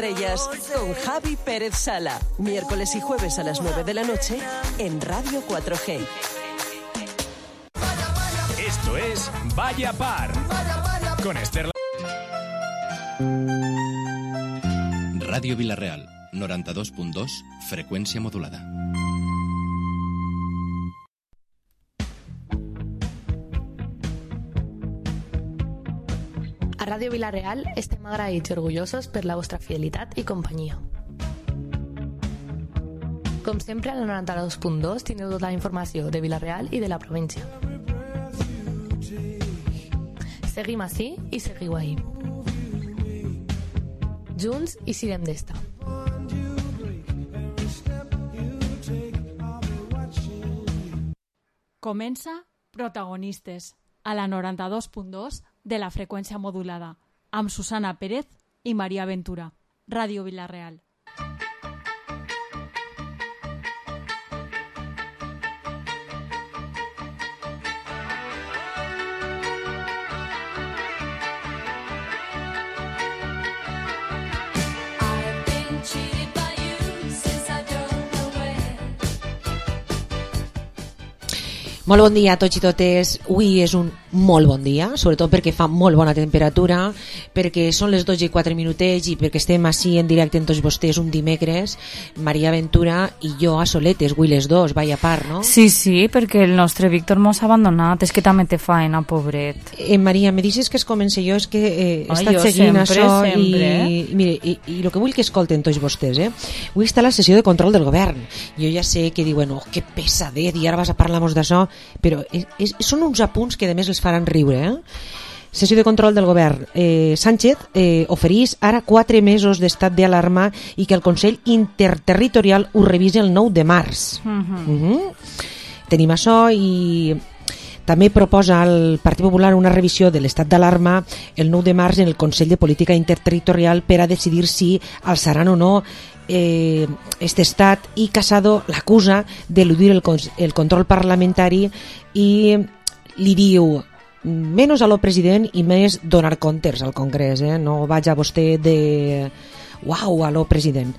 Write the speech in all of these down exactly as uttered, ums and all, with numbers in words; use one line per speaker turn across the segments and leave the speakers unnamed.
estrellas con Javi Pérez Sala. Miércoles y jueves a las nueve de la noche en Radio cuatro G.
Esto es Vaya Par con Esther.
Ràdio Vila-real, noranta-dos punt dos, freqüència modulada.
A Ràdio Vila-real estem agraïts i orgullosos per la vostra fidelitat i companyia. Com sempre, al noranta-dos punt dos teniu tota la informació de Vila-real i de la província. Seguim ací i seguiu ahí. Junts i sirem d'esta.
Comença Protagonistes, a la noranta-dos punt dos de la freqüència modulada, amb Susana Pérez i Maria Ventura. Ràdio Vila-real.
Molt bon dia a tots i totes. Avui és un molt bon dia, sobretot perquè fa molt bona temperatura, perquè són les dotze i quatre minutets i perquè estem així en directe amb tots vostès un dimecres, Maria Ventura i jo a soletes, avui les dos, vaya part, no?
Sí, sí, perquè el nostre Víctor mos ha abandonat, és que també té faena, pobret.
Eh, Maria, me dices que es comenci jo, és que eh, he
Ai,
estat
jo
seguint
sempre,
això
sempre.
i, i, mire, i, i el que vull que escolten tots vostès, eh? Avui està la sessió de control del govern. Jo ja sé que diuen, oh, que pesadet, i ara vas a parlar-nos d'això, però és, és, són uns apunts que a més els faran riure, eh? Sessió de control del govern. Eh, Sánchez eh, oferís ara quatre mesos d'estat d'alarma i que el Consell Interterritorial ho revisi el nou de març.
Uh-huh.
Uh-huh. Tenim això i també proposa el Partit Popular una revisió de l'estat d'alarma el nou de març en el Consell de Política Interterritorial per a decidir si alçaran o no eh, este estat, i Casado l'acusa d'eludir el, el control parlamentari i li diu menys a lo president i més donar comptes al Congrés, eh? No vaig a vostè de uau a lo president.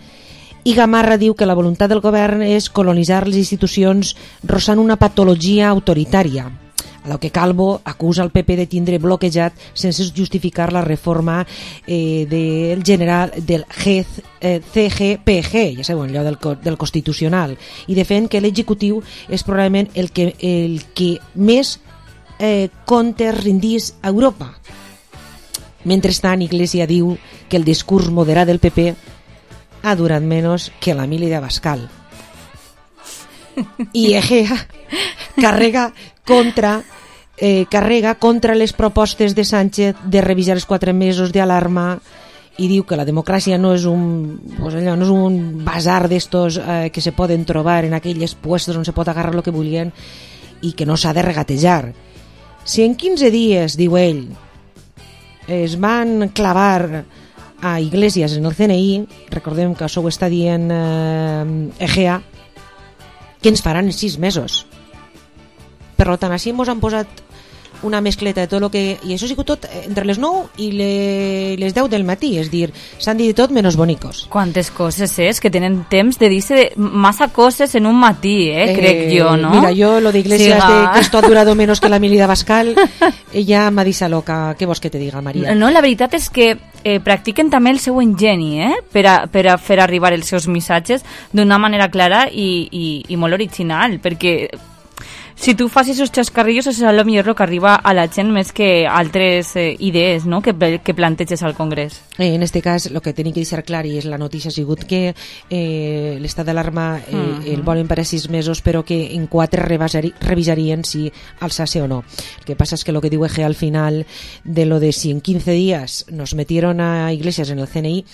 I Gamarra diu que la voluntat del govern és colonitzar les institucions rossant una patologia autoritària, a lo que Calvo acusa el P P de tindre bloquejat sense justificar la reforma eh, del general del G, eh, C G P G, ja sabeu, allò del, del Constitucional, i defèn que l'executiu és probablement el que, el que més eh, comptes rendís a Europa. Mentrestant, Iglesias diu que el discurs moderat del P P ha durat menys que la mili d'Abascal. I Egea carrega contra eh, carrega contra les propostes de Sánchez de revisar els quatre mesos d'alarma i diu que la democràcia no és un, pues allò, no és un bazar d'estos eh, que se poden trobar en aquells puestos on se pot agarrar el que vulguin i que no s'ha de regatejar. Si en quinze dies, diu ell, es van clavar a Iglesias en el C N I, recordem que això ho està dient eh, Egea, que ens faran en sis mesos. Per tant, així ens han posat una mescleta de tot el que... I això ha sigut tot entre les nou i le, les deu del matí, és dir, s'han dit tot menys bonicos.
Quantes coses és, que tenen temps de dir-se massa coses en un matí, eh, eh crec jo, no?
Mira, jo lo de Iglesias, sí, de que esto ha durado menos que la mili d'Abascal, ella m'ha dit loca, què vols que te diga, Maria?
No, la veritat és que eh, practiquen també el seu engeni, eh, per a, per a fer arribar els seus missatges d'una manera clara i, i, i molt original, perquè si tu fas aquests xascarrillos és el millor el que arriba a la gent més que altres eh, idees, no?, que, que planteges al Congrés.
Eh, en este cas, el que tenim que deixar clar, i és la notícia, ha sigut que eh, l'estat d'alarma eh, uh-huh. el volen per a sis mesos, però que en quatre revisari, revisarien si alçase o no. El que passa és que el que diu Egea al final de lo de si en quince días nos metieron a Iglesias en el C N I,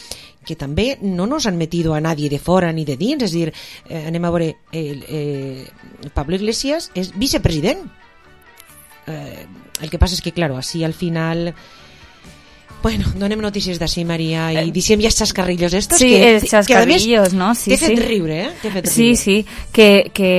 que també no nos han metido a nadie de fora ni de dins, és a dir, eh, anem a veure, eh, eh, Pablo Iglesias és vicepresident. Eh, el que passa és que, claro, així al final Bueno, donem notícies d'ací, Maria, i deixem ja els xascarrillos estos.
Sí,
que,
els xascarrillos, no? Sí,
t'he fet
sí.
riure, eh? T'he fet
Sí,
riure.
sí, que, que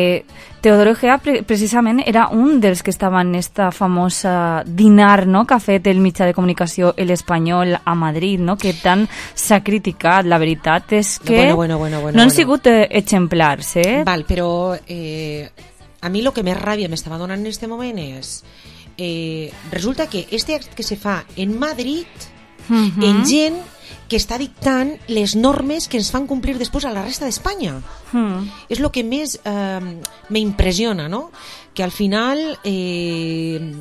Teodoro Egea pre precisament era un dels que estava en esta famosa dinar, no?, que ha fet el mitjà de comunicació El Espanyol a Madrid, no?, que tant s'ha criticat. La veritat és que
Bueno, bueno, bueno, bueno,
no han
bueno.
sigut eh, exemplars, eh?
Val, però eh, a mi el que més ràbia m'estava donant en este moment és eh, resulta que este acte que se fa en Madrid
Uh-huh.
en gent que està dictant les normes que ens fan complir després a la resta d'Espanya.
Mm.
És el que més eh, m'impressiona, no? Que al final eh,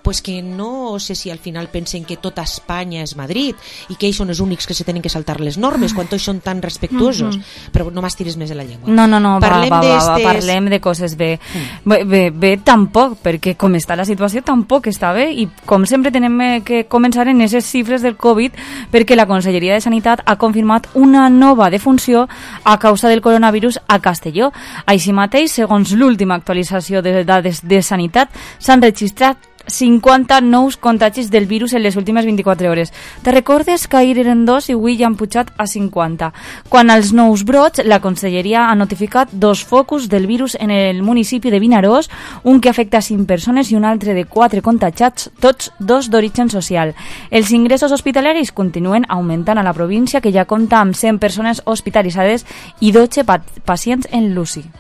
pues que no sé si al final pensen que tota Espanya és Madrid i que ells són els únics que se tenen que saltar les normes quan tots són tan respectuosos. Mm-hmm. Però no m'estiris més de la llengua.
No, no, no,
parlem
va, va, va, va,
d'estes...
parlem de coses bé.
Mm.
Bé, bé, bé tampoc, perquè com està la situació tampoc està bé i com sempre tenem que començar en aquestes xifres del Covid perquè la Conselleria de Sanitat ha confirmat una nova defunció a causa del coronavirus a Castelló. Així mateix, segons l'última actualització de dades de Sanitat, s'han registrat cinquanta nous contagis del virus en les últimes vint-i-quatre hores. Te recordes que ahir eren dos i avui ja han pujat a cinquanta. Quan als nous brots, la Conselleria ha notificat dos focus del virus en el municipi de Vinaròs, un que afecta a cinc persones i un altre de quatre contagiats, tots dos d'origen social. Els ingressos hospitalaris continuen augmentant a la província, que ja compta amb cent persones hospitalitzades i dotze pa pacients en l'U C I.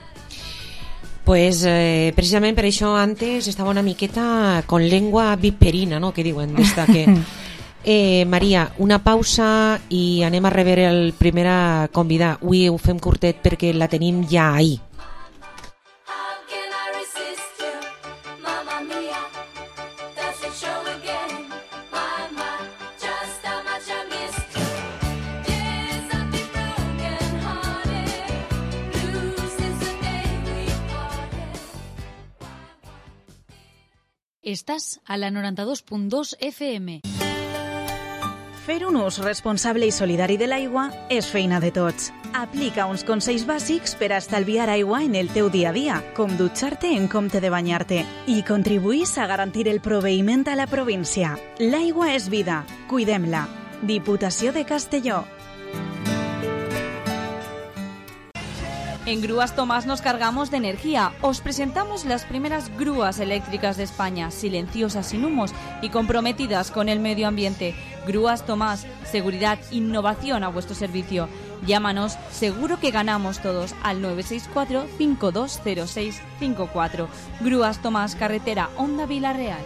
Pues eh, precisament per això antes estava una miqueta con lengua viperina, no?, que diuen d'esta que... Eh, Maria, una pausa i anem a rebre el primer convidat. Avui ho fem curtet perquè la tenim ja ahí.
Estàs a la noranta-dos punt dos F M.
Fer un ús responsable i solidari de l'aigua és feina de tots. Aplica uns consells bàsics per a estalviar aigua en el teu dia a dia, com dutxar-te en compte de banyar-te, i contribuís a garantir el proveïment a la província. L'aigua és vida, cuidem-la. Diputació de Castelló.
En Grúas Tomás nos cargamos de energía. Os presentamos las primeras grúas eléctricas de España, silenciosas, sin humos y comprometidas con el medio ambiente. Grúas Tomás, seguridad, innovación a vuestro servicio. Llámanos, seguro que ganamos todos, al nueve seis cuatro, cinco dos cero seis cinco cuatro. Grúas Tomás, carretera Honda Vila-Real.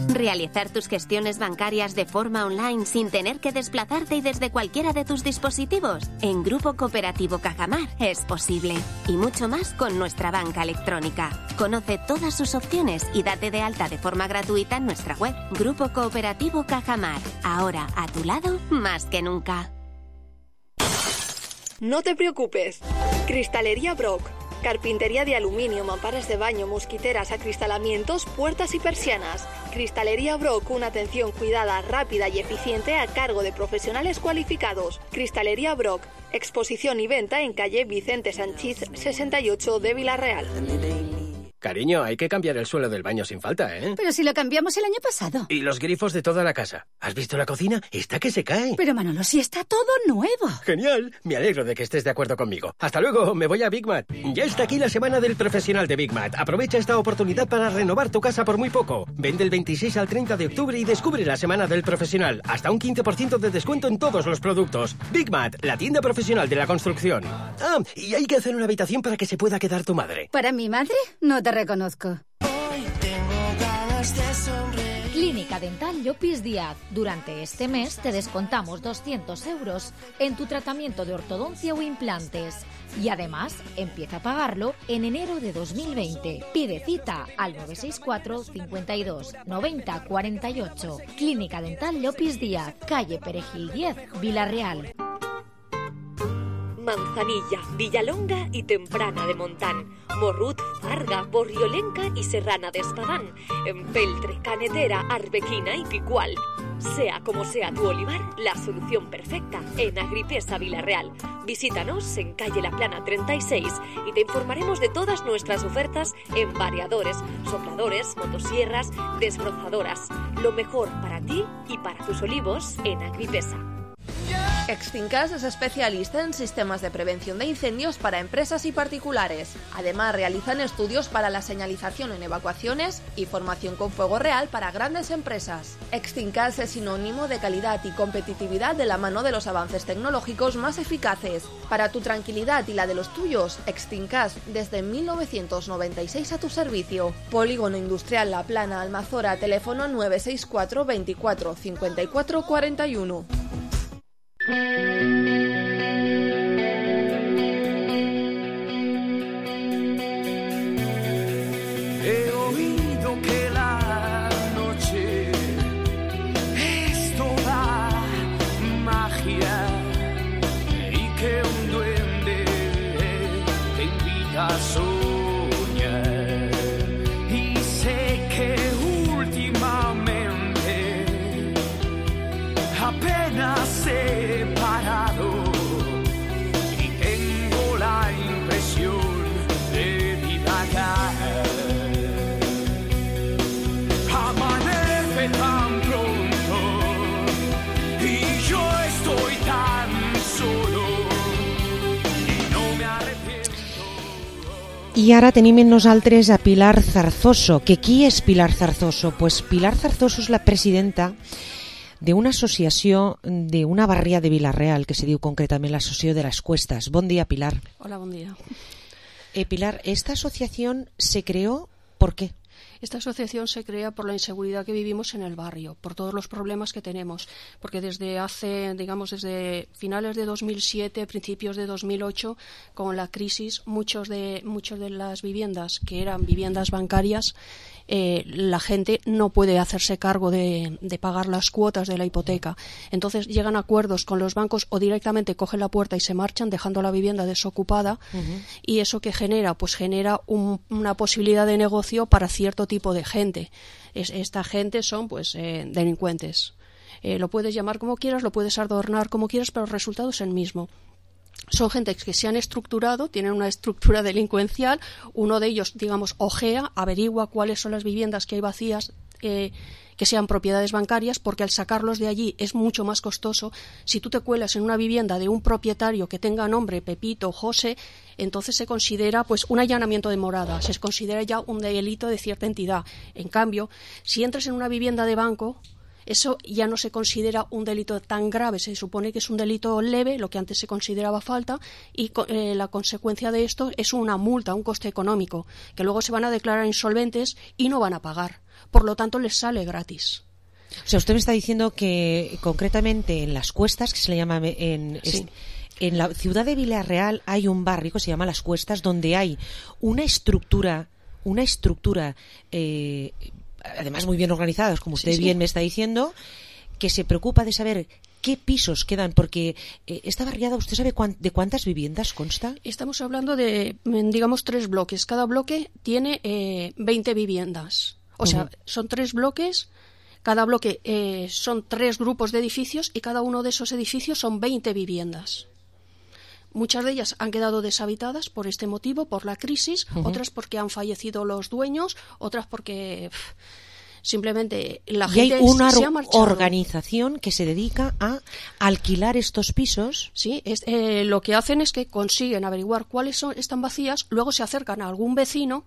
Realizar tus gestiones bancarias de forma online sin tener que desplazarte y desde cualquiera de tus dispositivos. En Grupo Cooperativo Cajamar es posible. Y mucho más con nuestra banca electrónica. Conoce todas sus opciones y date de alta de forma gratuita en nuestra web. Grupo Cooperativo Cajamar. Ahora a tu lado más que nunca.
No te preocupes. Cristalería Brock. Carpintería de aluminio, mamparas de baño, mosquiteras, acristalamientos, puertas y persianas. Cristalería Brock, una atención cuidada, rápida y eficiente a cargo de profesionales cualificados. Cristalería Brock, exposición y venta en calle Vicente Sanchís sesenta y ocho de Vila-Real.
Cariño, hay que cambiar el suelo del baño sin falta, ¿eh?
Pero si lo cambiamos el año pasado.
Y los grifos de toda la casa. ¿Has visto la cocina? Está que se cae.
Pero Manolo, si está todo nuevo.
Genial. Me alegro de que estés de acuerdo conmigo. Hasta luego, me voy a Big Mat. Ya está aquí la semana del profesional de Big Mat. Aprovecha esta oportunidad para renovar tu casa por muy poco. Vende el veintiséis al treinta de octubre y descubre la semana del profesional. Hasta un quince por ciento de descuento en todos los productos. Big Mat, la tienda profesional de la construcción. Ah, y hay que hacer una habitación para que se pueda quedar tu madre.
¿Para mi madre? No te reconozco.
Clínica Dental Llopis Díaz. Durante este mes te descontamos doscientos euros en tu tratamiento de ortodoncia o implantes. Y además, empieza a pagarlo en enero de dos mil veinte. Pide cita al nueve seis cuatro, cincuenta y dos, noventa, cuarenta y ocho. Clínica Dental Llopis Díaz, calle Perejil diez, Vila-Real.
Manzanilla, Villalonga y Temprana de Montán, Morrut, Farga, Borriolenca y Serrana de Espadán, Empeltre, Canetera, Arbequina y Picual. Sea como sea tu olivar, la solución perfecta en Agripesa Vilarreal. Visítanos en calle La Plana treinta y seis y te informaremos de todas nuestras ofertas en variadores, sopladores, motosierras, desbrozadoras. Lo mejor para ti y para tus olivos en Agripesa.
Extincas es especialista en sistemas de prevención de incendios para empresas y particulares. Además, realizan estudios para la señalización en evacuaciones y formación con fuego real para grandes empresas. Extincas es sinónimo de calidad y competitividad de la mano de los avances tecnológicos más eficaces. Para tu tranquilidad y la de los tuyos, Extincas desde mil novecientos noventa y seis a tu servicio. Polígono Industrial La Plana, Almazora, teléfono nueve seis cuatro veinticuatro cincuenta y cuatro cuarenta y uno.
He oído que la noche es toda magia y que un duende te invita a soñar. Y sé que últimamente apenas he parado y tengo la impresión de divagar. Amanece tan pronto y yo estoy tan solo y no me arrepiento.
I ara tenim en nosaltres a Pilar Zarzoso. Que qui és Pilar Zarzoso? Pues Pilar Zarzoso és la presidenta d'una associació d'una barria de Vila-real que se diu concretament l'Associació de las Cuestas. Bon día, Pilar.
Hola, buen día.
Eh, Pilar, ¿esta asociación se creó por qué?
Esta asociación se crea por la inseguridad que vivimos en el barrio, por todos los problemas que tenemos, porque desde hace, digamos, desde finales de dos mil siete, principios de dos mil ocho, con la crisis, muchos de, muchos de las viviendas que eran viviendas bancarias, eh, la gente no puede hacerse cargo de, de pagar las cuotas de la hipoteca. Entonces llegan a acuerdos con los bancos o directamente cogen la puerta y se marchan dejando la vivienda desocupada. Uh-huh. Y eso que genera, pues genera un, una posibilidad de negocio para cierto tipo de gente. Es, esta gente son pues eh, delincuentes. Eh, lo puedes llamar como quieras, lo puedes adornar como quieras, pero el resultado es el mismo. Son gente que se han estructurado, tienen una estructura delincuencial. Uno de ellos, digamos, ojea, averigua cuáles son las viviendas que hay vacías, eh, que sean propiedades bancarias, porque al sacarlos de allí es mucho más costoso. Si tú te cuelas en una vivienda de un propietario que tenga nombre Pepito, José, entonces se considera pues un allanamiento de morada, se considera ya un delito de cierta entidad. En cambio, si entras en una vivienda de banco, eso ya no se considera un delito tan grave, se supone que es un delito leve, lo que antes se consideraba falta, y eh, la consecuencia de esto es una multa, un coste económico, que luego se van a declarar insolventes y no van a pagar. Por lo tanto, les sale gratis.
O sea, usted me está diciendo que concretamente en Las Cuestas, que se le llama en...
Sí.
En la ciudad de Vila-real hay un barrio que se llama Las Cuestas, donde hay una estructura, una estructura... Eh, además muy bien organizados, como usted sí, sí. bien me está diciendo, que se preocupa de saber qué pisos quedan, porque eh, esta barriada, ¿usted sabe cuán, de cuántas viviendas consta?
Estamos hablando de, digamos, tres bloques. Cada bloque tiene eh, veinte viviendas. O uh-huh. sea, son tres bloques, cada bloque eh, son tres grupos de edificios y cada uno de esos edificios son veinte viviendas. Muchas de ellas han quedado deshabitadas por este motivo, por la crisis, uh-huh. otras porque han fallecido los dueños, otras porque pff, simplemente la
y
gente
hay una
se ha marchado.
Organización que se dedica a alquilar estos pisos.
Sí, es, eh, lo que hacen es que consiguen averiguar cuáles son, están vacías, luego se acercan a algún vecino,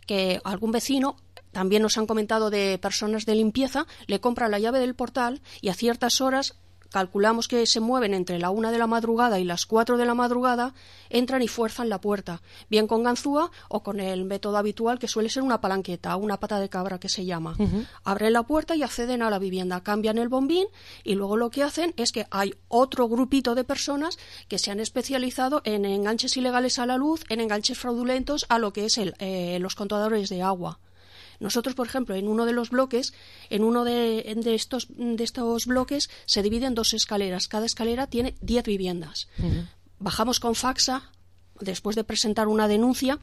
que algún vecino... También nos han comentado de personas de limpieza, le compran la llave del portal y a ciertas horas... Calculamos que se mueven entre la una de la madrugada y las cuatro de la madrugada, entran y fuerzan la puerta, bien con ganzúa o con el método habitual que suele ser una palanqueta, una pata de cabra que se llama. Uh-huh. Abren la puerta y acceden a la vivienda, cambian el bombín y luego lo que hacen es que hay otro grupito de personas que se han especializado en enganches ilegales a la luz, en enganches fraudulentos a lo que es el, eh, los contadores de agua. Nosotros, por ejemplo, en uno de los bloques, en uno de, de, estos, de estos bloques se divide en dos escaleras. Cada escalera tiene diez viviendas. Uh-huh. Bajamos con faxa, después de presentar una denuncia,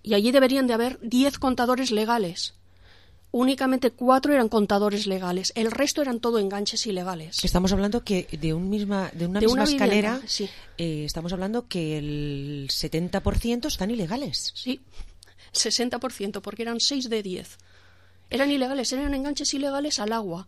y allí deberían de haber diez contadores legales. únicamente cuatro eran contadores legales, el resto eran todo enganches ilegales.
Estamos hablando que de, un misma, de una
de
misma
una
escalera,
vivienda, sí.
eh, estamos hablando que el setenta por ciento están ilegales.
Sí, sesenta por ciento, porque eran seis de diez. Eran ilegales, eran enganches ilegales al agua.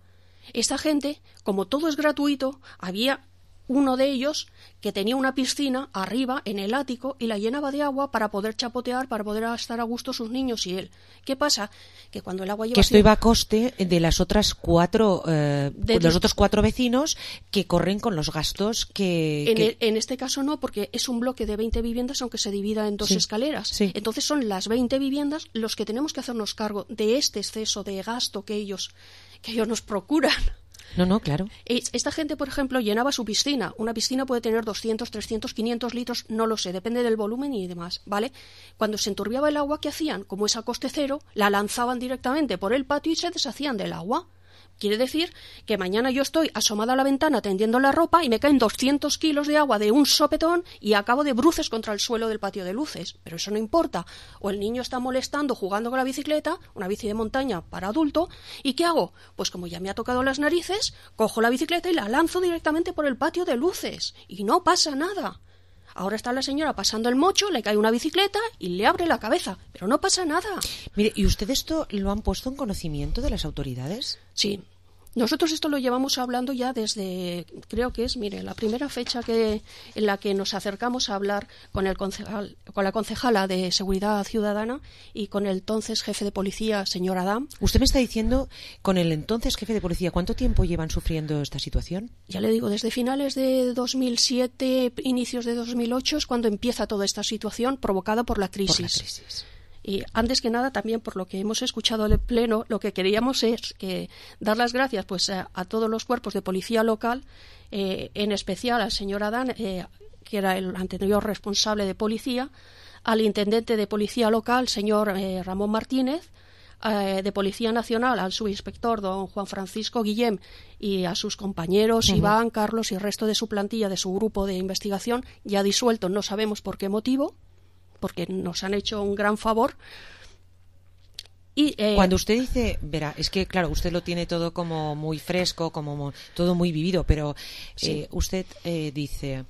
Esta gente, como todo es gratuito, había uno de ellos que tenía una piscina arriba en el ático y la llenaba de agua para poder chapotear, para poder estar a gusto sus niños y él. ¿Qué pasa? Que cuando el agua lleva...
Que esto iba a coste de las otras cuatro, eh, de los otros cuatro vecinos que corren con los gastos que...
En,
que...
El, en este caso no, porque es un bloque de veinte viviendas aunque se divida en dos
sí,
escaleras.
Sí.
Entonces son las veinte viviendas los que tenemos que hacernos cargo de este exceso de gasto que ellos, que ellos nos procuran.
No, no, claro.
Esta gente, por ejemplo, llenaba su piscina. Una piscina puede tener doscientos, trescientos, quinientos litros, no lo sé, depende del volumen y demás, ¿vale? Cuando se enturbiaba el agua, ¿qué hacían? Como es a coste cero, la lanzaban directamente por el patio y se deshacían del agua. Quiere decir que mañana yo estoy asomada a la ventana tendiendo la ropa y me caen doscientos kilos de agua de un sopetón y acabo de bruces contra el suelo del patio de luces. Pero eso no importa. O el niño está molestando jugando con la bicicleta, una bici de montaña para adulto, ¿y qué hago? Pues como ya me ha tocado las narices, cojo la bicicleta y la lanzo directamente por el patio de luces. Y no pasa nada. Ahora está la señora pasando el mocho, le cae una bicicleta y le abre la cabeza, pero no pasa nada.
Mire, ¿y usted esto lo han puesto en conocimiento de las autoridades?
Sí. Nosotros esto lo llevamos hablando ya desde, creo que es, mire, la primera fecha que en la que nos acercamos a hablar con el concejal, con la concejala de Seguridad Ciudadana y con el entonces jefe de policía, señor Adam.
Usted me está diciendo, con el entonces jefe de policía, ¿cuánto tiempo llevan sufriendo esta situación?
Ya le digo, desde finales de dos mil siete, inicios de dos mil ocho es cuando empieza toda esta situación provocada por la crisis.
Por la crisis.
Y antes que nada, también por lo que hemos escuchado en el Pleno, lo que queríamos es que dar las gracias pues a, a todos los cuerpos de policía local, eh, en especial al señor Adán, eh, que era el anterior responsable de policía, al intendente de policía local, señor eh, Ramón Martínez, eh, de Policía Nacional, al subinspector don Juan Francisco Guillem y a sus compañeros uh-huh. Iván, Carlos y el resto de su plantilla, de su grupo de investigación, ya disuelto, no sabemos por qué motivo, porque nos han hecho un gran favor. Y, eh,
Cuando usted dice, verá, es que claro, usted lo tiene todo como muy fresco, como muy, todo muy vivido, pero
sí.
eh, usted eh, dice,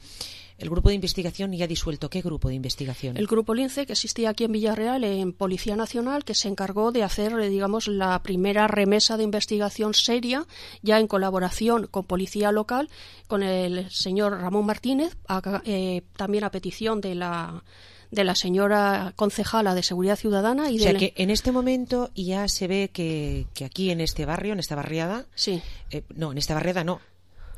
el grupo de investigación ya disuelto. ¿Qué grupo de investigación?
El grupo Lince, que existía aquí en Villarreal, en Policía Nacional, que se encargó de hacer, digamos, la primera remesa de investigación seria, ya en colaboración con Policía Local, con el señor Ramón Martínez, a, eh, también a petición de la de la señora concejala de Seguridad Ciudadana. Y
o sea
de...
que en este momento ya se ve que, que aquí en este barrio, en esta barriada,
sí.
eh, no, en esta barriada no,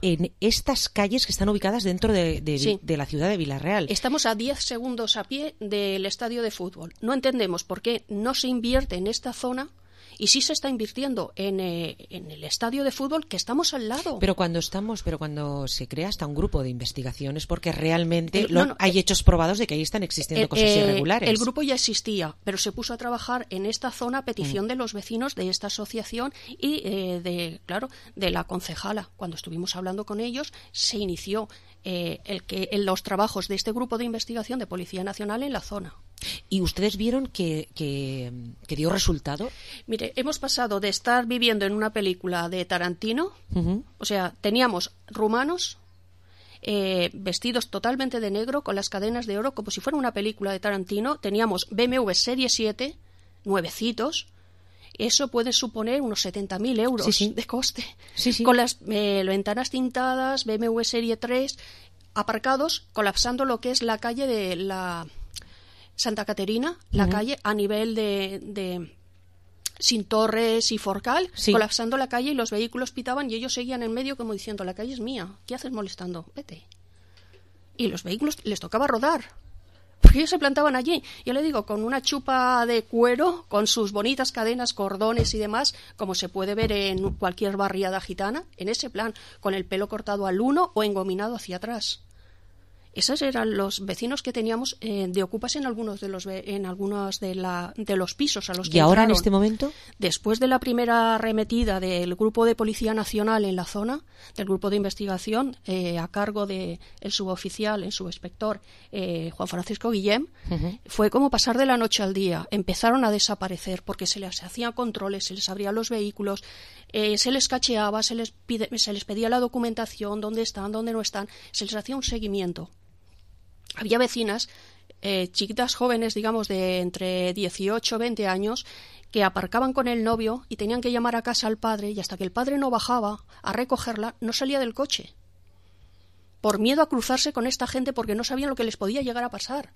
en estas calles que están ubicadas dentro de, de,
sí.
de la ciudad de Villarreal.
Estamos a diez segundos a pie del estadio de fútbol. No entendemos por qué no se invierte en esta zona. Y sí se está invirtiendo en, eh, en el estadio de fútbol, que estamos al lado.
Pero cuando estamos, pero cuando se crea hasta un grupo de investigación es porque realmente
el,
lo,
no, no,
hay
eh,
hechos probados de que ahí están existiendo
eh,
cosas
eh,
irregulares.
El grupo ya existía, pero se puso a trabajar en esta zona a petición mm. de los vecinos de esta asociación y eh, de, claro, de la concejala. Cuando estuvimos hablando con ellos, se inició eh, el que en los trabajos de este grupo de investigación de Policía Nacional en la zona.
¿Y ustedes vieron que, que, que dio resultado?
Mire, hemos pasado de estar viviendo en una película de Tarantino, uh-huh. o sea, teníamos rumanos eh, vestidos totalmente de negro con las cadenas de oro como si fuera una película de Tarantino, teníamos B M W Serie siete, nuevecitos, eso puede suponer unos setenta mil euros
sí, sí.
de coste,
sí, sí.
con las eh, ventanas tintadas, B M W Serie tres, aparcados, colapsando lo que es la calle de la... Santa Caterina, la uh-huh. calle a nivel de, de Sin Torres y Forcal, sí. colapsando la calle y los vehículos pitaban y ellos seguían en medio como diciendo, la calle es mía, ¿qué haces molestando? Vete. Y los vehículos les tocaba rodar, porque ellos se plantaban allí, yo le digo, con una chupa de cuero, con sus bonitas cadenas, cordones y demás, como se puede ver en cualquier barriada gitana, en ese plan, con el pelo cortado al uno o engominado hacia atrás. Esos eran los vecinos que teníamos eh, de ocupas en algunos de los en algunos de, la, de los pisos a los que
¿Y ahora
entraron.
en este momento?
Después de la primera arremetida del grupo de Policía Nacional en la zona, del grupo de investigación eh, a cargo del suboficial, el subinspector eh, Juan Francisco Guillem, uh-huh. fue como pasar de la noche al día. Empezaron a desaparecer porque se les hacían controles, se les abrían los vehículos, eh, se les cacheaba, se les, pide, se les pedía la documentación, dónde están, dónde no están, se les hacía un seguimiento. Había vecinas, eh, chiquitas jóvenes, digamos, de entre dieciocho y veinte años, que aparcaban con el novio y tenían que llamar a casa al padre, y hasta que el padre no bajaba a recogerla, no salía del coche. Por miedo a cruzarse con esta gente porque no sabían lo que les podía llegar a pasar.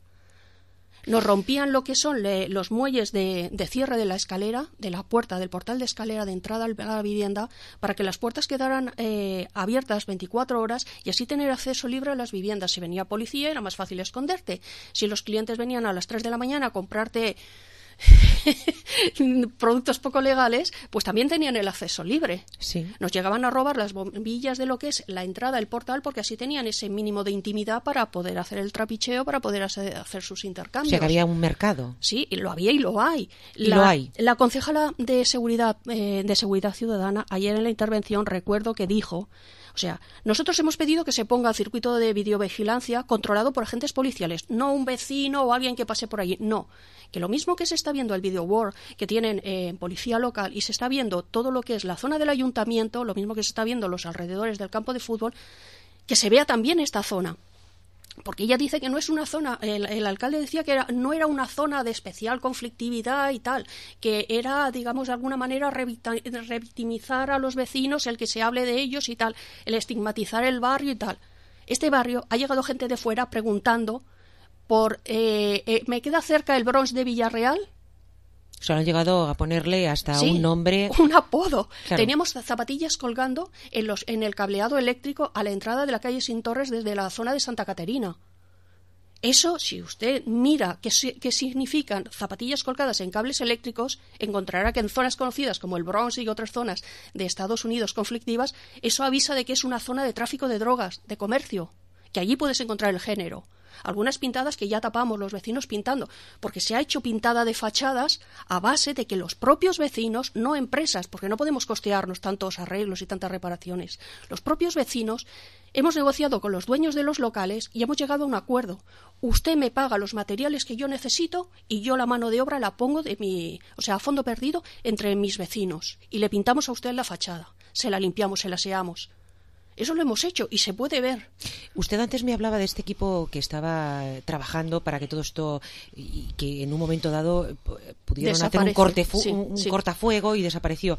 Nos rompían lo que son le, los muelles de, de cierre de la escalera, de la puerta, del portal de escalera de entrada a la vivienda, para que las puertas quedaran eh, abiertas veinticuatro horas y así tener acceso libre a las viviendas. Si venía policía era más fácil esconderte. Si los clientes venían a las tres de la mañana a comprarte productos poco legales, pues también tenían el acceso libre.
Sí.
Nos llegaban a robar las bombillas de lo que es la entrada, el portal, porque así tenían ese mínimo de intimidad para poder hacer el trapicheo, para poder hacer, hacer sus intercambios.
O sea, que había un mercado.
Sí, y lo había y lo hay.
Y
la,
lo hay.
La concejala de seguridad, eh, de seguridad ciudadana, ayer en la intervención, recuerdo que dijo, o sea, nosotros hemos pedido que se ponga el circuito de videovigilancia controlado por agentes policiales, no un vecino o alguien que pase por allí, no. Que lo mismo que se está viendo el video war que tienen eh, en policía local y se está viendo todo lo que es la zona del ayuntamiento, lo mismo que se está viendo los alrededores del campo de fútbol, que se vea también esta zona. Porque ella dice que no es una zona, el, el alcalde decía que era, no era una zona de especial conflictividad y tal, que era, digamos, de alguna manera revictimizar a los vecinos, el que se hable de ellos y tal, el estigmatizar el barrio y tal. Este barrio ha llegado gente de fuera preguntando por, eh, eh, ¿me queda cerca el Bronx de Villarreal?
O sea, han llegado a ponerle hasta
sí,
un nombre...
un apodo.
Claro.
Teníamos zapatillas colgando en, los, en el cableado eléctrico a la entrada de la calle Sin Torres desde la zona de Santa Caterina. Eso, si usted mira qué, qué significan zapatillas colgadas en cables eléctricos, encontrará que en zonas conocidas como el Bronx y otras zonas de Estados Unidos conflictivas, eso avisa de que es una zona de tráfico de drogas, de comercio, que allí puedes encontrar el género. Algunas pintadas que ya tapamos los vecinos pintando, porque se ha hecho pintada de fachadas a base de que los propios vecinos, no empresas, porque no podemos costearnos tantos arreglos y tantas reparaciones, los propios vecinos hemos negociado con los dueños de los locales y hemos llegado a un acuerdo. Usted me paga los materiales que yo necesito y yo la mano de obra la pongo de mi, o sea, a fondo perdido entre mis vecinos y le pintamos a usted la fachada, se la limpiamos, se la aseamos. Eso lo hemos hecho y se puede ver.
Usted antes me hablaba de este equipo que estaba trabajando para que todo esto, y que en un momento dado pudieron
Desaparece.
hacer un, corte fu-
sí,
un
sí.
cortafuego y desapareció.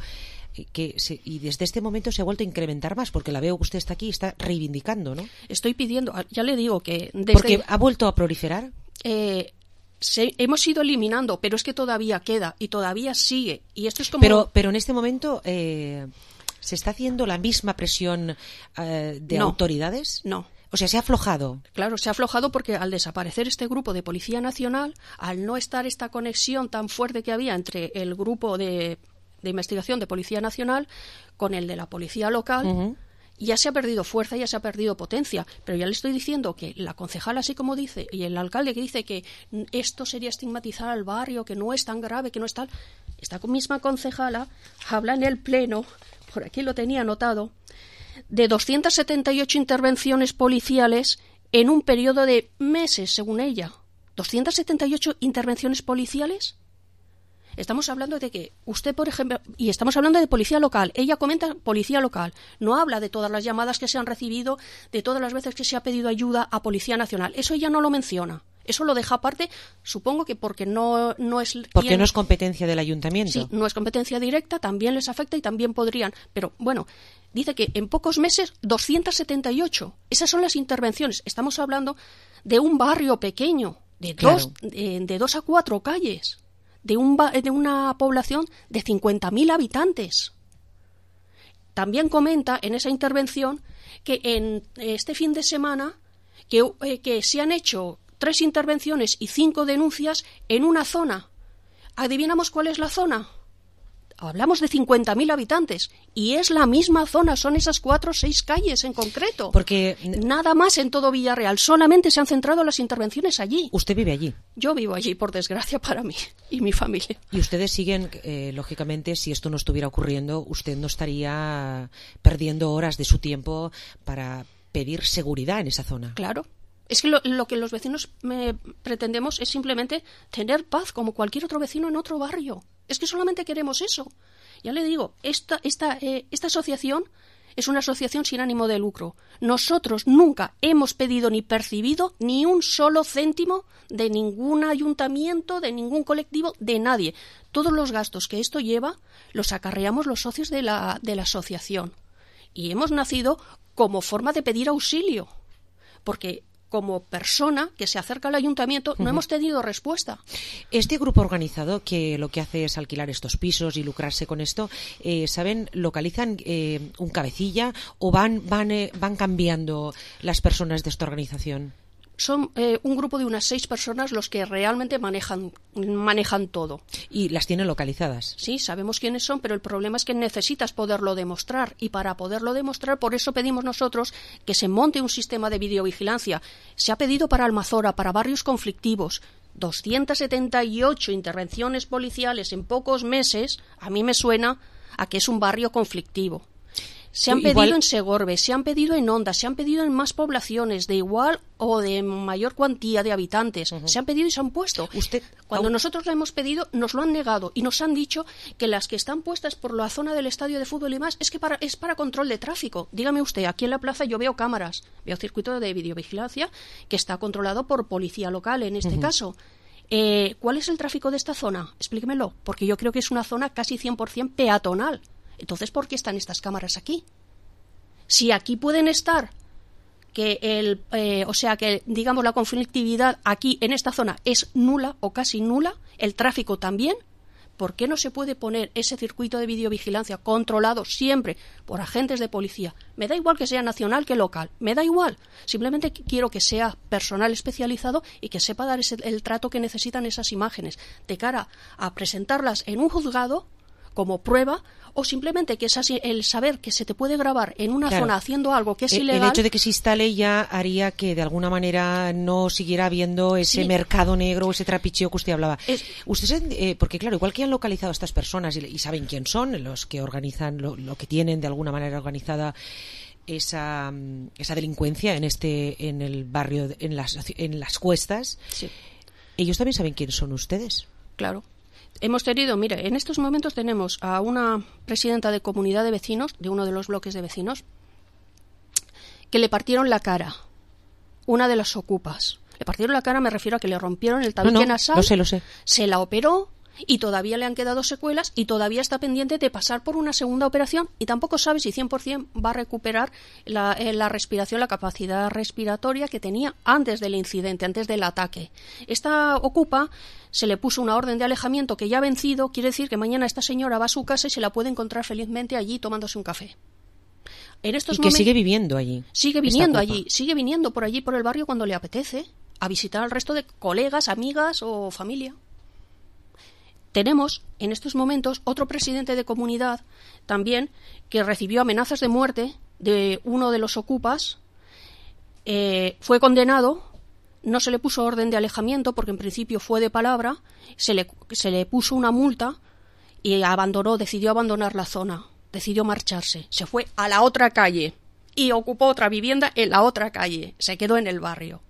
Que se, y desde este momento se ha vuelto a incrementar más, porque la veo que usted está aquí y está reivindicando, ¿no?
Estoy pidiendo, ya le digo que... Desde,
porque ha vuelto a proliferar.
Eh, se, hemos ido eliminando, pero es que todavía queda y todavía sigue. Y esto es como...
Pero, pero en este momento... Eh, ¿se está haciendo la misma presión eh, de
no,
autoridades?
No.
O sea, ¿se ha aflojado?
Claro, se ha aflojado porque al desaparecer este grupo de Policía Nacional, al no estar esta conexión tan fuerte que había entre el grupo de, de investigación de Policía Nacional con el de la Policía Local, uh-huh. ya se ha perdido fuerza, ya se ha perdido potencia. Pero ya le estoy diciendo que la concejala, así como dice, y el alcalde que dice que esto sería estigmatizar al barrio, que no es tan grave, que no es tal... Esta misma concejala habla en el pleno... por aquí lo tenía anotado, de doscientas setenta y ocho intervenciones policiales en un periodo de meses, según ella. ¿doscientas setenta y ocho intervenciones policiales? Estamos hablando de que usted, por ejemplo, y estamos hablando de policía local, ella comenta policía local, no habla de todas las llamadas que se han recibido, de todas las veces que se ha pedido ayuda a Policía Nacional. Eso ella no lo menciona. Eso lo deja aparte, supongo que porque no, no es...
Porque
quien...
no es competencia del ayuntamiento.
Sí, no es competencia directa, también les afecta y también podrían. Pero, bueno, dice que en pocos meses, doscientas setenta y ocho. Esas son las intervenciones. Estamos hablando de un barrio pequeño, de, claro. dos, de, de dos a cuatro calles, de, un, de una población de cincuenta mil habitantes. También comenta en esa intervención que en este fin de semana que, eh, que se han hecho... tres intervenciones y cinco denuncias en una zona. ¿Adivinamos cuál es la zona? hablamos de cincuenta mil habitantes y es la misma zona, son esas cuatro o seis calles en concreto.
Porque
nada más en todo Villarreal, solamente se han centrado las intervenciones allí.
¿Usted vive allí?
Yo vivo allí, por desgracia para mí y mi familia.
Y ustedes siguen, eh, lógicamente, si esto no estuviera ocurriendo, usted no estaría perdiendo horas de su tiempo para pedir seguridad en esa zona.
Claro. Es que lo, lo que los vecinos me pretendemos es simplemente tener paz como cualquier otro vecino en otro barrio. Es que solamente queremos eso. Ya le digo, esta, esta, eh, esta asociación es una asociación sin ánimo de lucro. Nosotros nunca hemos pedido ni percibido ni un solo céntimo de ningún ayuntamiento, de ningún colectivo, de nadie. Todos los gastos que esto lleva los acarreamos los socios de la, de la asociación. Y hemos nacido como forma de pedir auxilio. Porque como persona que se acerca al ayuntamiento, no uh-huh. hemos tenido respuesta.
Este grupo organizado que lo que hace es alquilar estos pisos y lucrarse con esto, eh, ¿saben? ¿Localizan eh, un cabecilla o van, van, eh, van cambiando las personas de esta organización?
Son eh, un grupo de unas seis personas los que realmente manejan, manejan todo.
¿Y las tienen localizadas?
Sí, sabemos quiénes son, pero el problema es que necesitas poderlo demostrar. Y para poderlo demostrar, por eso pedimos nosotros que se monte un sistema de videovigilancia. Se ha pedido para Almazora, para barrios conflictivos. doscientas setenta y ocho intervenciones policiales en pocos meses, a mí me suena a que es un barrio conflictivo. Se han
Igual...
pedido en Segorbe, se han pedido en Onda, se han pedido en más poblaciones de igual o de mayor cuantía de habitantes. Uh-huh. Se han pedido y se han puesto.
Usted...
Cuando nosotros lo hemos pedido, nos lo han negado y nos han dicho que las que están puestas por la zona del estadio de fútbol y más es que para, es para control de tráfico. Dígame usted, aquí en la plaza yo veo cámaras, veo circuito de videovigilancia que está controlado por policía local en este uh-huh. caso. Eh, ¿Cuál es el tráfico de esta zona? Explíquemelo, porque yo creo que es una zona casi cien por ciento peatonal. Entonces, ¿por qué están estas cámaras aquí? Si aquí pueden estar, que el, eh, o sea, que digamos la conflictividad aquí en esta zona es nula o casi nula, el tráfico también, ¿por qué no se puede poner ese circuito de videovigilancia controlado siempre por agentes de policía? Me da igual que sea nacional que local, me da igual. Simplemente quiero que sea personal especializado y que sepa dar ese, el trato que necesitan esas imágenes de cara a presentarlas en un juzgado como prueba, o simplemente que es así, el saber que se te puede grabar en una
claro.
zona haciendo algo que es
el,
ilegal.
El hecho de que se instale ya haría que de alguna manera no siguiera habiendo ese
sí.
mercado negro, ese trapicheo que usted hablaba.
Es...
Usted, eh, porque claro, igual que han localizado a estas personas y, y saben quién son, los que organizan, lo, lo que tienen de alguna manera organizada esa, esa delincuencia en este, en el barrio, en las, en las cuestas,
sí.
ellos también saben quiénes son ustedes.
Claro. Hemos tenido, mire, en estos momentos tenemos a una presidenta de comunidad de vecinos, de uno de los bloques de vecinos, que le partieron la cara, una de las ocupas. Le partieron la cara, me refiero a que le rompieron el tabique
no, no,
nasal,
lo sé, lo sé.
Se la operó y todavía le han quedado secuelas y todavía está pendiente de pasar por una segunda operación y tampoco sabe si cien por ciento va a recuperar la, eh, la respiración, la capacidad respiratoria que tenía antes del incidente, antes del ataque. Esta ocupa se le puso una orden de alejamiento que ya ha vencido, quiere decir que mañana esta señora va a su casa y se la puede encontrar felizmente allí tomándose un café. En estos
y que
momentos,
sigue viviendo allí.
Sigue viniendo allí, sigue viniendo por allí, por el barrio cuando le apetece, a visitar al resto de colegas, amigas o familia. Tenemos en estos momentos otro presidente de comunidad también que recibió amenazas de muerte de uno de los ocupas, eh, fue condenado, no se le puso orden de alejamiento porque en principio fue de palabra, se le, se le puso una multa y abandonó, decidió abandonar la zona, decidió marcharse, se fue a la otra calle y ocupó otra vivienda en la otra calle, se quedó en el barrio.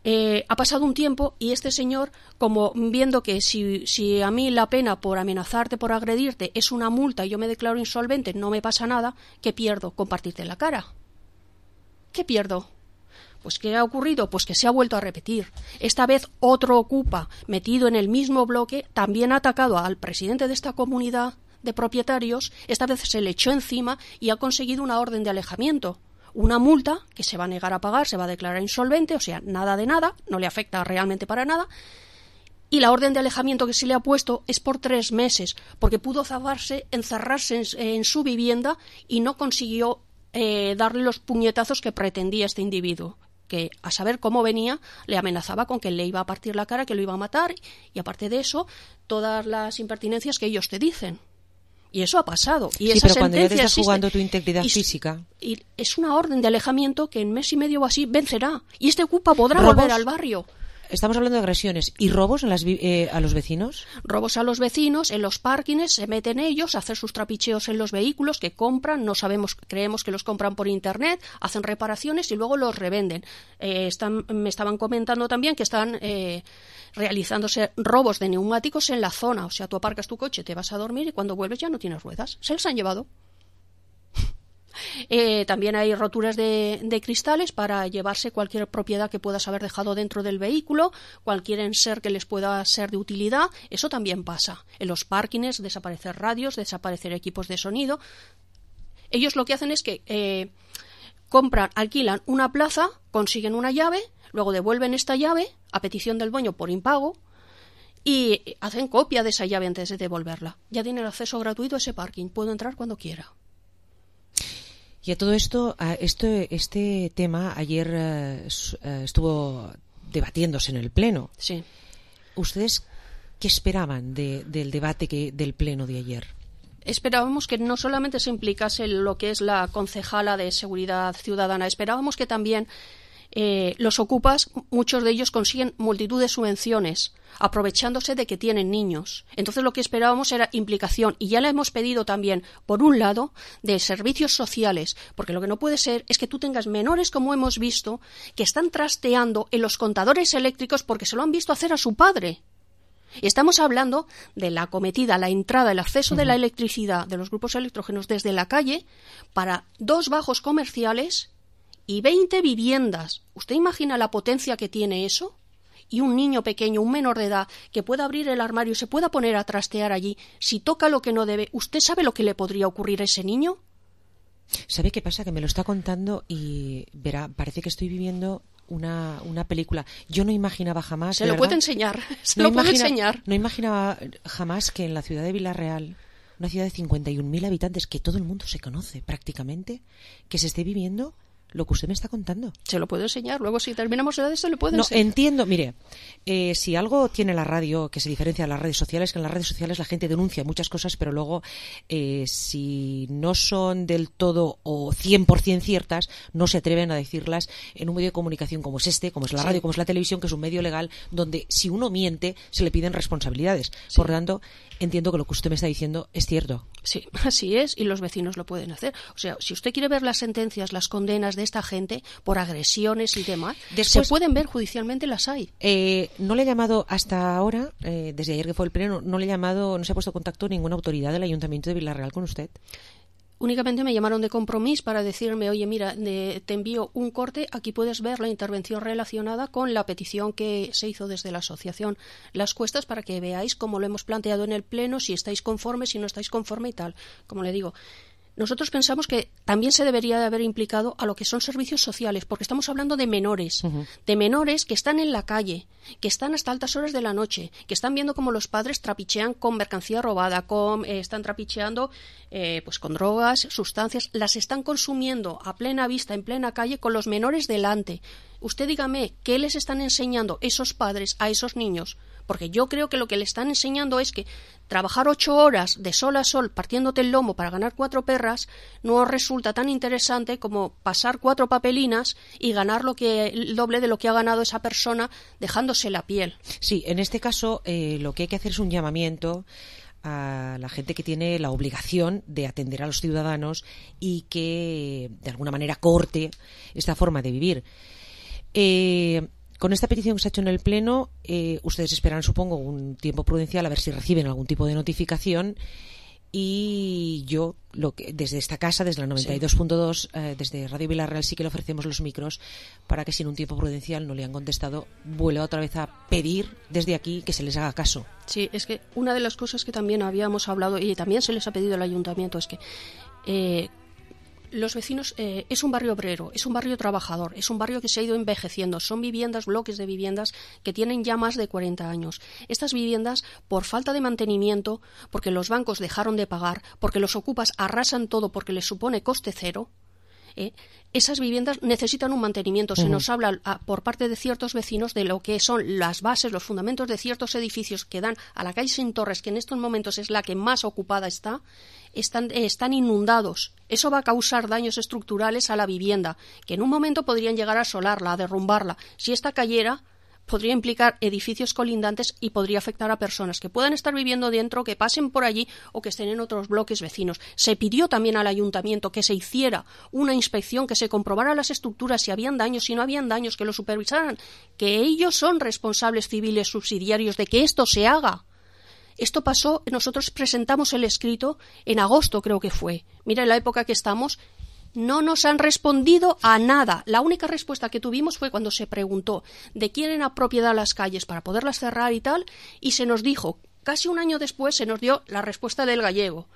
Eh, ha pasado un tiempo y este señor, como viendo que si, si a mí la pena por amenazarte, por agredirte, es una multa y yo me declaro insolvente, no me pasa nada, ¿qué pierdo? Compartirte la cara. ¿Qué pierdo? Pues ¿qué ha ocurrido? Pues que se ha vuelto a repetir. Esta vez otro ocupa, metido en el mismo bloque, también ha atacado al presidente de esta comunidad de propietarios, esta vez se le echó encima y ha conseguido una orden de alejamiento. Una multa que se va a negar a pagar, se va a declarar insolvente, o sea, nada de nada, no le afecta realmente para nada. Y la orden de alejamiento que se le ha puesto es por tres meses, porque pudo zafarse, encerrarse en, en su vivienda y no consiguió eh, darle los puñetazos que pretendía este individuo. que a saber cómo venía, le amenazaba con que le iba a partir la cara, que lo iba a matar, y aparte de eso, todas las impertinencias que ellos te dicen. Y eso ha pasado. Y
sí,
esa
pero cuando ya te estás
existe,
jugando tu integridad
y,
física...
Y es una orden de alejamiento que en mes y medio o así vencerá. Y este ocupa podrá
¿Robos?
volver al barrio.
Estamos hablando de agresiones. ¿Y robos en las, eh, a los vecinos?
Robos a los vecinos, en los parkings, se meten ellos a hacer sus trapicheos en los vehículos que compran, no sabemos, creemos que los compran por internet, hacen reparaciones y luego los revenden. Eh, están, me estaban comentando también que están eh, realizándose robos de neumáticos en la zona. O sea, tú aparcas tu coche, te vas a dormir y cuando vuelves ya no tienes ruedas. Se los han llevado. Eh, también hay roturas de, de cristales para llevarse cualquier propiedad que puedas haber dejado dentro del vehículo, cualquier enser que les pueda ser de utilidad. Eso también pasa. En los parkings, desaparecer radios, desaparecer equipos de sonido. Ellos lo que hacen es que eh, compran, alquilan una plaza, consiguen una llave, luego devuelven esta llave a petición del dueño por impago y hacen copia de esa llave antes de devolverla. Ya tienen acceso gratuito a ese parking. Puedo entrar cuando quiera.
Y a todo esto, este, este tema ayer uh, estuvo debatiéndose en el Pleno.
Sí.
¿Ustedes qué esperaban de, del debate que, del Pleno de ayer?
Esperábamos que no solamente se implicase lo que es la concejala de Seguridad Ciudadana, esperábamos que también eh, los ocupas, muchos de ellos consiguen multitud de subvenciones, aprovechándose de que tienen niños. Entonces lo que esperábamos era implicación, y ya la hemos pedido también, por un lado, de servicios sociales, porque lo que no puede ser es que tú tengas menores, como hemos visto, que están trasteando en los contadores eléctricos porque se lo han visto hacer a su padre. Estamos hablando de la acometida, la entrada, el acceso uh-huh. de la electricidad de los grupos electrógenos desde la calle para dos bajos comerciales y veinte viviendas. ¿Usted imagina la potencia que tiene eso? Y un niño pequeño, un menor de edad, que pueda abrir el armario y se pueda poner a trastear allí, si toca lo que no debe, ¿usted sabe lo que le podría ocurrir a ese niño?
¿Sabe qué pasa? Que me lo está contando y verá, parece que estoy viviendo una, una película. Yo no imaginaba jamás...
Se lo
¿verdad?
puede enseñar, se
no
lo puede
imagina,
enseñar.
No imaginaba jamás que en la ciudad de Villarreal, una ciudad de cincuenta y un mil habitantes, que todo el mundo se conoce prácticamente, que se esté viviendo lo que usted me está contando.
Se lo puedo enseñar. Luego, si terminamos de esto, le puedo
no,
enseñar.
Entiendo. Mire, eh, si algo tiene la radio que se diferencia de las redes sociales, que en las redes sociales la gente denuncia muchas cosas, pero luego, eh, si no son del todo o cien por ciento ciertas, no se atreven a decirlas en un medio de comunicación como es este, como es la radio, sí. como es la televisión, que es un medio legal, donde si uno miente, se le piden responsabilidades. Sí. Por lo tanto, entiendo que lo que usted me está diciendo es cierto.
Sí, así es, y los vecinos lo pueden hacer. O sea, si usted quiere ver las sentencias, las condenas de esta gente por agresiones y demás, Después, se pueden ver judicialmente, las hay.
Eh, no le he llamado hasta ahora, eh, desde ayer que fue el pleno, no le he llamado, no se ha puesto en contacto ninguna autoridad del Ayuntamiento de Villarreal con usted.
Únicamente me llamaron de Compromís para decirme, oye, mira, de, te envío un corte, aquí puedes ver la intervención relacionada con la petición que se hizo desde la asociación Las Cuestas para que veáis cómo lo hemos planteado en el Pleno, si estáis conformes, si no estáis conforme y tal. Como le digo, nosotros pensamos que también se debería de haber implicado a lo que son servicios sociales, porque estamos hablando de menores, uh-huh. de menores que están en la calle, que están hasta altas horas de la noche, que están viendo cómo los padres trapichean con mercancía robada, con, eh, están trapicheando eh, pues con drogas, sustancias, las están consumiendo a plena vista, en plena calle, con los menores delante. Usted dígame, ¿qué les están enseñando esos padres a esos niños? Porque yo creo que lo que le están enseñando es que trabajar ocho horas de sol a sol partiéndote el lomo para ganar cuatro perras no resulta tan interesante como pasar cuatro papelinas y ganar lo que el doble de lo que ha ganado esa persona dejándose la piel.
Sí, en este caso eh, lo que hay que hacer es un llamamiento a la gente que tiene la obligación de atender a los ciudadanos y que de alguna manera corte esta forma de vivir. Eh, Con esta petición que se ha hecho en el Pleno, eh, ustedes esperan, supongo, un tiempo prudencial a ver si reciben algún tipo de notificación. Y yo, lo que, desde esta casa, desde la noventa y dos punto dos, sí. eh, desde Radio Villarreal, sí que le ofrecemos los micros para que si en un tiempo prudencial no le han contestado, vuelva otra vez a pedir desde aquí que se les haga caso.
Sí, es que una de las cosas que también habíamos hablado y también se les ha pedido al Ayuntamiento es que... Eh, Los vecinos, eh, es un barrio obrero, es un barrio trabajador, es un barrio que se ha ido envejeciendo, son viviendas, bloques de viviendas que tienen ya más de cuarenta años. Estas viviendas, por falta de mantenimiento, porque los bancos dejaron de pagar, porque los ocupas arrasan todo porque les supone coste cero, ¿eh? Esas viviendas necesitan un mantenimiento. Se uh-huh. nos habla a, por parte de ciertos vecinos de lo que son las bases, los fundamentos de ciertos edificios que dan a la calle Sin Torres, que en estos momentos es la que más ocupada está, están, eh, están inundados. Eso va a causar daños estructurales a la vivienda, que en un momento podrían llegar a asolarla, a derrumbarla. Si esta cayera, podría implicar edificios colindantes y podría afectar a personas que puedan estar viviendo dentro, que pasen por allí o que estén en otros bloques vecinos. Se pidió también al ayuntamiento que se hiciera una inspección, que se comprobara las estructuras, si habían daños, si no habían daños, que lo supervisaran, que ellos son responsables civiles subsidiarios de que esto se haga. Esto pasó, nosotros presentamos el escrito en agosto, creo que fue. Mira, en la época que estamos, no nos han respondido a nada. La única respuesta que tuvimos fue cuando se preguntó de quién era propiedad las calles para poderlas cerrar y tal, y se nos dijo, casi un año después se nos dio la respuesta del gallego.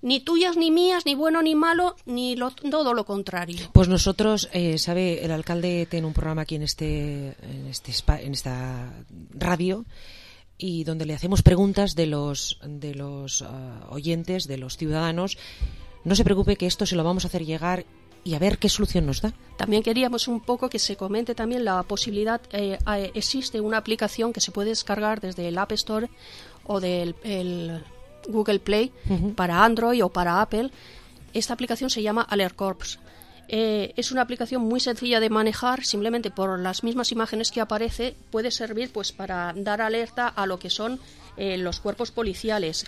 Ni tuyas ni mías, ni bueno ni malo, ni lo, todo lo contrario.
Pues nosotros, eh, sabe, el alcalde tiene un programa aquí en este, en este en esta radio, y donde le hacemos preguntas de los, de los uh, oyentes, de los ciudadanos. No se preocupe, que esto se lo vamos a hacer llegar y a ver qué solución nos da.
También queríamos un poco que se comente también la posibilidad, eh, eh, existe una aplicación que se puede descargar desde el App Store o del el Google Play uh-huh. para Android o para Apple. Esta aplicación se llama Alert Corps. Eh, es una aplicación muy sencilla de manejar, simplemente por las mismas imágenes que aparece puede servir pues para dar alerta a lo que son eh, los cuerpos policiales.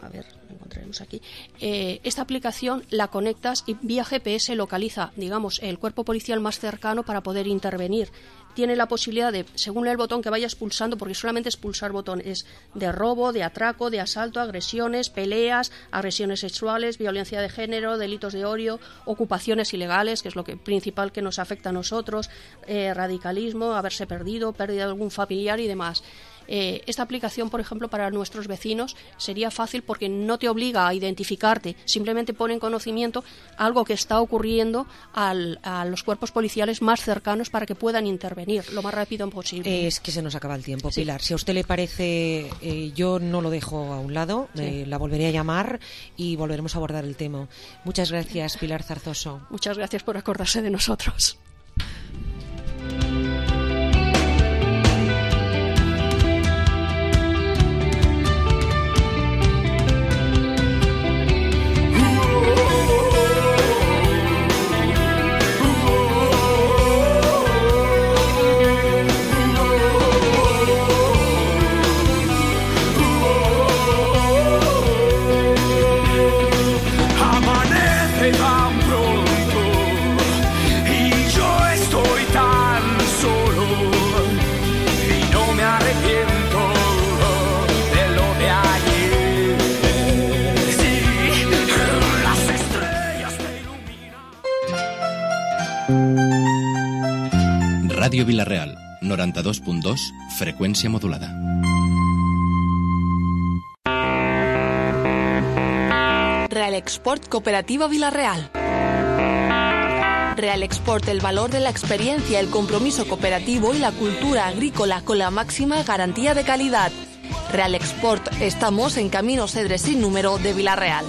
A ver, lo encontraremos aquí. Eh, esta aplicación la conectas y vía G P S localiza, digamos, el cuerpo policial más cercano para poder intervenir. Tiene la posibilidad de, según el botón que vayas pulsando, porque solamente es pulsar botones, de robo, de atraco, de asalto, agresiones, peleas, agresiones sexuales, violencia de género, delitos de odio, ocupaciones ilegales, que es lo que principal que nos afecta a nosotros, eh, radicalismo, haberse perdido, pérdida de algún familiar y demás. Eh, esta aplicación, por ejemplo, para nuestros vecinos sería fácil porque no te obliga a identificarte, simplemente pone en conocimiento algo que está ocurriendo al, a los cuerpos policiales más cercanos para que puedan intervenir lo más rápido posible.
Es que se nos acaba el tiempo, sí. Pilar. Si a usted le parece, eh, yo no lo dejo a un lado, sí. eh, la volveré a llamar y volveremos a abordar el tema. Muchas gracias, Pilar Zarzoso.
Muchas gracias por acordarse de nosotros.
Ràdio Vila-real, noranta-dos punt dos, freqüència modulada.
Real Export Cooperativa Vila-real. Real Export, el valor de la experiencia, el compromiso cooperativo y la cultura agrícola con la máxima garantía de calidad. Real Export, estamos en Camino Cedres sin número de Vila-real.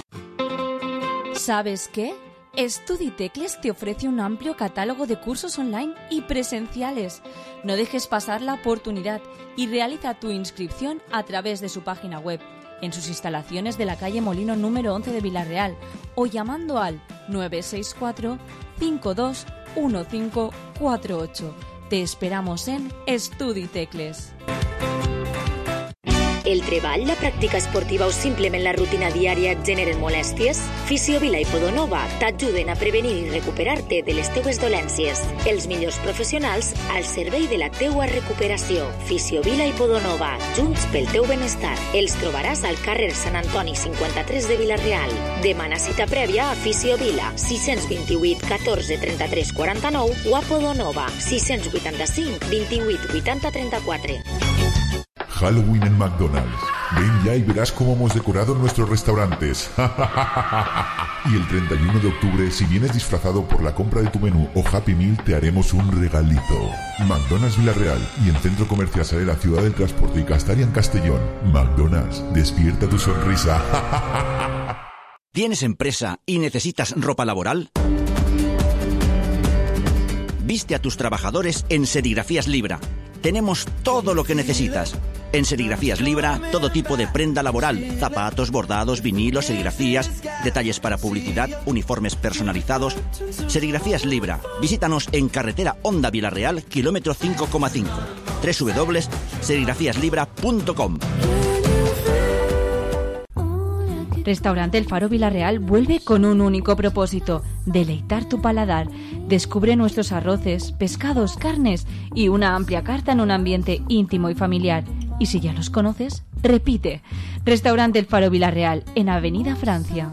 ¿Sabes qué? Estuditecles te ofrece un amplio catálogo de cursos online y presenciales. No dejes pasar la oportunidad y realiza tu inscripción a través de su página web, en sus instalaciones de la calle Molino número once de Vila-real o llamando al nueve seis cuatro, cinco dos uno cinco cuatro ocho. Te esperamos en Estuditecles.
El treball, la pràctica esportiva o simplement la rutina diària et generen molèsties? Fisiovila i Podonova t'ajuden a prevenir i recuperar-te de les teues dolències. Els millors professionals al servei de la teua recuperació. Fisiovila i Podonova, junts pel teu benestar. Els trobaràs al carrer Sant Antoni cinquanta-tres de Vila-real. Demana cita prèvia a Fisiovila, sis dos vuit, catorze, trenta-tres, quaranta-nou o a Podonova, sis vuitanta-cinc, vint-i-vuit, vuitanta, trenta-quatre.
Halloween en McDonald's. Ven ya y verás cómo hemos decorado nuestros restaurantes. Y el treinta y uno de octubre, si vienes disfrazado por la compra de tu menú o Happy Meal, te haremos un regalito. McDonald's Vila-real y en Centro Comercial Sale, la Ciudad del Transporte y Castalia en Castellón. McDonald's, despierta tu sonrisa.
¿Tienes empresa y necesitas ropa laboral? Viste a tus trabajadores en Serigrafías Libra. Tenemos todo lo que necesitas. En Serigrafías Libra, todo tipo de prenda laboral, zapatos, bordados, vinilos, serigrafías, detalles para publicidad, uniformes personalizados. Serigrafías Libra. Visítanos en carretera Honda Vilarreal, kilómetro cinco coma cinco. doble u doble u doble u punto serigrafías libra punto com.
Restaurante El Faro Vilarreal vuelve con un único propósito: deleitar tu paladar. Descubre nuestros arroces, pescados, carnes y una amplia carta en un ambiente íntimo y familiar. Y si ya los conoces, repite. Restaurante El Faro Vilarreal, en Avenida Francia.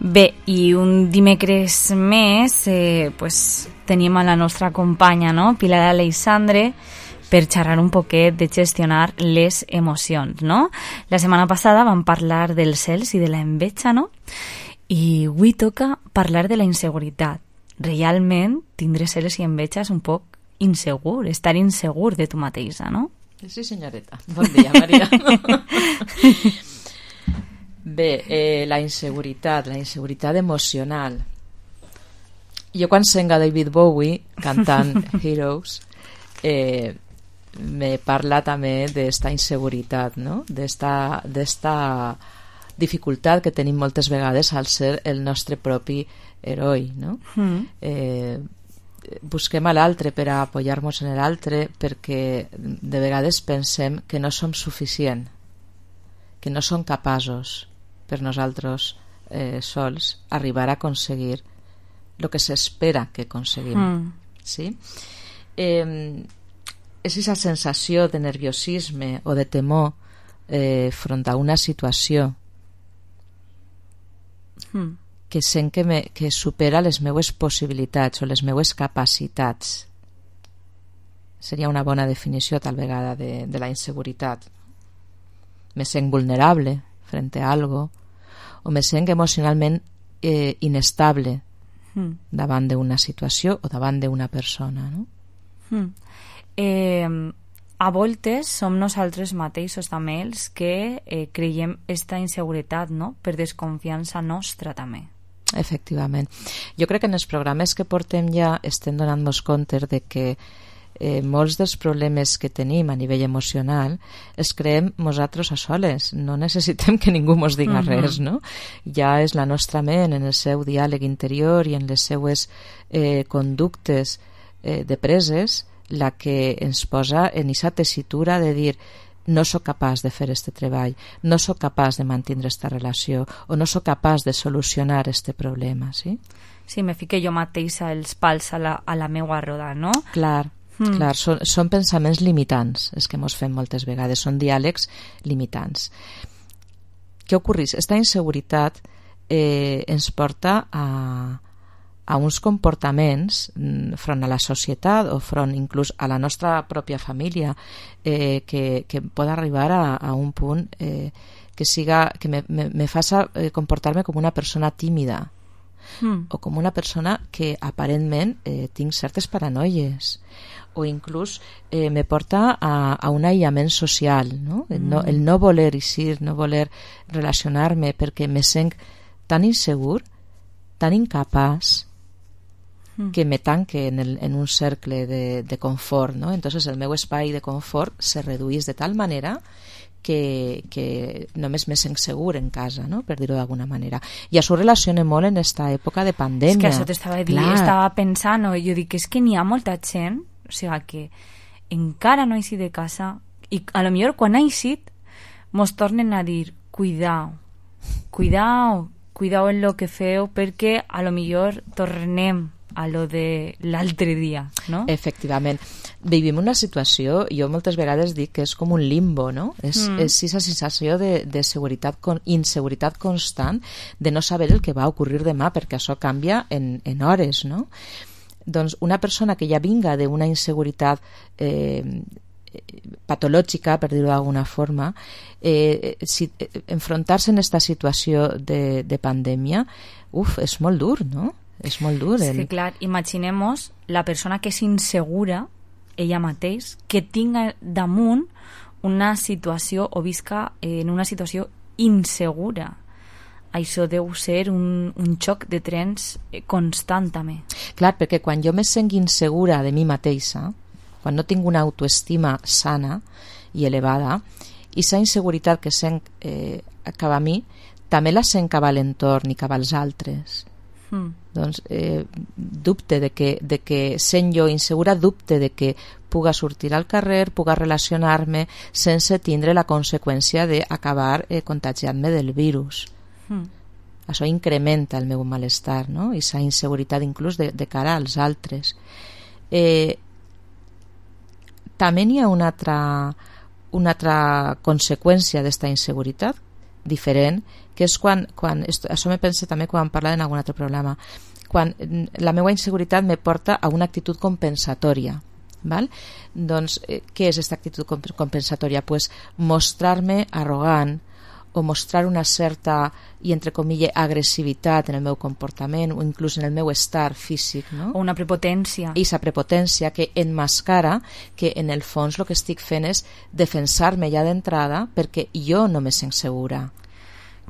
Bé, i un dimecres més eh, pues, tenim a la nostra companya, no? Pilar Aleixandre, per xerrar un poquet de gestionar les emocions, no? La setmana passada vam parlar dels cels i de la enveja, no? I avui toca parlar de la inseguretat. Realment, tindre cels i enveja és un poc insegur, estar insegur de tu mateixa, no?
Sí, senyoreta. Bon dia, Maria. Bé, eh, la inseguretat, la inseguretat emocional. Jo quan sent a David Bowie cantant Heroes, eh, me parla també d'esta inseguretat, no? D'esta, d'esta dificultat que tenim moltes vegades al ser el nostre propi heroi, no? Mm. Eh, busquem a l'altre per a apoyar-nos en l'altre perquè de vegades pensem que no som suficient, que no som capaços per nosaltres eh, sols arribar a aconseguir el que s'espera que aconseguim. Mm. Sí? Eh, és aquesta sensació de nerviosisme o de temor eh, front a una situació mm. que sent que, me, que supera les meues possibilitats o les meues capacitats. Seria una bona definició tal vegada de, de la inseguretat. Me sent vulnerable frente a algo, o me sent emocionalment eh, inestable mm. davant d'una situació o davant d'una persona, no?
Mm. Eh, a voltes som nosaltres mateixos també els que eh, creiem esta inseguretat, no? Per desconfiança nostra també.
Efectivament. Jo crec que en els programes que portem ja estem donant-nos compte de que Eh, molts dels problemes que tenim a nivell emocional els creem nosaltres a soles, no necessitem que ningú mos diga uh-huh. res, no? Ja és la nostra ment en el seu diàleg interior i en les seues eh, conductes eh, de preses la que ens posa en aquesta tessitura de dir no sóc capaç de fer este treball, no sóc capaç de mantenir esta relació o no sóc capaç de solucionar este problema, sí?
Sí, me fique jo mateixa els pals a la, a la meua roda, no?
Clar. Mm. Clar, són, són pensaments limitants els que ens fem moltes vegades, són diàlegs limitants. Què ocorreix? Esta inseguretat eh, ens porta a, a uns comportaments front a la societat o front inclús a la nostra pròpia família eh, que, que pot arribar a, a un punt eh, que, siga, que me, me, me faça eh, comportar-me com una persona tímida mm. o com una persona que aparentment eh, tinc certes paranoies o inclús eh, me porta a, a un aïllament social, no? El, no, el no voler eixir, no voler relacionar-me perquè me sent tan insegur, tan incapaç mm. que me tanque en, el, en un cercle de, de confort, no? Entonces el meu espai de confort se reduís de tal manera que, que només me sent segur en casa, no? Per dir-ho d'alguna manera. I això relaciona molt en esta època de pandèmia.
És que això t'estava dient, estava pensant, no? Jo dic, és que n'hi ha molta gent, o sigui, que encara no ha eixit de casa i a lo millor quan ha eixit mos tornen a dir cuidao, cuidao, cuidao en lo que feu perquè a lo millor tornem a lo de l'altre dia, no?
Efectivament. Vivim una situació, jo moltes vegades dic que és com un limbo, no? És, mm. és aquesta sensació de, de seguretat, con, inseguretat constant, de no saber el que va ocurrir demà, perquè això canvia en, en hores, no? Doncs una persona que ja vinga d'una inseguretat eh, patològica, per dir-ho d'alguna forma, eh, si, eh, enfrontar-se en aquesta situació de, de pandèmia, uf, és molt dur, no? És molt dur.
És que, clar, imaginem-nos la persona que és insegura, ella mateix, que tinga damunt una situació o visca en una situació insegura. Això deu ser un, un xoc de trens constant, també.
Clar, perquè quan jo me sent insegura de mi mateixa, quan no tinc una autoestima sana i elevada, i sa inseguretat que sent eh, cap a mi, també la sent cap a l'entorn i cap als altres. Mm. Doncs eh, dubte de que, de que sent jo insegura, dubte de que puga sortir al carrer, puga relacionar-me sense tindre la conseqüència d'acabar eh, contagiant-me del virus. Mm. Això incrementa el meu malestar, no? I sa inseguretat inclús de, de cara als altres. Eh, també hi ha una altra, una altra conseqüència d'esta inseguretat diferent, que és quan, quan esto, això me pensa també quan parla en algun altre programa, quan la meva inseguretat me porta a una actitud compensatòria, val? Doncs eh, què és aquesta actitud compensatòria? Pues mostrar-me arrogant o mostrar una certa, i entre comilles, agressivitat en el meu comportament o inclús en el meu estar físic, no?
O una prepotència.
I aquesta prepotència que enmascara que en el fons el que estic fent és defensar-me ja d'entrada perquè jo no me sent segura.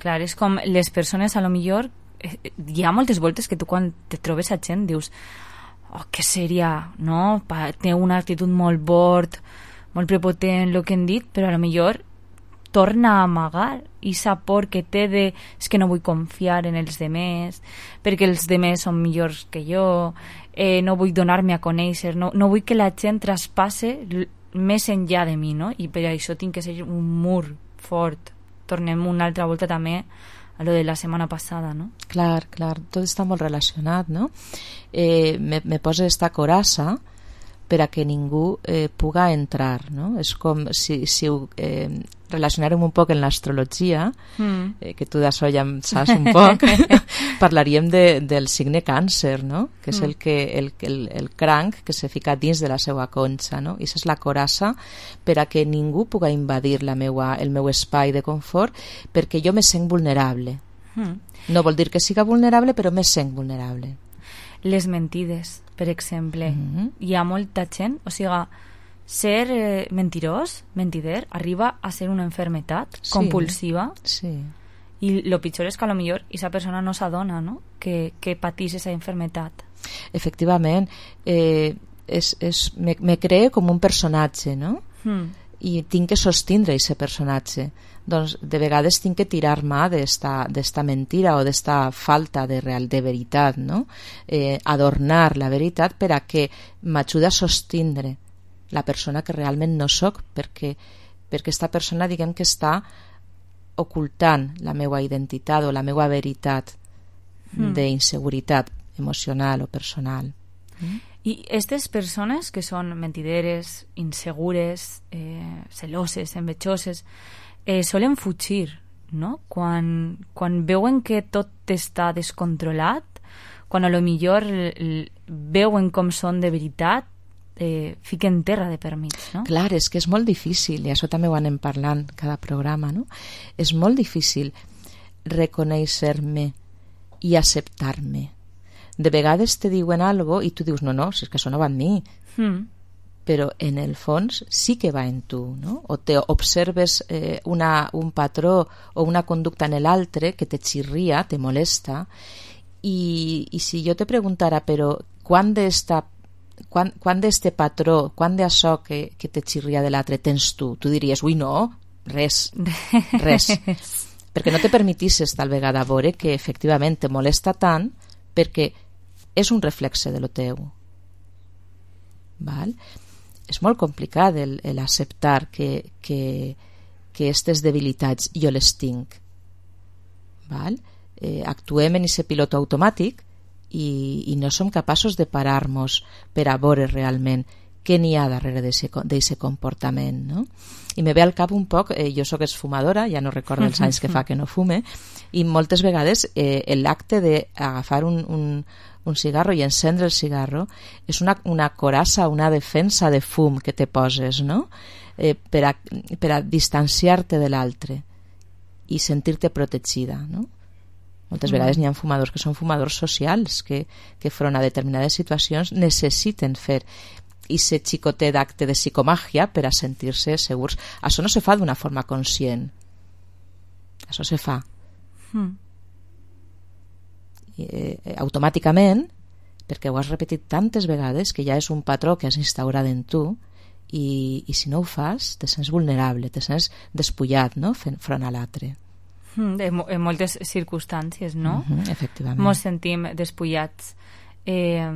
Clar, és com les persones, a lo millor, eh, hi ha moltes voltes que tu quan te trobes a gent dius, oh, que seria, no? Pa, té una actitud molt bord, molt prepotent, el que hem dit, però a lo millor torna a amagar i sa por que té de és que no vull confiar en els demés perquè els demés són millors que jo, eh, no vull donar-me a conèixer, no, no vull que la gent traspasse més enllà de mi, no? I per això tinc que ser un mur fort. Tornem una altra volta també a lo de la setmana passada, no?
Clar, clar, tot està molt relacionat, no? Eh, me, me posa esta coraça per a que ningú eh, puga entrar, no? És com si, si ho eh, relacionarem un poc en l'astrologia, mm. eh, que tu d'això ja en saps un poc, parlaríem de, del signe càncer, no? Que és mm. el, que, el, el, el cranc que se fica dins de la seva conxa, no? I això és la coraça per a que ningú puga invadir la meua, el meu espai de confort perquè jo me sent vulnerable. Mm. No vol dir que siga vulnerable, però me sent vulnerable.
Les mentides, per exemple. Mm-hmm. Hi ha molta gent, o sigui, ser eh, mentirós, mentider, arriba a ser una enfermetat sí, compulsiva.
Sí.
I lo pitjor és que a lo millor esa persona no s'adona, no? Que, que patís esa enfermetat.
Efectivament. Eh, és, és, me, me cree com un personatge, no? Mm. I tinc que sostindre aquest personatge. Doncs de vegades tinc que tirar-me d'esta mentira o d'esta falta de real de veritat, no? Eh, adornar la veritat per a que m'ajuda a sostindre la persona que realment no soc, perquè perquè aquesta persona, diguem que està ocultant la meva identitat o la meva veritat mm. d'inseguretat emocional o personal.
Mm. I aquestes persones que són mentideres, insegures, eh, celoses, envejoses, eh, solen fugir, no? Quan, quan veuen que tot està descontrolat, quan a lo millor veuen com són de veritat, eh, fiquen terra de per mig, no?
Clar, és que és molt difícil, i això també ho anem parlant cada programa, no? És molt difícil reconèixer-me i acceptar-me. De vegades te diuen algo i tu dius, no, no, si és que això no va en mi. Mm. Però en el fons sí que va en tu, no? O te observes eh, una, un patró o una conducta en l'altre que te xirria, te molesta, i, i si jo te preguntara, però quan d'esta quan, quan d'este patró, quan d'això que, que te xirria de l'altre tens tu? Tu diries, ui, no, res, res. Perquè no te permetisses tal vegada veure que efectivament te molesta tant perquè és un reflexe de lo teu. Val? És molt complicat el, el acceptar que, que, que aquestes debilitats jo les tinc. Val? eh, actuem en aquest pilot automàtic i, i no som capaços de parar-nos per a veure realment què n'hi ha darrere d'aquest comportament, no? I me ve al cap un poc, eh, jo sóc esfumadora, ja no recordo els anys que fa que no fume, i moltes vegades eh, l'acte d'agafar un, un, un cigarro i encendre el cigarro és una, una coraça, una defensa de fum que te poses, no? Eh, per, a, per a distanciar-te de l'altre i sentir-te protegida, no? Moltes vegades n'hi ha fumadors que són fumadors socials que, que front a determinades situacions necessiten fer i ser xicotet d'acte de psicomàgia per a sentir-se segurs. Això no se fa d'una forma conscient. Això se fa. Mm. I, eh, automàticament, perquè ho has repetit tantes vegades que ja és un patró que has instaurat en tu i, i si no ho fas te sents vulnerable, te sents despullat, no? Front a l'altre.
Mm, en, en moltes circumstàncies, no?
Mm-hmm, efectivament.
Mos sentim despullats eh,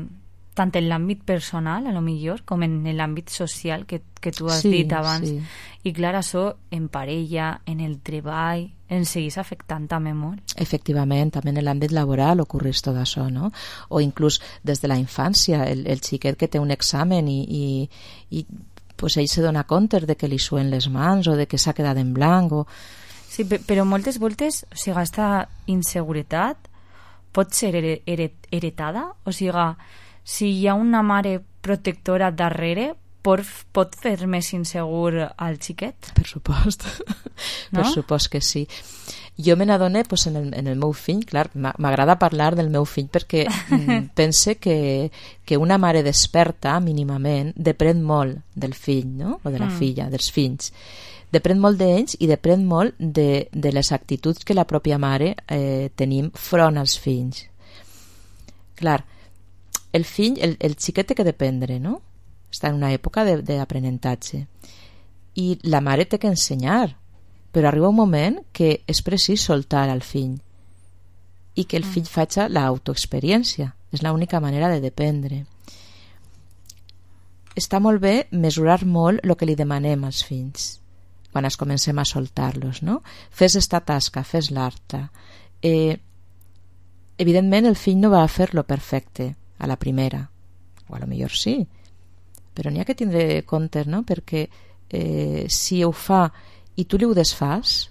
tant en l'àmbit personal, a lo millor, com en l'àmbit social que, que tu has
sí,
dit abans.
Sí.
I clar, això en parella, en el treball, ens seguís afectant també molt.
Efectivament, també en l'àmbit laboral ocorreix tot això, no? O inclús des de la infància, el, el xiquet que té un examen i, i, i pues ell se dona compte de que li suen les mans o de que s'ha quedat en blanc o...
Sí, però moltes voltes, o sigui, aquesta inseguretat pot ser heretada, o sigui, si hi ha una mare protectora darrere, pot, pot fer més insegur al xiquet?
Per supost,
no?
Per supost que sí. Jo me n'adone pues, en, el, en el meu fill, clar, m'agrada parlar del meu fill perquè pense que, que una mare desperta mínimament depèn molt del fill, no? O de la mm. filla, dels fills. Depèn molt d'ells i depèn molt de, de les actituds que la pròpia mare eh, tenim front als fills. Clar, el fill, el, el xiquet té que dependre, no? Està en una època d'aprenentatge. I la mare té que ensenyar, però arriba un moment que és precís soltar al fill i que el fill faci l'autoexperiència. És l'única manera de dependre. Està molt bé mesurar molt el que li demanem als fills quan es comencem a soltar-los, no? Fes esta tasca, fes l'altra. Eh, evidentment el fill no va a fer-lo perfecte a la primera, o a lo millor sí, però n'hi ha que tindre compte, no? Perquè eh, si ho fa i tu li ho desfas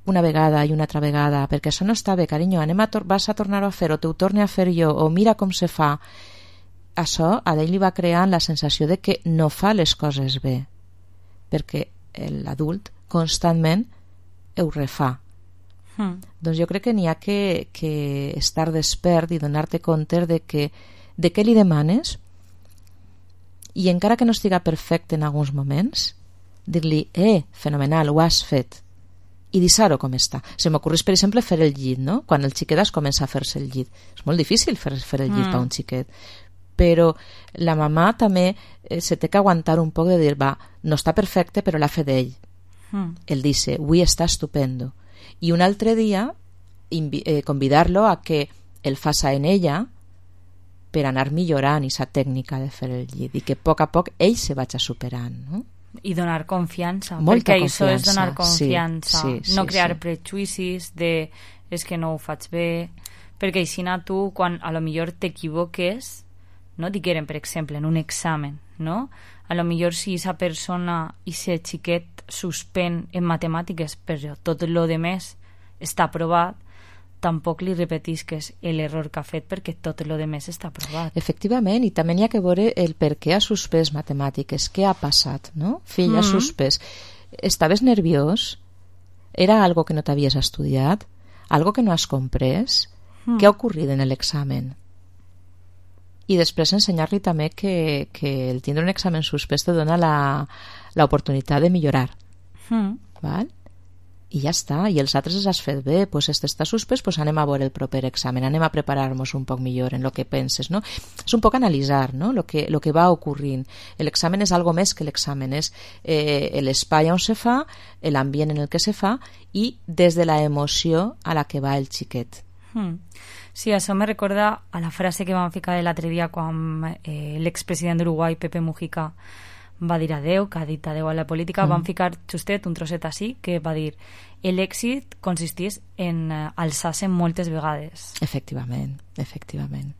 una vegada i una altra vegada, perquè això no està bé, carinyo, anem a tor- vas a tornar-ho a fer o t'ho torne a fer jo, o mira com se fa, això a ell li va creant la sensació de que no fa les coses bé, perquè l'adult constantment ho refà. Mm. Doncs jo crec que n'hi ha que, que estar despert i donar-te compte de, que, de què li demanes i encara que no estiga perfecte en alguns moments, dir-li, eh, fenomenal, ho has fet, i deixar-ho com està. Se m'ocorreix, per exemple, fer el llit, no? Quan el xiquet es comença a fer-se el llit. És molt difícil fer, fer el llit mm. per un xiquet, però la mamà també eh, se té que aguantar un poc de dir, va, no està perfecte, però l'ha fet ell. Mm. El dice, avui està estupendo. I un altre dia invi- eh, convidar-lo a que el faça en ella per anar millorant aquesta tècnica de fer el llit i que a poc a poc ell se vagi superant, no?
I donar confiança,
molta
perquè
confiança,
això és donar confiança,
sí, sí,
no
sí,
crear
sí.
prejudicis de és que no ho faig bé, perquè així tu, quan a lo millor t'equivoques, no diguem, per exemple, en un examen, no? A lo millor si aquesta persona i aquest xiquet suspèn en matemàtiques, però tot el de més està aprovat, tampoc li repetisques l'error que ha fet perquè tot el de més està aprovat.
Efectivament, i també hi ha que veure el per què ha suspès matemàtiques, què ha passat, no? Fill, mm-hmm. ha suspès. Estaves nerviós? Era algo que no t'havies estudiat? Algo que no has comprès? Mm. Què ha ocorrit en l'examen? I després ensenyar-li també que, que el tindre un examen suspès te dona l'oportunitat de millorar. Mm. Val? I ja està, i els altres els has fet bé, pues este està suspès, pues anem a veure el proper examen, anem a preparar-nos un poc millor en el que penses, no? És un poc analitzar, no? Lo que, lo que va ocorrint. L'examen és algo més que l'examen, és eh, l'espai on se fa, l'ambient en el que se fa i des de la emoció a la que va el xiquet.
Mm. Sí, això me recorda a la frase que vam ficar l'altre dia quan eh, l'expresident d'Uruguai, Pepe Mujica, va dir adeu, que ha dit adeu a la política, mm. van ficar justet un trosset així que va dir l'èxit consistís en uh, alçar-se moltes vegades.
Efectivament, efectivament.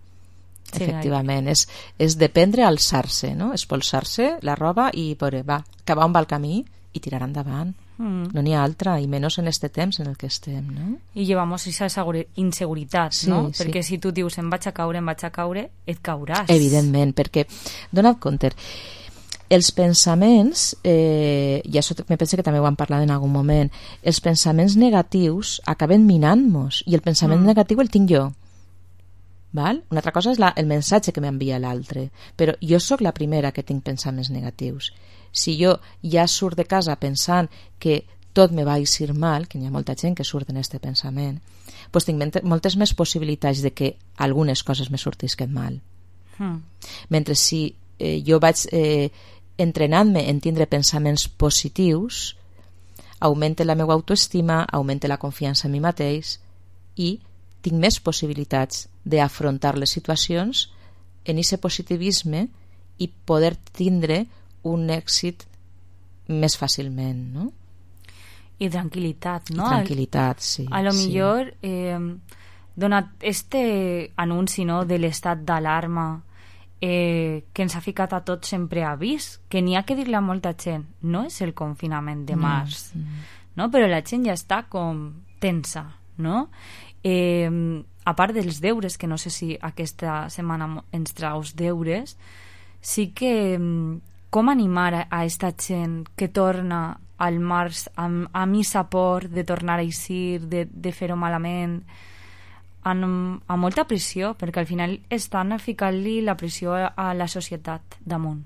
Sí,
efectivament, és, és dependre a alçar-se, no? Espolsar-se la roba i veure, va, cap on va el camí i tirar endavant. Mm. No n'hi ha altra, i menys en este temps en el que estem, no?
I llevamos esa inseguretat,
sí,
no?
Sí.
Perquè si tu dius em vaig a caure, em vaig a caure, et cauràs.
Evidentment, perquè, dona't compte, els pensaments, eh, i això me penso que també ho hem parlat en algun moment, els pensaments negatius acaben minant-nos, i el pensament mm. negatiu el tinc jo. Val? Una altra cosa és la, el missatge que m'envia l'altre, però jo sóc la primera que tinc pensaments negatius. Si jo ja surt de casa pensant que tot me va eixir mal, que n'hi ha molta gent que surt en aquest pensament, doncs tinc moltes més possibilitats de que algunes coses me sortisquen mal. Mm. Mentre si eh, jo vaig eh, entrenant-me en tindre pensaments positius, augmenta la meva autoestima, augmenta la confiança en mi mateix i tinc més possibilitats d'afrontar les situacions en aquest positivisme i poder tindre un èxit més fàcilment, no?
I tranquil·litat, no?
I tranquil·litat, sí.
A lo
sí.
millor, eh, donat este anunci, no?, de l'estat d'alarma eh, que ens ha ficat a tots sempre a avís, que n'hi ha que dir-li a molta gent, no és el confinament de març, no, no? Però la gent ja està com tensa, no? Eh, a part dels deures, que no sé si aquesta setmana ens traus deures, sí que com animar a, a esta gent que torna al març amb, amb i sapor de tornar a eixir, de, de fer-ho malament, amb, amb molta pressió, perquè al final estan ficant-li la pressió a la societat damunt.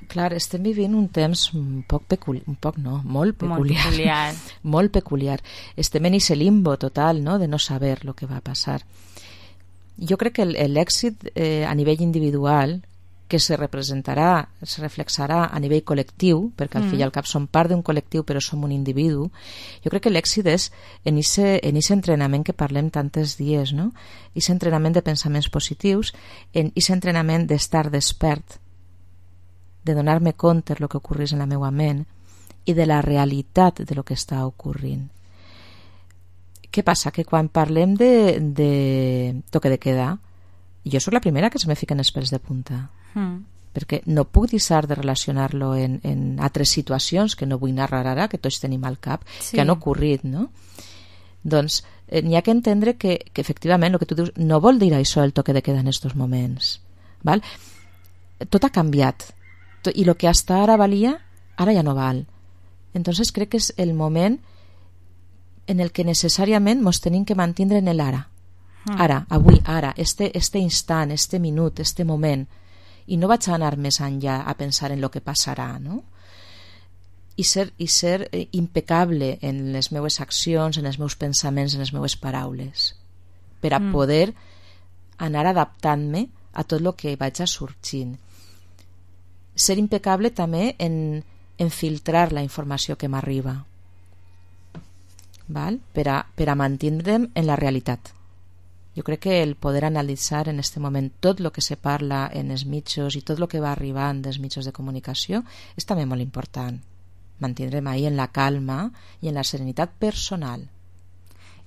Clar, estem vivint un temps un poc peculiar, un poc no, molt peculiar.
Molt peculiar.
molt peculiar. Estem en ese limbo total, no?, de no saber lo que va a passar. Jo crec que l'èxit eh, a nivell individual, que se representarà, se reflexarà a nivell col·lectiu, perquè al mm. fi i al cap som part d'un col·lectiu però som un individu, jo crec que l'èxit és en aquest entrenament que parlem tantes dies, no? Aquest entrenament de pensaments positius, en aquest entrenament d'estar despert, de donar-me compte de lo que ocorrís en la meva ment i de la realitat de lo que està ocorrint. Què passa? Que quan parlem de, de toque de queda, jo sóc la primera que se me fiquen els pèls de punta. Mm. Perquè no puc deixar de relacionar-lo en, en altres situacions que no vull narrar ara, que tots tenim al cap, sí. que han ocorrit, no? Doncs eh, n'hi ha que entendre que, que efectivament el que tu dius no vol dir això el toque de queda en aquests moments. Val? Tot ha canviat i el que hasta ara valia, ara ja no val. Entonces crec que és el moment en el que necessàriament ens tenim que mantindre en l'ara. Ara, avui, ara, este, este instant, este minut, este moment, i no vaig anar més enllà a pensar en el que passarà, no? I ser, i ser impecable en les meves accions, en els meus pensaments, en les meves paraules, per a mm. poder anar adaptant-me a tot el que vaig a sorgint. Ser impecable també en, en filtrar la informació que m'arriba, val? Per a, per a mantindre'm en la realitat. Jo crec que el poder analitzar en aquest moment tot el que se parla en els mitjos i tot el que va arribant dels mitjos de comunicació és també molt important. Mantindre'm ahí en la calma i en la serenitat personal.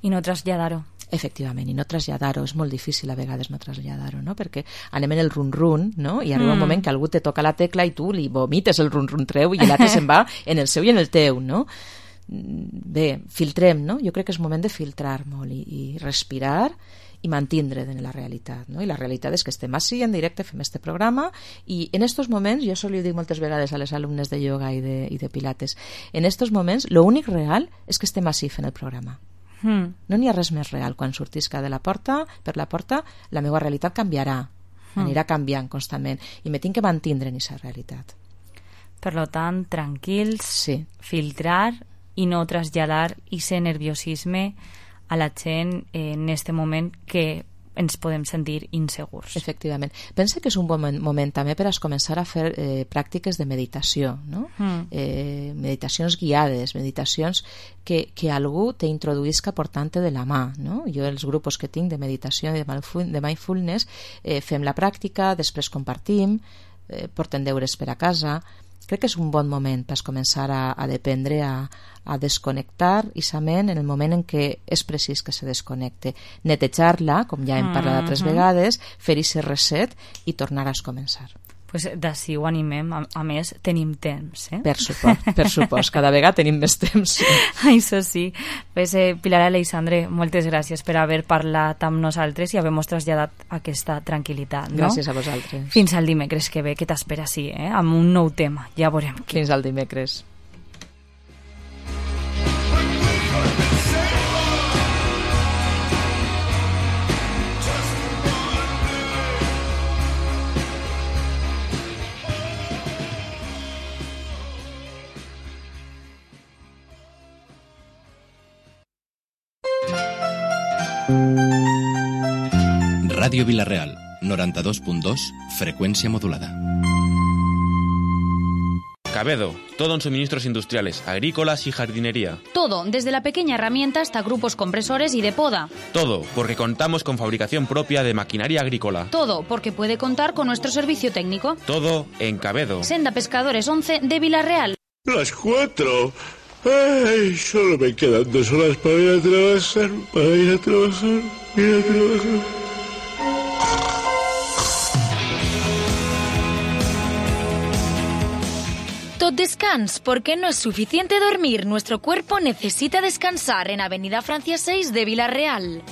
I no traslladar-ho.
Efectivament, i no traslladar-ho. És molt difícil a vegades no traslladar-ho, no? Perquè anem en el run-run, no? I arriba mm. un moment que algú te toca la tecla i tu li vomites el run-run treu i l'altre se'n va en el seu i en el teu, no? Bé, filtrem, no? Jo crec que és moment de filtrar molt i, i respirar i mantindre en la realitat, no? I la realitat és que estem així en directe, fem este programa i en estos moments, jo això li dic moltes vegades a les alumnes de ioga i de, i de pilates, en estos moments l'únic real és que estem així fent el programa. Mm. No n'hi ha res més real. Quan sortisca de la porta, per la porta, la meva realitat canviarà, mm. anirà canviant constantment i me tinc que mantindre en aquesta realitat.
Per lo tant, tranquils,
sí.
filtrar i no traslladar ese nerviosisme a la gent en aquest moment que ens podem sentir insegurs.
Efectivament. Pensa que és un bon moment també per a començar a fer eh, pràctiques de meditació, no? Mm. Eh, meditacions guiades, meditacions que, que algú t'introduïsca portant-te de la mà, no? Jo els grups que tinc de meditació i de mindfulness eh, fem la pràctica, després compartim, eh, portem deures per a casa crec que és un bon moment per començar a, a dependre, a, a desconnectar isament en el moment en què és precís que se desconnecte, netejar-la, com ja hem parlat altres
Mhm.
vegades, fer-hi ser reset i tornar a començar.
Pues d'ací ho animem, a, a més tenim temps, eh?
Per supost, per supost, cada vegada tenim més temps.
Això sí. Pues, eh, Pilar Aleixandre, moltes gràcies per haver parlat amb nosaltres i haver-nos traslladat aquesta tranquil·litat. No?
Gràcies a vosaltres.
Fins al dimecres que ve, que t'espera sí, eh? Amb un nou tema, ja veurem.
Fins al dimecres.
Radio Vilareal, noranta-dos punt dos, frecuencia modulada.
Cabedo, todo en suministros industriales, agrícolas y jardinería.
Todo, desde la pequeña herramienta hasta grupos compresores y de poda.
Todo, porque contamos con fabricación propia de maquinaria agrícola.
Todo, porque puede contar con nuestro servicio técnico.
Todo en Cabedo.
Senda Pescadores once de Vilarreal.
Las cuatro. Ay, solo me quedan dos horas para ir a trabajar, para ir a trabajar, ir a trabajar.
Tot descans, porque no es suficiente dormir. Nuestro cuerpo necesita descansar en Avenida Francia seis de Vilarreal.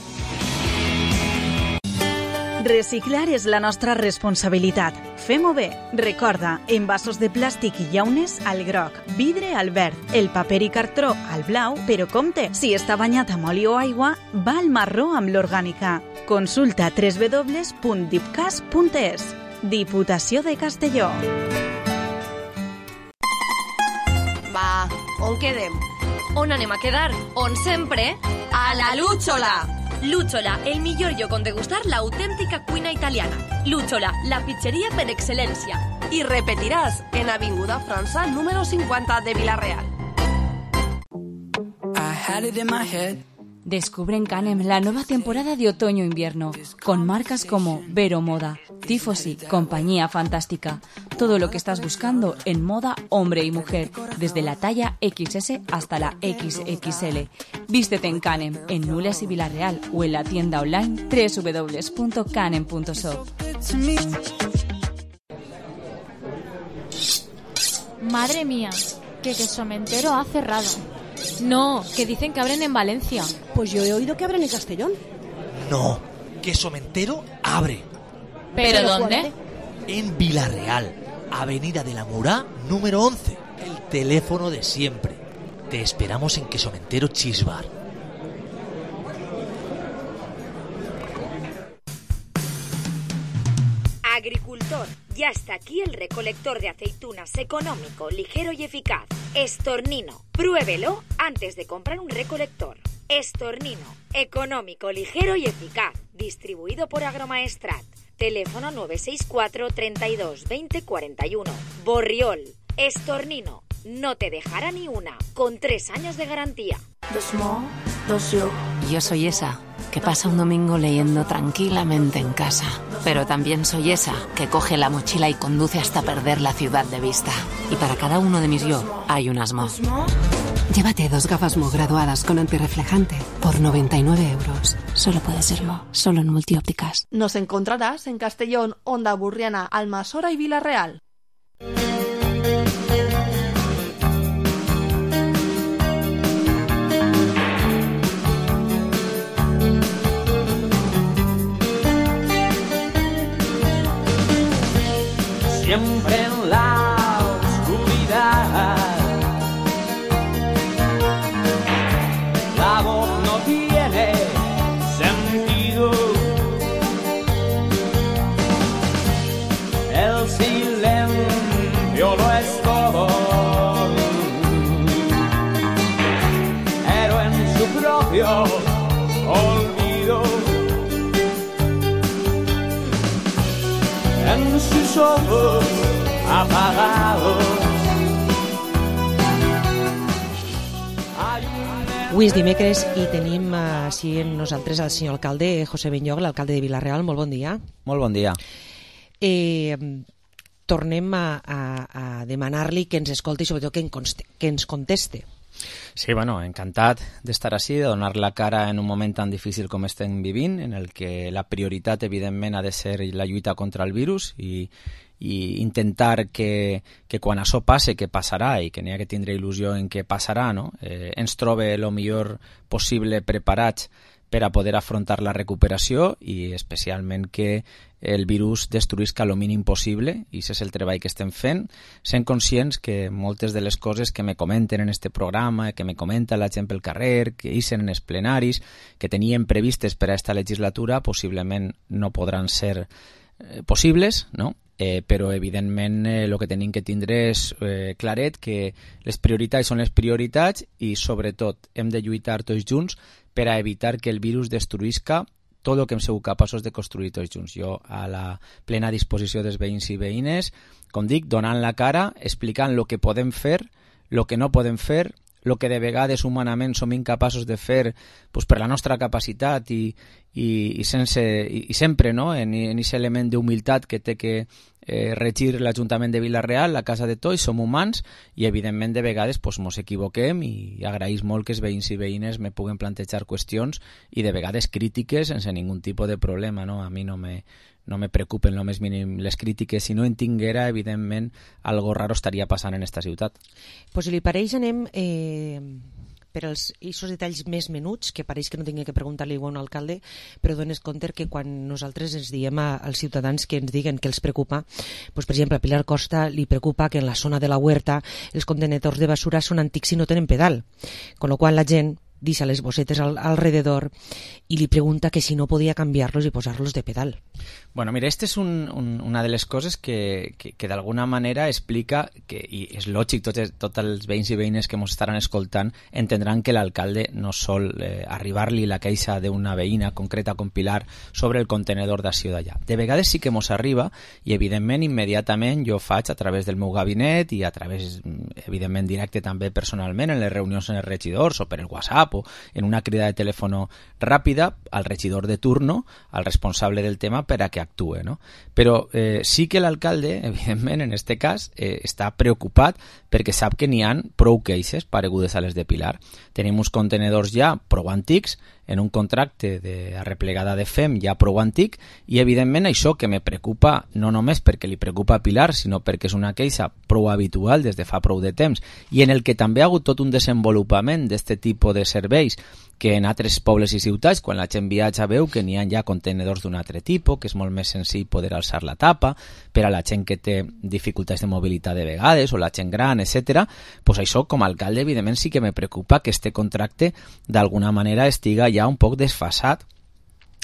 Reciclar és la nostra responsabilitat. Fem-ho bé. Recorda, envasos de plàstic i llaunes al groc, vidre al verd, el paper i cartró al blau, però compte, si està banyat amb oli o aigua, va al marró amb l'orgànica. Consulta w w w punt dipcas punt es. Diputació de Castelló.
Va, on quedem? On anem a quedar? On sempre? A la Lúchola! Lúchola, el millor lloc on degustar l'autèntica cuina italiana. Lúchola, la pizzeria per excel·lència. I repetiràs en Avinguda França, número cinquanta de Vilarreal.
Descubre en Canem la nueva temporada de otoño-invierno, con marcas como Vero Moda, Tifosi, Compañía Fantástica. Todo lo que estás buscando en moda hombre y mujer, desde la talla equis ese hasta la equis equis ele. Vístete en Canem, en Nules y Vilarreal, o en la tienda online w w w punto canem punto shop.
Madre mía, que Quesomentero ha cerrado. No, que dicen que abren en Valencia.
Pues yo he oído que abren en Castellón.
No, Quesomentero abre.
¿Pero dónde?
En Vilarreal, Avenida de la Murá, número once. El teléfono de siempre. Te esperamos en Quesomentero Cheese Bar.
Agricultor, ya está aquí el recolector de aceitunas económico, ligero y eficaz. Estornino, pruébelo antes de comprar un recolector. Estornino, económico, ligero y eficaz. Distribuido por Agromaestrat. Teléfono nueve seis cuatro, treinta y dos, veinte, cuarenta y uno. Borriol, Estornino, no te dejará ni una, con tres años de garantía.
Dos mo, dos yo. Yo soy esa que pasa un domingo leyendo tranquilamente en casa. Pero también soy esa que coge la mochila y conduce hasta perder la ciudad de vista. Y para cada uno de mis yo hay unas mo.
Llévate dos gafas Mo graduadas con antirreflejante por noventa y nueve euros.
Solo puede ser Mo, solo en Multiópticas.
Nos encontrarás en Castellón, Onda Burriana, Almasora y Vilarreal.
Siempre en la oscuridad, la voz no tiene sentido, el silencio lo es todo, pero en su propio olvido, en sus ojos apagados.
Avui és dimecres i tenim així amb nosaltres el senyor alcalde José Benlloc, l'alcalde de Vilarreal. Molt bon dia.
Molt bon dia.
Eh, tornem a, a, a demanar-li que ens escolti i sobretot que, en conste, que ens conteste.
Sí, bueno, encantat d'estar així, de donar la cara en un moment tan difícil com estem vivint, en el que la prioritat, evidentment, ha de ser la lluita contra el virus i, i intentar que, que quan això passe, que passarà, i que n'hi ha que tindre il·lusió en què passarà, no? eh, ens trobe el millor possible preparats per a poder afrontar la recuperació i especialment que el virus destruïsca el mínim possible, i aquest és el treball que estem fent, sent conscients que moltes de les coses que me comenten en este programa, que me comenta la gent pel carrer, que ixen en els plenaris, que tenien previstes per a esta legislatura, possiblement no podran ser eh, possibles, no? Eh, però evidentment el eh, que tenim que tindre és eh, claret que les prioritats són les prioritats i sobretot hem de lluitar tots junts per a evitar que el virus destruïsca tot el que hem sigut capaços de construir tots junts. Jo a la plena disposició dels veïns i veïnes, com dic, donant la cara, explicant el que podem fer, el que no podem fer, el que de vegades humanament som incapaços de fer pues, per la nostra capacitat i, i, i, sense, i, i sempre no? en aquest element d'humilitat que té que eh, regir l'Ajuntament de Vila-real, la casa de tots, som humans i evidentment de vegades pues, mos equivoquem i agraïs molt que els veïns i veïnes me puguen plantejar qüestions i de vegades crítiques sense ningun tipus de problema. No? A mi no me, no me preocupen lo més mínim les crítiques. Si no en tinguera, evidentment, algo raro estaria passant en esta ciutat.
Pues si li pareix, anem eh, per als eixos detalls més menuts, que pareix que no tingué que preguntar-li a un alcalde, però dones compte que quan nosaltres ens diem a, als ciutadans que ens diguen que els preocupa, pues, per exemple, a Pilar Costa li preocupa que en la zona de la Huerta els contenedors de basura són antics i no tenen pedal, con lo qual la gent deixa les bossetes al, alrededor i li pregunta que si no podia canviar-los i posar-los de pedal.
Bueno, mira, esta és un, un, una de les coses que, que, que d'alguna manera explica, que, i és lògic, tots, tots els veïns i veïnes que ens estaran escoltant entendran que l'alcalde no sol eh, arribar-li la queixa d'una veïna concreta com Pilar sobre el contenedor d'acció d'allà. De vegades sí que mos arriba i evidentment immediatament jo faig a través del meu gabinet i a través, evidentment, directe també personalment en les reunions en els regidors o per el WhatsApp o en una crida de telèfon ràpida al regidor de turno, al responsable del tema, per a que actue, no? Però eh, sí que l'alcalde, evidentment, en este cas, eh, està preocupat perquè sap que n'hi ha prou queixes paregudes a les de Pilar. Tenim uns contenedors ja prou antics, en un contracte de arreplegada de F E M ja prou antic, i evidentment això que me preocupa no només perquè li preocupa a Pilar, sinó perquè és una queixa prou habitual des de fa prou de temps, i en el que també ha hagut tot un desenvolupament d'aquest tipus de serveis que en altres pobles i ciutats, quan la gent viatja, veu que n'hi ha ja contenedors d'un altre tipus, que és molt més senzill poder alçar la tapa, per a la gent que té dificultats de mobilitat de vegades, o la gent gran, etcètera. Pues això, com a alcalde, evidentment sí que me preocupa que este contracte d'alguna manera estiga ja un poc desfasat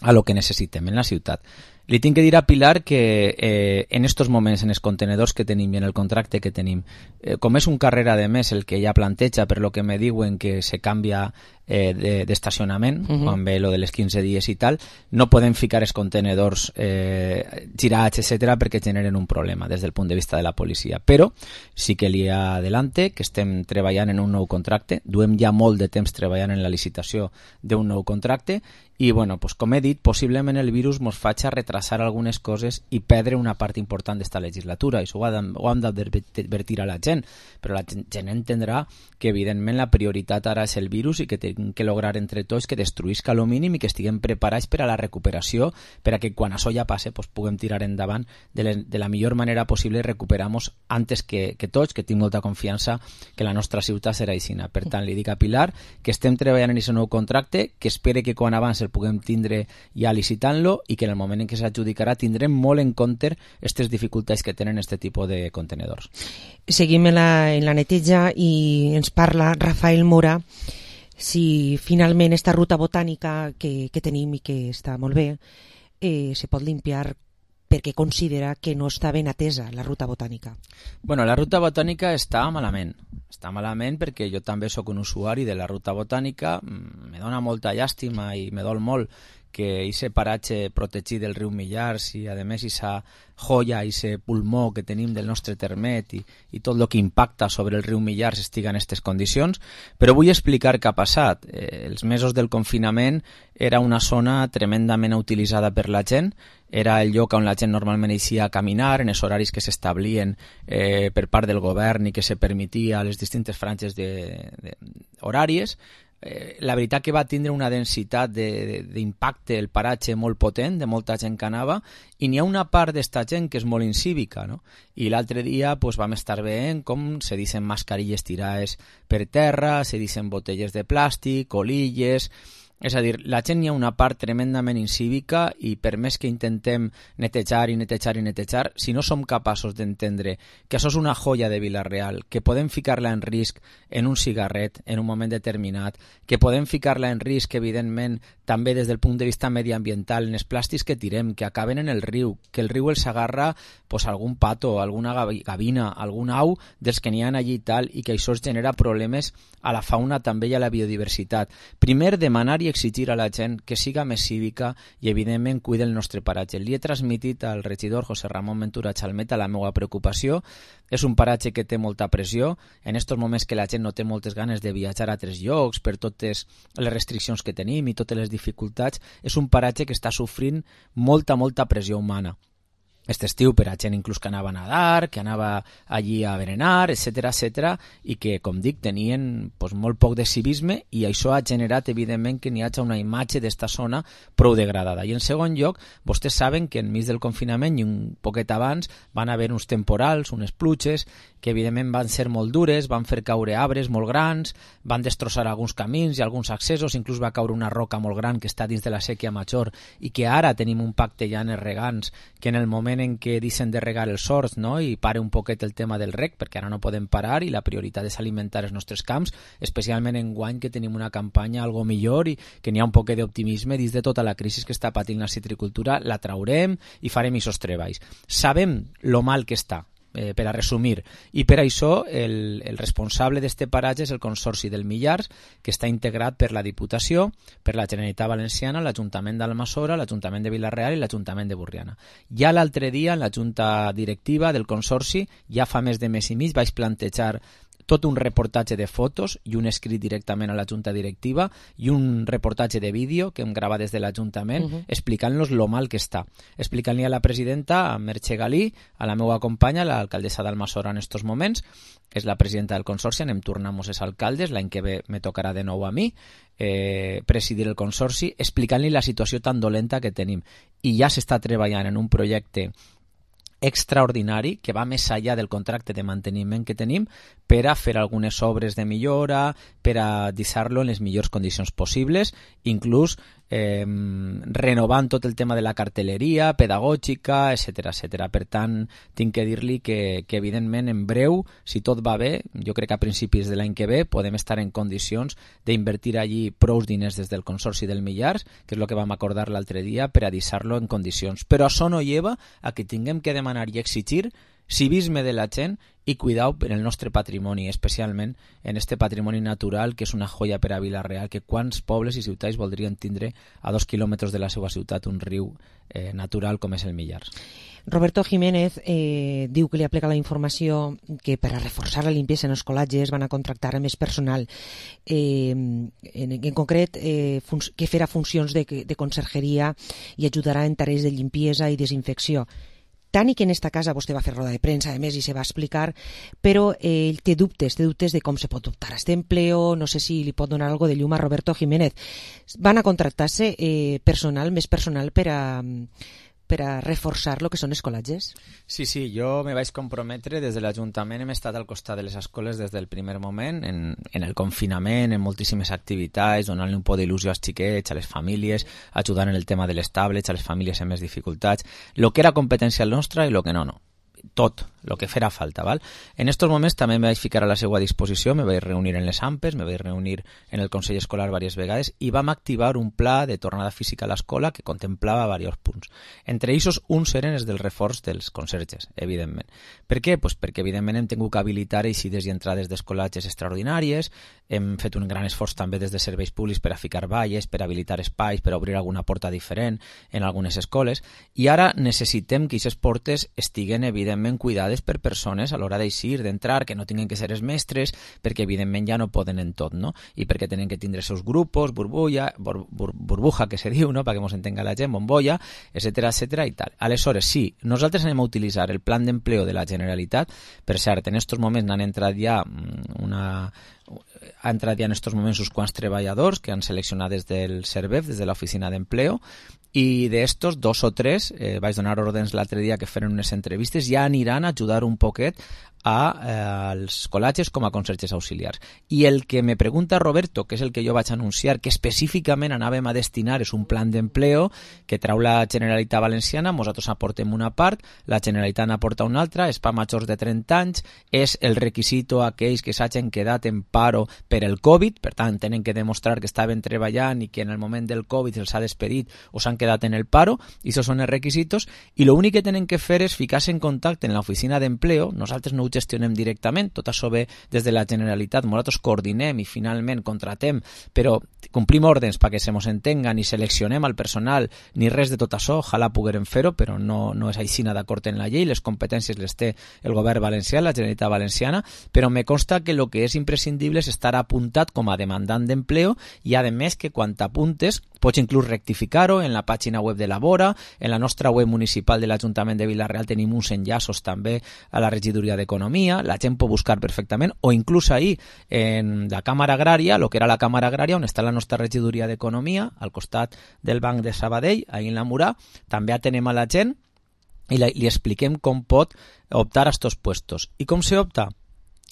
a lo que necessitem en la ciutat. Li tinc que dir a Pilar que eh, en estos moments, en els contenedors que tenim i en el contracte que tenim, eh, com és un carrera de mes el que ella planteja, per lo que me diuen que se canvia eh, d'estacionament, de, uh-huh. quan ve lo de les quinze dies i tal, no podem ficar els contenedors eh, girats, etcètera, perquè generen un problema des del punt de vista de la policia. Però sí que li adelante que estem treballant en un nou contracte, duem ja molt de temps treballant en la licitació d'un nou contracte, i bueno, pues, com he dit, possiblement el virus ens faci retrasar algunes coses i perdre una part important d'esta legislatura, i això ho hem d'advertir a la gent, però la gent entendrà que evidentment la prioritat ara és el virus i que tenim que lograr entre tots que destruïsca lo mínim i que estiguem preparats per a la recuperació, per a que quan això ja passe pues, puguem tirar endavant de, le, de la millor manera possible i recuperamos antes que, que tots, que tinc molta confiança que la nostra ciutat serà aixina. Per tant, li dic a Pilar que estem treballant en aquest nou contracte, que espere que quan abans el puguem tindre ja licitant-lo i que en el moment en què s'adjudicarà tindrem molt en compte aquestes dificultats que tenen aquest tipus de contenedors.
Seguim en la, en la neteja i ens parla Rafael Mora si finalment esta ruta botànica que, que tenim i que està molt bé eh, se pot limpiar perquè considera que no està ben atesa la ruta botànica.
Bueno, la ruta botànica està malament. Està malament perquè jo també sóc un usuari de la ruta botànica. Me dona molta llàstima i me dol molt perquè ese paratge protegit del riu Millars i, a més, esa joia, ese pulmó que tenim del nostre termet i, i tot el que impacta sobre el riu Millars estiga en aquestes condicions. Però vull explicar què ha passat. Eh, els mesos del confinament era una zona tremendament utilitzada per la gent, era el lloc on la gent normalment eixia a caminar en els horaris que s'establien eh, per part del govern i que se permetia a les distintes franges de, de, horàries. Eh, la veritat que va tindre una densitat d'impacte el paratge molt potent, de molta gent que anava, i n'hi ha una part d'esta gent que és molt incívica, no? I l'altre dia pues, vam estar veient com se dicen mascarilles tirades per terra, se dicen botelles de plàstic, colilles. És a dir, la gent hi ha una part tremendament incívica i per més que intentem netejar i netejar i netejar, si no som capaços d'entendre que això és una joia de Vila-real, que podem ficar-la en risc en un cigarret en un moment determinat, que podem ficar-la en risc, evidentment, també des del punt de vista mediambiental, en els plàstics que tirem, que acaben en el riu, que el riu els agarra pues, algun pato, alguna gavina, algun au dels que n'hi ha allí i tal, i que això es genera problemes a la fauna també i a la biodiversitat. Primer, demanar i exigir a la gent que siga més cívica i, evidentment, cuide el nostre paratge. Li he transmitit al regidor José Ramón Ventura Chalmeta la meva preocupació. És un paratge que té molta pressió. En aquests moments que la gent no té moltes ganes de viatjar a altres llocs per totes les restriccions que tenim i totes les dificultats, és un paratge que està sofrint molta, molta pressió humana. Aquest estiu per a gent inclús que anava a nadar, que anava allí a berenar, etcètera, etcètera, i que, com dic, tenien pues, molt poc de civisme i això ha generat, evidentment, que n'hi hagi una imatge d'esta zona prou degradada. I en segon lloc, vostès saben que enmig del confinament i un poquet abans van haver uns temporals, unes pluges, que evidentment van ser molt dures, van fer caure arbres molt grans, van destrossar alguns camins i alguns accessos, inclús va caure una roca molt gran que està dins de la sèquia major i que ara tenim un pacte ja en els regants, que en el moment en què deixen de regar els horts, no? I pare un poquet el tema del reg, perquè ara no podem parar i la prioritat és alimentar els nostres camps, especialment en guany que tenim una campanya algo millor i que n'hi ha un poquet d'optimisme dins de tota la crisi que està patint la citricultura, la traurem i farem aquests treballs. Sabem lo mal que està, Eh, per a resumir, i per això el, el responsable d'este paratge és el Consorci del Millars, que està integrat per la Diputació, per la Generalitat Valenciana, l'Ajuntament d'Almassora, l'Ajuntament de Vila-real i l'Ajuntament de Borriana. Ja l'altre dia, en la Junta Directiva del Consorci, ja fa més de mes i mig, vaig plantejar tot un reportatge de fotos i un escrit directament a la Junta Directiva i un reportatge de vídeo que hem gravat des de l'Ajuntament uh-huh. explicant-los lo mal que està. Explicant-li a la presidenta, a Merche Galí, a la meva companya, l'alcaldessa d'Almassora en estos moments, que és la presidenta del Consorci, anem tornant-nos els alcaldes, l'any que ve me tocarà de nou a mi eh, presidir el Consorci, explicant-li la situació tan dolenta que tenim. I ja s'està treballant en un projecte extraordinari que va més enllà del contracte de manteniment que tenim per a fer algunes obres de millora, per a deixar-lo en les millors condicions possibles, inclús eh, renovant tot el tema de la cartelleria pedagògica, etcètera, etcètera. Per tant, tinc que dir-li que, que evidentment en breu, si tot va bé, jo crec que a principis de l'any que ve podem estar en condicions d'invertir allí prous diners des del Consorci del Millars, que és el que vam acordar l'altre dia, per a deixar-lo en condicions. Però això no lleva a que tinguem que demanar i exigir civisme de la gent i cuidau per el nostre patrimoni, especialment en este patrimoni natural que és una joia per a Vila-real, que quants pobles i ciutats voldrien tindre a dos quilòmetres de la seva ciutat un riu eh, natural com és el Millars.
Roberto Jiménez eh, diu que li aplica la informació que per a reforçar la limpiesa en els col·latges van a contractar més personal, eh, en, en concret eh, que farà funcions de, de consergeria i ajudarà en tarees de limpiesa i desinfecció. Tant i que en esta casa vostè va fer roda de premsa, a més, i se va explicar, però eh, ell té dubtes, té dubtes de com se pot optar a este empleo, no sé si li pot donar algo de llum a Roberto Jiménez. Van a contractar-se eh, personal, més personal per a, per a reforçar lo que són els col·latges?
Sí, sí, jo me vaig comprometre des de l'Ajuntament, hem estat al costat de les escoles des del primer moment, en, en el confinament, en moltíssimes activitats, donant-li un poc d'il·lusió als xiquets, a les famílies, ajudant en el tema de les tablets, a les famílies amb més dificultats, el que era competència nostra i el que no, no. Tot, lo que farà falta, val? En estos moments també me vaig ficar a la seva disposició, me vaig reunir en les AMPES, me vaig reunir en el Consell Escolar diverses vegades i vam activar un pla de tornada física a l'escola que contemplava diversos punts. Entre ells, uns eren els del reforç dels conserges, evidentment. Per què? Pues perquè, evidentment, hem tingut que habilitar eixides i entrades d'escolatges extraordinàries, hem fet un gran esforç també des de serveis públics per a ficar valles, per habilitar espais, per obrir alguna porta diferent en algunes escoles, i ara necessitem que aquestes portes estiguen, evidentment, cuidades per persones a l'hora d'eixir, d'entrar, que no tinguin que ser els mestres, perquè, evidentment, ja no poden en tot, no? I perquè tenen que tindre els seus grupos, burbuja, bur, bur, burbuja, que se diu, no?, perquè ens entenga la gent, bombolla, etcètera, etcètera, i tal. Aleshores, sí, nosaltres anem a utilitzar el plan d'empleo de la Generalitat. Per cert, en estos moments n'han entrat ja una... ha entrat ja en estos moments uns quants treballadors que han seleccionat des del CERVEF, des de l'oficina d'empleo, i d'estos, dos o tres, eh, vaig donar ordens l'altre dia que feren unes entrevistes, ja aniran a ajudar un poquet a, eh, als col·latges com a conserges auxiliars. I el que me pregunta Roberto, que és el que jo vaig anunciar, que específicament anàvem a destinar, és un plan d'empleo que trau la Generalitat Valenciana, nosaltres aportem una part, la Generalitat n'aporta una altra, és per majors de trenta anys, és el requisito a aquells que s'hagin quedat en paro per el Covid, per tant, tenen que demostrar que estaven treballant i que en el moment del Covid se'ls ha despedit o s'han quedat en el paro, i això són els requisitos, i l'únic que tenen que fer és ficar-se en contacte en l'oficina d'empleo, nosaltres no ho gestionem directament, tot això ve des de la Generalitat, nosaltres coordinem i finalment contratem, però complim ordens perquè se mos entenguen i seleccionem al personal, ni res de tot això, ojalà poguérem fer-ho, però no, no és així d'acord en la llei, les competències les té el govern valencià, la Generalitat Valenciana, però me consta que el que és imprescindible és estar apuntat com a demandant d'empleo i, a més, que quan t'apuntes pots inclús rectificar-ho en la pàgina web de la Vora, en la nostra web municipal de l'Ajuntament de Vila-real tenim uns enllaços també a la regidoria d'Economia, la gent pot buscar perfectament, o inclús ahir en la Càmara Agrària, el que era la Càmara Agrària, on està la nostra regidoria d'Economia, al costat del Banc de Sabadell, ahir en la Murà, també atenem a la gent i la, li expliquem com pot optar a estos puestos. I com se opta?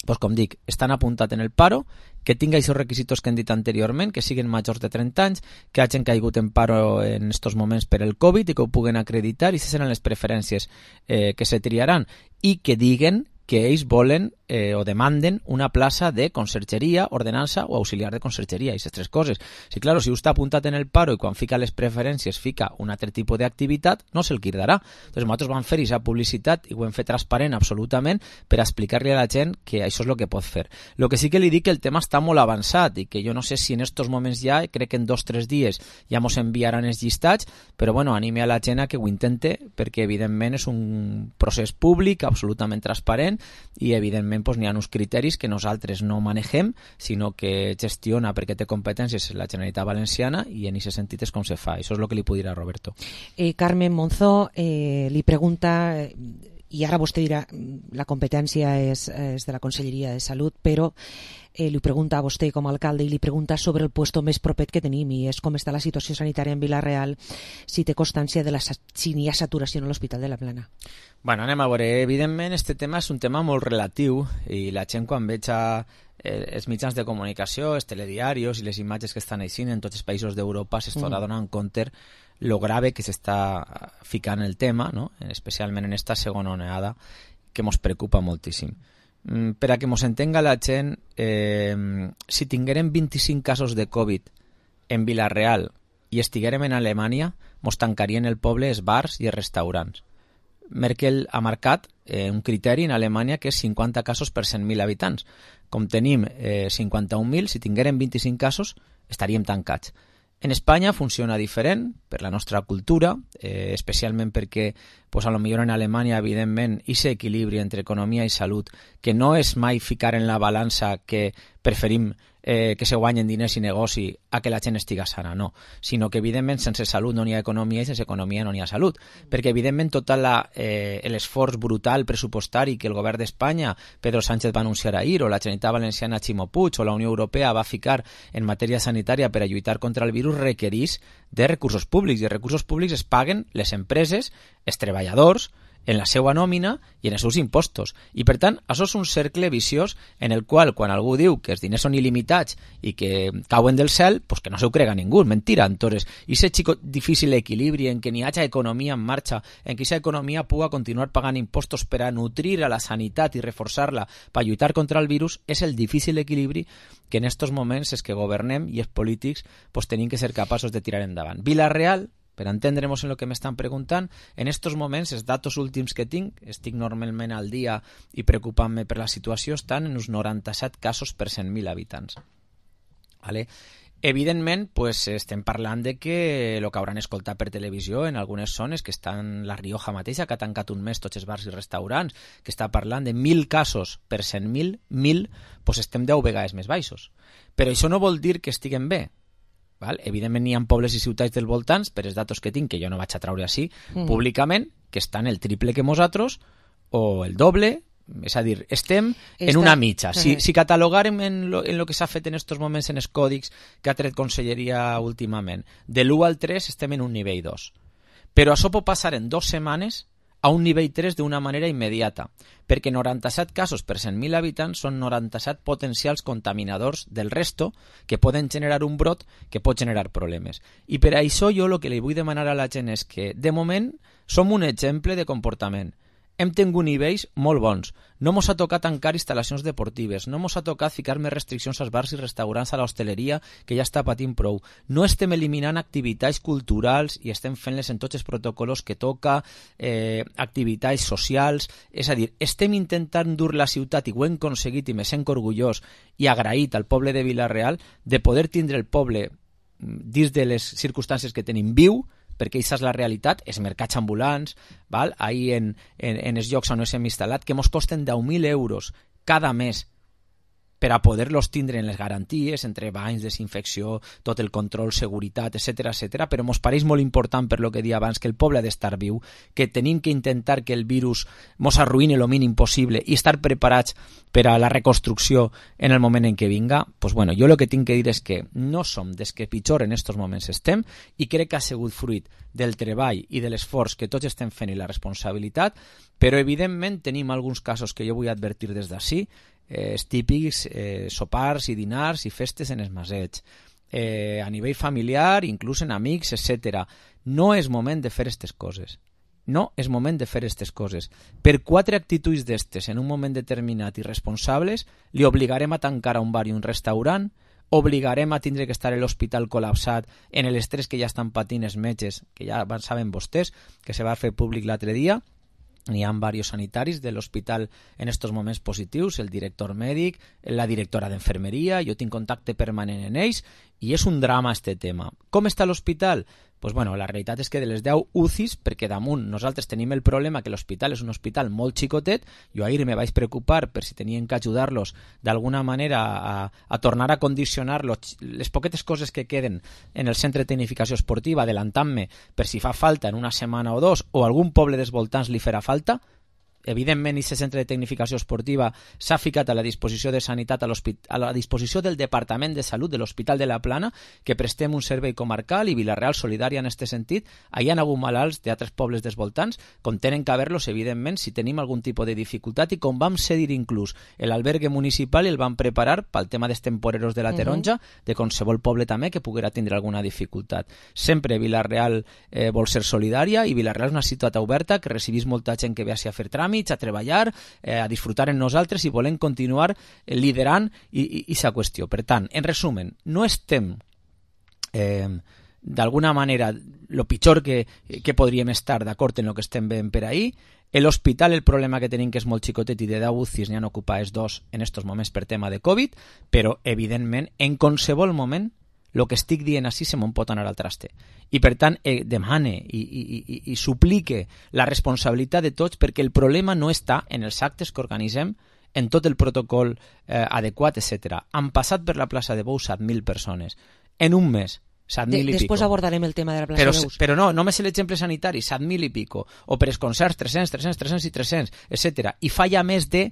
Pues com dic, estan apuntats en el paro, que tinga aquests requisitos que hem dit anteriorment, que siguin majors de trenta anys, que hagin caigut en paro en estos moments per el Covid i que ho puguen acreditar, i aquestes seran les preferències eh, que se triaran, i que diguen que ells volen eh, o demanden una plaça de consergeria, ordenança o auxiliar de consergeria, aquestes tres coses. Sí, claro, si està apuntat en el paro i quan fica les preferències fica un altre tipus d'activitat, no se'l quirdarà. Entonces, nosaltres vam fer aquesta publicitat i ho hem fet transparent absolutament per explicar-li a la gent que això és el que pot fer. El que sí que li dic que el tema està molt avançat i que jo no sé si en estos moments ja, crec que en dos o tres dies ja mos enviaran els llistats, però bueno, anime a la gent a que ho intente perquè evidentment és un procés públic absolutament transparent i evidentment pues, n'hi ha uns criteris que nosaltres no manegem, sinó que gestiona perquè té competències la Generalitat Valenciana i en aquest sentit és com se fa. Això és el que li puc dir a Roberto.
Eh, Carmen Monzó eh, li pregunta, i ara vostè dirà la competència és, és de la Conselleria de Salut, però eh, li pregunta a vostè com a alcalde i li pregunta sobre el puesto més propet que tenim i és com està la situació sanitària en Vila-real, si té constància de la, si n'hi ha saturació en l'Hospital de la Plana.
Bueno, anem a veure, evidentment este tema és un tema molt relatiu i la gent quan veig a eh, els mitjans de comunicació, els telediaris i les imatges que estan eixint en tots els països d'Europa s'estarà mm. donant compte lo grave que s'està ficant el tema, no? Especialment en esta segona onada que ens preocupa moltíssim. Per a que ens entenga la gent, eh, si tinguérem vint-i-cinc casos de Covid en Vila-real i estiguérem en Alemanya, ens tancarien el poble els bars i els restaurants. Merkel ha marcat eh, un criteri en Alemanya que és cinquanta casos per cent mil habitants. Com tenim eh, cinquanta-un mil, si tinguérem vint-i-cinc casos, estaríem tancats. En Espanya funciona diferent per la nostra cultura, eh, especialment perquè pues, a lo millor en Alemanya, evidentment, aquest equilibri entre economia i salut, que no és mai ficar en la balança que preferim eh, que se guanyen diners i negoci a que la gent estiga sana, no, sinó que evidentment sense salut no n'hi ha economia i sense economia no n'hi ha salut, perquè evidentment tot eh, l'esforç brutal pressupostari que el govern d'Espanya, Pedro Sánchez va anunciar ahir, o la Generalitat Valenciana Ximo Puig, o la Unió Europea va ficar en matèria sanitària per a lluitar contra el virus, requereix de recursos públics, i els recursos públics es paguen les empreses, els treballadors, en la seva nòmina i en els seus impostos. I, per tant, això és un cercle viciós en el qual, quan algú diu que els diners són il·limitats i que cauen del cel, pues que no se ho crega ningú, és mentira. Entonces, i aquest xico difícil equilibri en què n'hi hagi economia en marxa, en què aquesta economia puga continuar pagant impostos per a nutrir a la sanitat i reforçar-la per lluitar contra el virus, és el difícil equilibri que en estos moments és que governem i els polítics pues, tenim que ser capaços de tirar endavant. Vila-real, per entendre'ns en el que m'estan preguntant, en estos moments, els datos últims que tinc, estic normalment al dia i preocupant-me per la situació, estan en uns noranta-set casos per cent mil habitants. Vale? Evidentment, pues, estem parlant de que el que hauran escoltat per televisió en algunes zones, que estan la Rioja mateixa, que ha tancat un mes tots els bars i restaurants, que està parlant de mil casos per cent mil, mil, pues estem deu vegades més baixos. Però això no vol dir que estiguem bé. Val? Evidentment, hi ha pobles i ciutats del voltants, per els datos que tinc, que jo no vaig a traure així, mm. públicament, que estan el triple que nosaltres, o el doble, és a dir, estem Esta... en una mitja. Si, si catalogarem en lo, en lo que s'ha fet en estos moments en els còdics que ha tret Conselleria últimament, de l'u al tres estem en un nivell dos. Però això pot passar en dues setmanes a un nivell tres d'una manera immediata, perquè noranta-set casos per cent mil habitants són noranta-set potencials contaminadors del resto que poden generar un brot que pot generar problemes. I per això jo el que li vull demanar a la gent és que, de moment, som un exemple de comportament. Hem tingut nivells molt bons. No mos ha tocat tancar instal·lacions deportives, no mos ha tocat ficar més restriccions als bars i restaurants, a l'hostaleria, que ja està patint prou. No estem eliminant activitats culturals i estem fent-les en tots els protocols que toca, eh, activitats socials. És a dir, estem intentant dur la ciutat, i ho hem aconseguit, i me sent orgullós i agraït al poble de Vila-real de poder tindre el poble dins de les circumstàncies que tenim viu, perquè aquesta és la realitat, els mercats ambulants, val? Ahir en, en, en els llocs on ens hem instal·lat, que ens costen deu mil euros cada mes per a poder-los tindre en les garanties, entre banys, desinfecció, tot el control, seguretat, etcètera, etcètera, però ens pareix molt important, per lo que dia abans, que el poble ha d'estar viu, que tenim que intentar que el virus ens arruïni el mínim possible i estar preparats per a la reconstrucció en el moment en què vinga. Pues bueno, jo el que tinc que dir és que no som des que pitjor en estos moments estem, i crec que ha sigut fruit del treball i de l'esforç que tots estem fent i la responsabilitat, però evidentment tenim alguns casos que jo vull advertir des d'ací, eh, típics eh, sopars i dinars i festes en els masets, eh, a nivell familiar, inclús en amics, etcètera. No és moment de fer aquestes coses. No és moment de fer aquestes coses. Per quatre actituds d'estes en un moment determinat i responsables, li obligarem a tancar a un bar i un restaurant, obligarem a tindre que estar a l'hospital col·lapsat en l'estrès que ja estan patint els metges, que ja saben vostès, que se va fer públic l'altre dia. N'hi ha diversos sanitaris de l'hospital en estos moments positius, el director mèdic, la directora d'enfermeria, jo tinc contacte permanent en ells, i és un drama este tema. Com està l'hospital? Pues bueno, la realitat és que de les deu U C Is, perquè damunt nosaltres tenim el problema que l'hospital és un hospital molt xicotet, jo ahir me vaig preocupar per si tenien que ajudar-los d'alguna manera a, a tornar a condicionar los, les poquetes coses que queden en el centre de tecnificació esportiva, adelantant-me per si fa falta en una setmana o dos, o algun poble dels voltants li farà falta. Evidentment, aquest centre de tecnificació esportiva s'ha ficat a la disposició de sanitat, a, a la disposició del Departament de Salut de l'Hospital de la Plana, que prestem un servei comarcal, i Vila-real solidària en aquest sentit. Hi ha hagut malalts d'altres pobles dels voltants, com tenen que haver-los, evidentment, si tenim algun tipus de dificultat, i com vam cedir inclús l'albergue municipal i el vam preparar pel tema dels temporeros de la Taronja, uh-huh. de qualsevol poble també que poguera tindre alguna dificultat. Sempre Vila-real eh, vol ser solidària, i Vila-real és una ciutat oberta que recibís molta gent que ve a fer tràmits, a treballar, eh, a disfrutar en nosaltres, i volem continuar eh, liderant aquesta qüestió. Per tant, en resumen, no estem eh, d'alguna manera el pitjor que, que podríem estar d'acord en el que estem veient per ahir. L'hospital, el problema que tenim que és molt xicotet, i de deu U C Is n'hi han ocupades dos en estos moments per tema de Covid, però evidentment en qualsevol moment el que estic dient així se me'n pot anar al traste. I per tant eh, demane i, i, i, i suplique la responsabilitat de tots, perquè el problema no està en els actes que organitzem, en tot el protocol eh, adequat, etcètera. Han passat per la plaça de Bous set mil persones en un mes. set mil
de,
i
després
pico.
abordarem el tema de la plaça
però,
de Bous.
Però no, només l'exemple sanitari, set mil i pico. O per els concerts, tres-cents, tres-cents, tres-cents i tres-cents, etcètera. I fa ja més de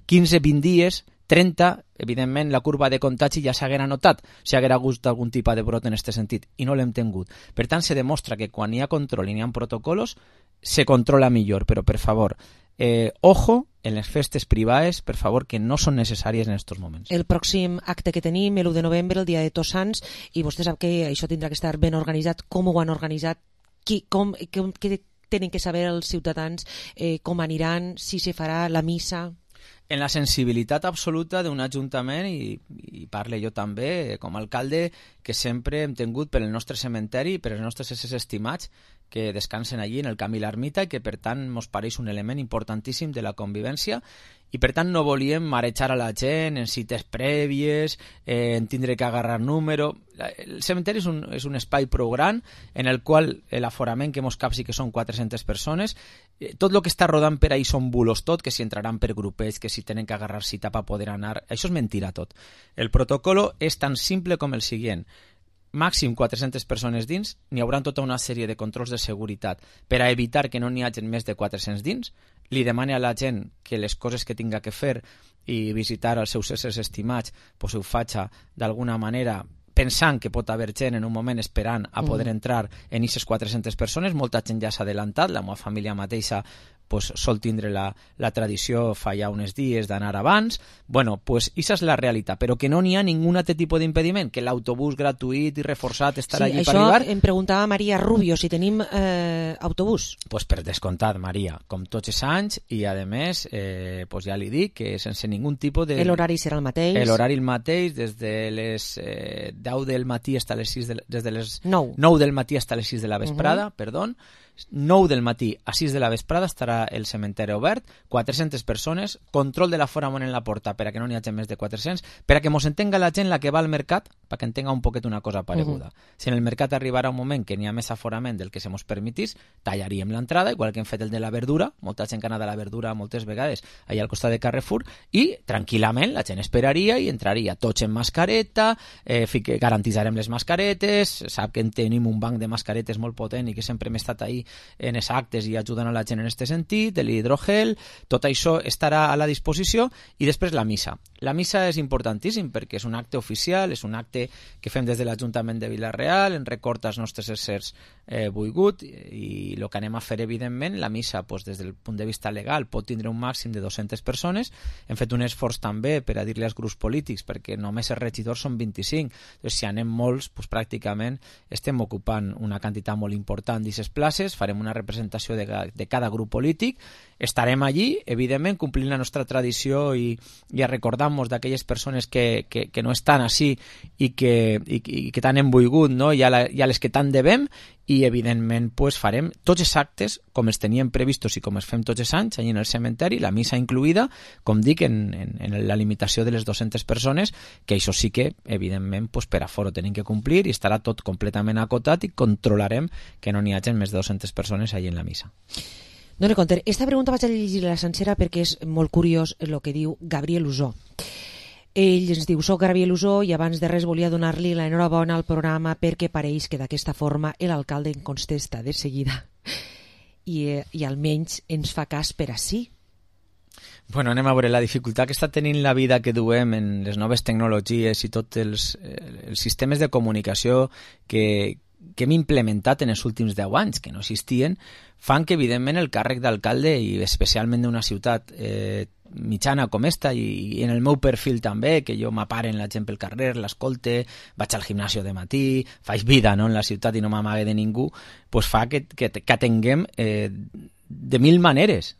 quinze vint dies, trenta evidentment la curva de contagi ja s'haguera notat si haguera hagut algun tipus de brot en aquest sentit, i no l'hem tingut. Per tant, se demostra que quan hi ha control i hi ha protocols, se controla millor, però per favor, eh, ojo en les festes privades, per favor, que no són necessàries en aquests moments.
El pròxim acte que tenim, l'u de novembre, el dia de Tots Sants, i vostè sap que això tindrà que estar ben organitzat. Com ho han organitzat? Qui, com, com, què tenen que saber els ciutadans? Eh, com aniran? Si se farà la missa?
En la sensibilitat absoluta d'un ajuntament, i, i parle jo també com a alcalde, que sempre hem tingut per el nostre cementeri i per els nostres éssers estimats que descansen allí en el camí l'ermita i que per tant ens pareix un element importantíssim de la convivència, i per tant no volíem marejar a la gent en cites prèvies, eh, en tindre que agarrar número. El cementeri és un, és un espai prou gran en el qual l'aforament que mos capsi que són quatre-centes persones, eh, tot el que està rodant per ahí són bulos tot, que si entraran per grupets, que si tenen que agarrar cita per poder anar, això és mentira tot. El protocolo és tan simple com el següent: màxim quatre-centes persones dins, n'hi haurà tota una sèrie de controls de seguretat per a evitar que no n'hi hagi més de quatre-cents dins. Li demani a la gent que les coses que tinga que fer i visitar els seus éssers estimats pues ho faci d'alguna manera pensant que pot haver gent en un moment esperant a poder entrar en aquestes quatre-centes persones. Molta gent ja s'ha adelantat, la meva família mateixa pues, sol tindre la, la tradició fa ja uns dies d'anar abans. Bueno, pues això és la realitat, però que no n'hi ha ningun altre tipus d'impediment, que l'autobús gratuït i reforçat estarà
sí,
allí per arribar.
Això em preguntava Maria Rubio, si tenim eh, autobús.
Pues per descomptat, Maria, com tots els anys, i a més, eh, pues ja li dic que sense ningun tipus de...
L'horari serà el mateix.
L'horari el mateix, des de les eh, deu del matí fins a les sis de, des de les
nou.
nou del matí fins a les sis de la vesprada, uh -huh. perdó. nou del matí a sis de la vesprada estarà el cementeri obert, quatre-centes persones, control de l'aforament en la porta per a que no n'hi hagi més de quatre-cents, per a que mos entenga la gent la que va al mercat, perquè entenga un poquet una cosa pareguda. Uh -huh. Si en el mercat arribarà un moment que n'hi ha més aforament del que se mos permetís, tallaríem l'entrada, igual que hem fet el de la verdura, molta gent que ha anat a la verdura moltes vegades allà al costat de Carrefour, i tranquil·lament la gent esperaria i entraria tots en mascareta, eh, garantitzarem les mascaretes, sap que tenim un banc de mascaretes molt potent i que sempre hem estat ahí en els actes i ajudant a la gent en aquest sentit, l'hidrogel, tot això estarà a la disposició, i després la missa. La missa és importantíssim perquè és un acte oficial, és un acte que fem des de l'Ajuntament de Vila-real, en record als nostres éssers eh, volgut, i el que anem a fer, evidentment, la missa, pues, des del punt de vista legal, pot tindre un màxim de dues-centes persones. Hem fet un esforç també per a dir-li als grups polítics, perquè només els regidors són vint-i-cinc, doncs si anem molts, pues, pràcticament estem ocupant una quantitat molt important d'aquestes places, farem una representació de, de cada grup polític, estarem allí, evidentment, complint la nostra tradició i, i a recordar-nos d'aquelles persones que, que, que no estan així i que, i, i que tant hem volgut, no? I, a la, i a les que tant devem, i evidentment pues, farem tots els actes com els teníem previstos i com els fem tots els anys allà en el cementeri, la missa incluïda, com dic, en, en, en la limitació de les dues-centes persones, que això sí que evidentment pues, per aforo tenim que complir, i estarà tot completament acotat i controlarem que no n'hi hagi més de dues-centes persones allà en la missa.
Dona compte, esta pregunta vaig a llegir-la sencera perquè és molt curiós el que diu Gabriel Usó. Ell ens diu: soc Gabriel Usó i abans de res volia donar-li l'enhorabona al programa perquè pareix que d'aquesta forma l'alcalde en contesta de seguida i, eh, i almenys ens fa cas per ací.
Bueno, anem a veure la dificultat que està tenint la vida que duem en les noves tecnologies i tots els, els sistemes de comunicació que, que hem implementat en els últims deu anys, que no existien, fan que evidentment el càrrec d'alcalde, i especialment d'una ciutat eh, mitjana com esta, i, i en el meu perfil també, que jo m'aparen la gent pel carrer, l'escolte, vaig al gimnasio de matí, faig vida, no, en la ciutat i no m'amague de ningú, pues fa que, que, que atenguem eh, de mil maneres.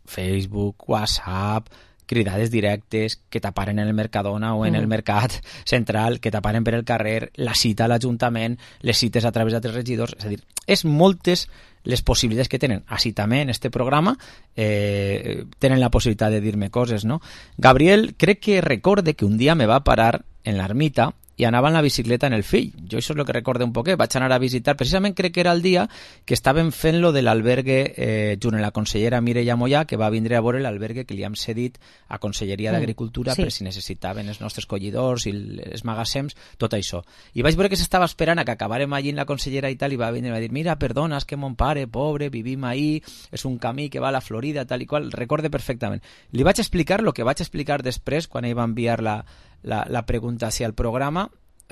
Facebook, WhatsApp, cridades directes, que t'aparen en el Mercadona o en el Mercat Central, que t'aparen per el carrer, la cita a l'Ajuntament, les cites a través d'altres regidors, és a dir, és moltes les possibilitats que tenen. Així també en este programa eh, tenen la possibilitat de dir-me coses, no? Gabriel, crec que recorde que un dia me va parar en l'ermita i anava en la bicicleta en el fill. Jo això és el que recordo un poquet. Vaig anar a visitar, precisament crec que era el dia que estaven fent lo de l'albergue eh, junt amb la consellera Mireia Mollà, que va vindre a veure l'albergue que li hem cedit a Conselleria mm. d'Agricultura sí. per si necessitaven els nostres collidors i els magassems, tot això. I vaig veure que s'estava esperant a que acabàrem allí en la consellera i tal, i va vindre i va dir, mira, perdona, és que mon pare, pobre, vivim ahí, és un camí que va a la Florida, tal i qual, recorde perfectament. Li vaig explicar el que vaig explicar després quan ell va enviar la La, la pregunta hacia el programa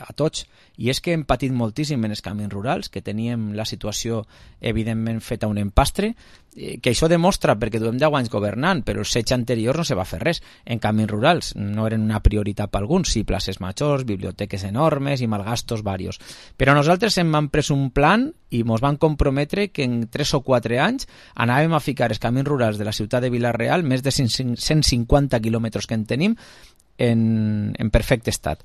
a tots, i és que hem patit moltíssim en els camins rurals, que teníem la situació evidentment feta un empastre, eh, que això demostra perquè duem deu anys governant, però els setge anteriors no se va fer res en camins rurals, no eren una prioritat per alguns, sí, places majors, biblioteques enormes i malgastos varios, però nosaltres hem han pres un plan i ens van comprometre que en tres o quatre anys anàvem a ficar els camins rurals de la ciutat de Vila-real, més de cent cinquanta quilòmetres que en tenim, en, en perfecte estat.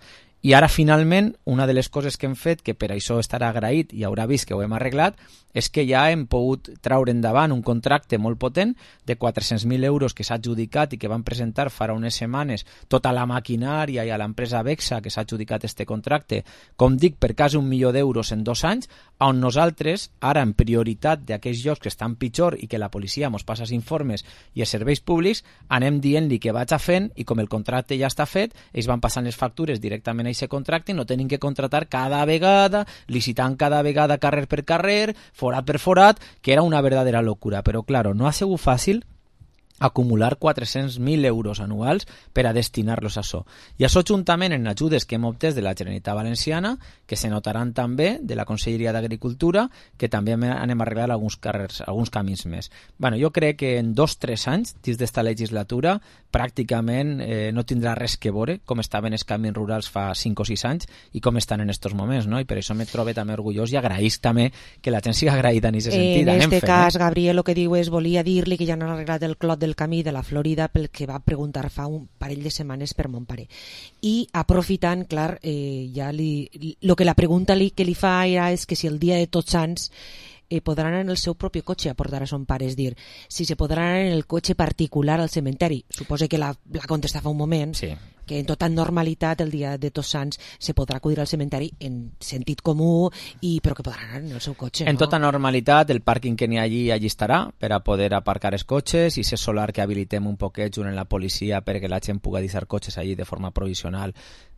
I ara, finalment, una de les coses que hem fet, que per això estarà agraït i haurà vist que ho hem arreglat, és que ja hem pogut traure endavant un contracte molt potent de quatre-cents mil euros que s'ha adjudicat i que van presentar farà unes setmanes tota la maquinària i a l'empresa Vexa que s'ha adjudicat este contracte, com dic, per quasi un milió d'euros en dos anys, on nosaltres, ara en prioritat d'aquells llocs que estan pitjor i que la policia ens passa els informes i els serveis públics, anem dient-li que vaig a fent, i com el contracte ja està fet, ells van passant les factures directament a aquest contracte i no tenim que contratar cada vegada, licitant cada vegada carrer per carrer, forat per forat, que era una verdadera locura. Però, claro, no ha sigut fàcil acumular quatre-cents mil euros anuals per a destinar-los a això. I això juntament en ajudes que hem obtès de la Generalitat Valenciana, que se notaran també de la Conselleria d'Agricultura, que també anem a arreglar alguns carrers, alguns camins més. Bueno, jo crec que en dos o tres anys, dins d'esta legislatura, pràcticament eh, no tindrà res que veure com estaven els camins rurals fa cinc o sis anys i com estan en estos moments, no? I per això me trobo també orgullós i agraïs també que la gent siga agraïda en aquest sentit.
En
aquest
cas, eh? Gabriel, el que diu és, volia dir-li que ja no han arreglat el clot del camí de la Florida pel que va preguntar fa un parell de setmanes per mon pare. I aprofitant, clar, eh, ja li, lo que la pregunta li, que li fa era és que si el dia de Tots Sants eh, podran en el seu propi cotxe a portar a son pare, és dir, si se podran en el cotxe particular al cementeri. Suposo que la, la contesta fa un moment, sí. que en tota normalitat el dia de Tots Sants se podrà acudir al cementeri en sentit comú, i, però que podran anar en el seu cotxe.
En
no?
tota normalitat, el pàrquing que n'hi ha allí, allí estarà per a poder aparcar els cotxes, i ser solar que habilitem un poquet junt amb la policia perquè la gent pugui deixar cotxes allí de forma provisional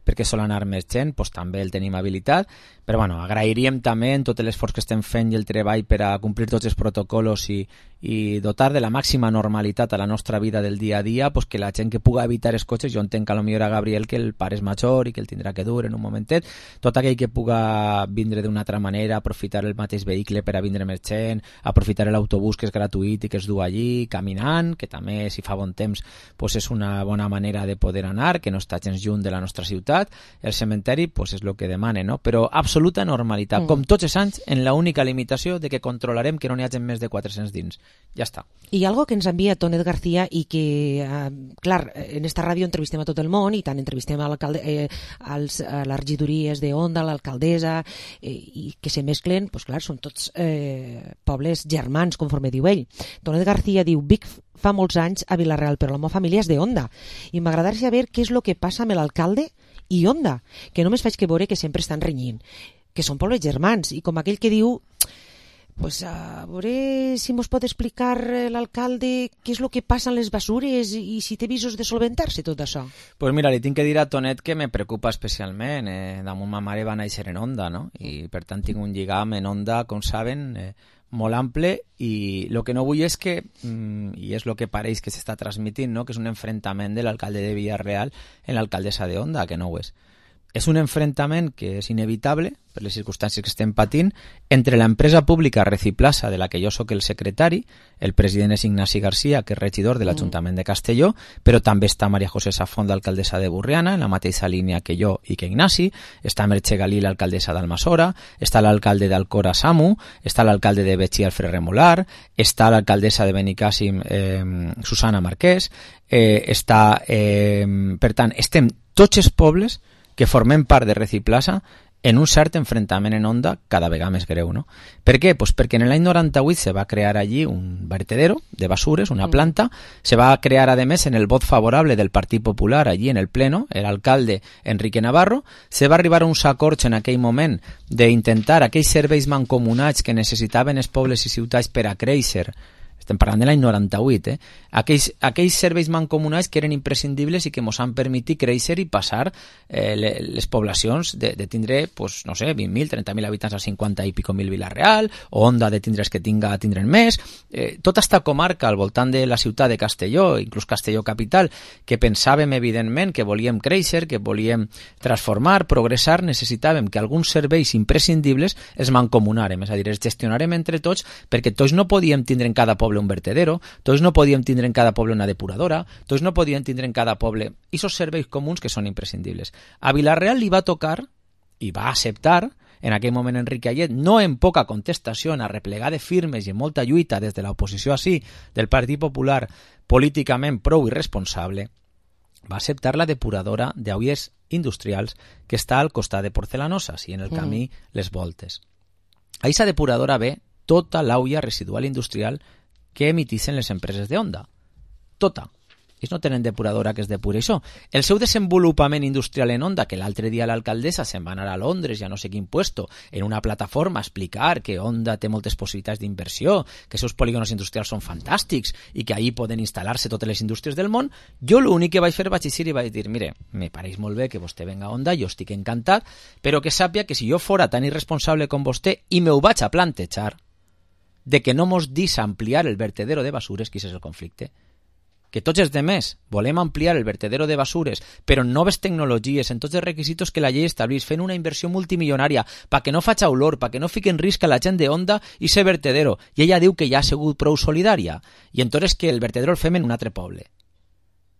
perquè sol anar més gent, doncs també el tenim habilitat. Però bueno, agrairíem també en tot l'esforç que estem fent i el treball per a complir tots els protocols i, i dotar de la màxima normalitat a la nostra vida del dia a dia, pues que la gent que puga evitar els cotxes, jo entenc que a lo millor a Gabriel que el pare és major i que el tindrà que dur en un momentet, tot aquell que puga vindre d'una altra manera, aprofitar el mateix vehicle per a vindre més gent, aprofitar l'autobús que és gratuït i que es du allí, caminant, que també si fa bon temps pues és una bona manera de poder anar, que no està gens lluny de la nostra ciutat. El cementeri pues és el que demana, no? Però absoluta normalitat, mm. com tots els anys, en l'única limitació de que controlarem que no n'hi hagi més de quatre-cents dins. Ja està.
I algo que ens envia Tonet García i que, eh, clar, en esta ràdio entrevistem a tot el món i tant entrevistem a, eh, als, a les regidories de Onda, a l'alcaldessa, eh, i que se mesclen, pues clar, són tots eh, pobles germans, conforme diu ell. Tonet García diu, Vic fa molts anys a Vila-real, però la meva família és de Onda, i m'agradaria saber què és el que passa amb l'alcalde i Onda, que només faig que veure que sempre estan renyint, que són pobles germans, i com aquell que diu, pues a veure si mos pot explicar l'alcalde què és el que passa amb les basures i si té visos de solventar-se tot això.
Pues mira, li tinc que dir a Tonet que me preocupa especialment. Eh, damunt ma mare va néixer en Onda, no? I per tant tinc un lligam en Onda, com saben, eh, molt ample, i el que no vull és que, mm, i és el que pareix que s'està transmitint, no? Que és un enfrontament de l'alcalde de Vila-real en l'alcaldessa de Onda, que no ho és. És un enfrontament que és inevitable per les circumstàncies que estem patint entre l'empresa pública Reciplaza, de la que jo sóc el secretari, el president és Ignasi García, que és regidor de l'Ajuntament de Castelló, però també està Maria José Safont, l'alcaldessa de Burriana, en la mateixa línia que jo i que Ignasi, està Merche Galí, l'alcaldessa d'Almassora, està l'alcalde d'Alcora, Samu, està l'alcalde de Betxí, Alfred Remolar, està l'alcaldessa de Benicàssim, eh, Susana Marquès, eh, està, eh, per tant, estem tots els pobles que formem part de Reciplaza en un cert enfrontament en Onda cada vegada més greu, no? Per què? Pues perquè en l'any noranta-vuit se va crear allí un vertedero de basures, una planta, se va crear además en el vot favorable del Partit Popular allí en el pleno, el alcalde Enrique Navarro, se va arribar a uns acords en aquell moment d'intentar aquells serveis mancomunats que necessitaven els pobles i ciutats per a créixer. Estem parlant de l'any noranta-vuit, eh? Aquells, aquells serveis mancomunats que eren imprescindibles i que ens han permitit créixer i passar eh, les poblacions de, de tindre, pues, no sé, vint mil, trenta mil habitants a cinquanta i pico mil Vila-real, o Onda de tindre els que tinga tindren més. Eh, tota esta comarca al voltant de la ciutat de Castelló, inclús Castelló capital, que pensàvem evidentment que volíem créixer, que volíem transformar, progressar, necessitàvem que alguns serveis imprescindibles els mancomunàrem, és a dir, els gestionarem entre tots, perquè tots no podíem tindre en cada poble un vertedero, tots no podíem tindre en cada poble una depuradora, tots no podíem tindre en cada poble esos serveis comuns que són imprescindibles. A Vila-real li va tocar i va acceptar en aquell moment Enrique Ayet, no en poca contestació, en arreplegar de firmes i en molta lluita des de l'oposició així del Partit Popular políticament prou irresponsable, va acceptar la depuradora d'olles industrials que està al costat de Porcelanosa i en el camí mm. Les Voltes. A aquesta depuradora ve tota l'olla residual industrial que emitissin les empreses de Onda. Tota. Ells no tenen depuradora que es depuri això. El seu desenvolupament industrial en Onda, que l'altre dia l'alcaldessa se'n va anar a Londres, ja no sé quin puesto, en una plataforma a explicar que Onda té moltes possibilitats d'inversió, que els seus polígonos industrials són fantàstics i que ahí poden instal·lar-se totes les indústries del món, jo l'únic que vaig fer vaig eixir i vaig dir, mire, me pareix molt bé que vostè venga a Onda, jo estic encantat, però que sàpia que si jo fora tan irresponsable com vostè i me ho vaig a plantejar, de que no mos dis ampliar el vertedero de basures, que és el conflicte, que tots els demés volem ampliar el vertedero de basures, però en noves tecnologies, en tots els requisitos que la llei estableix, fent una inversió multimilionària, perquè no faig olor, perquè no fiqui en risc a la gent de Onda i ser vertedero. I ella diu que ja ha sigut prou solidària. I entonces que el vertedero el fem en un altre poble.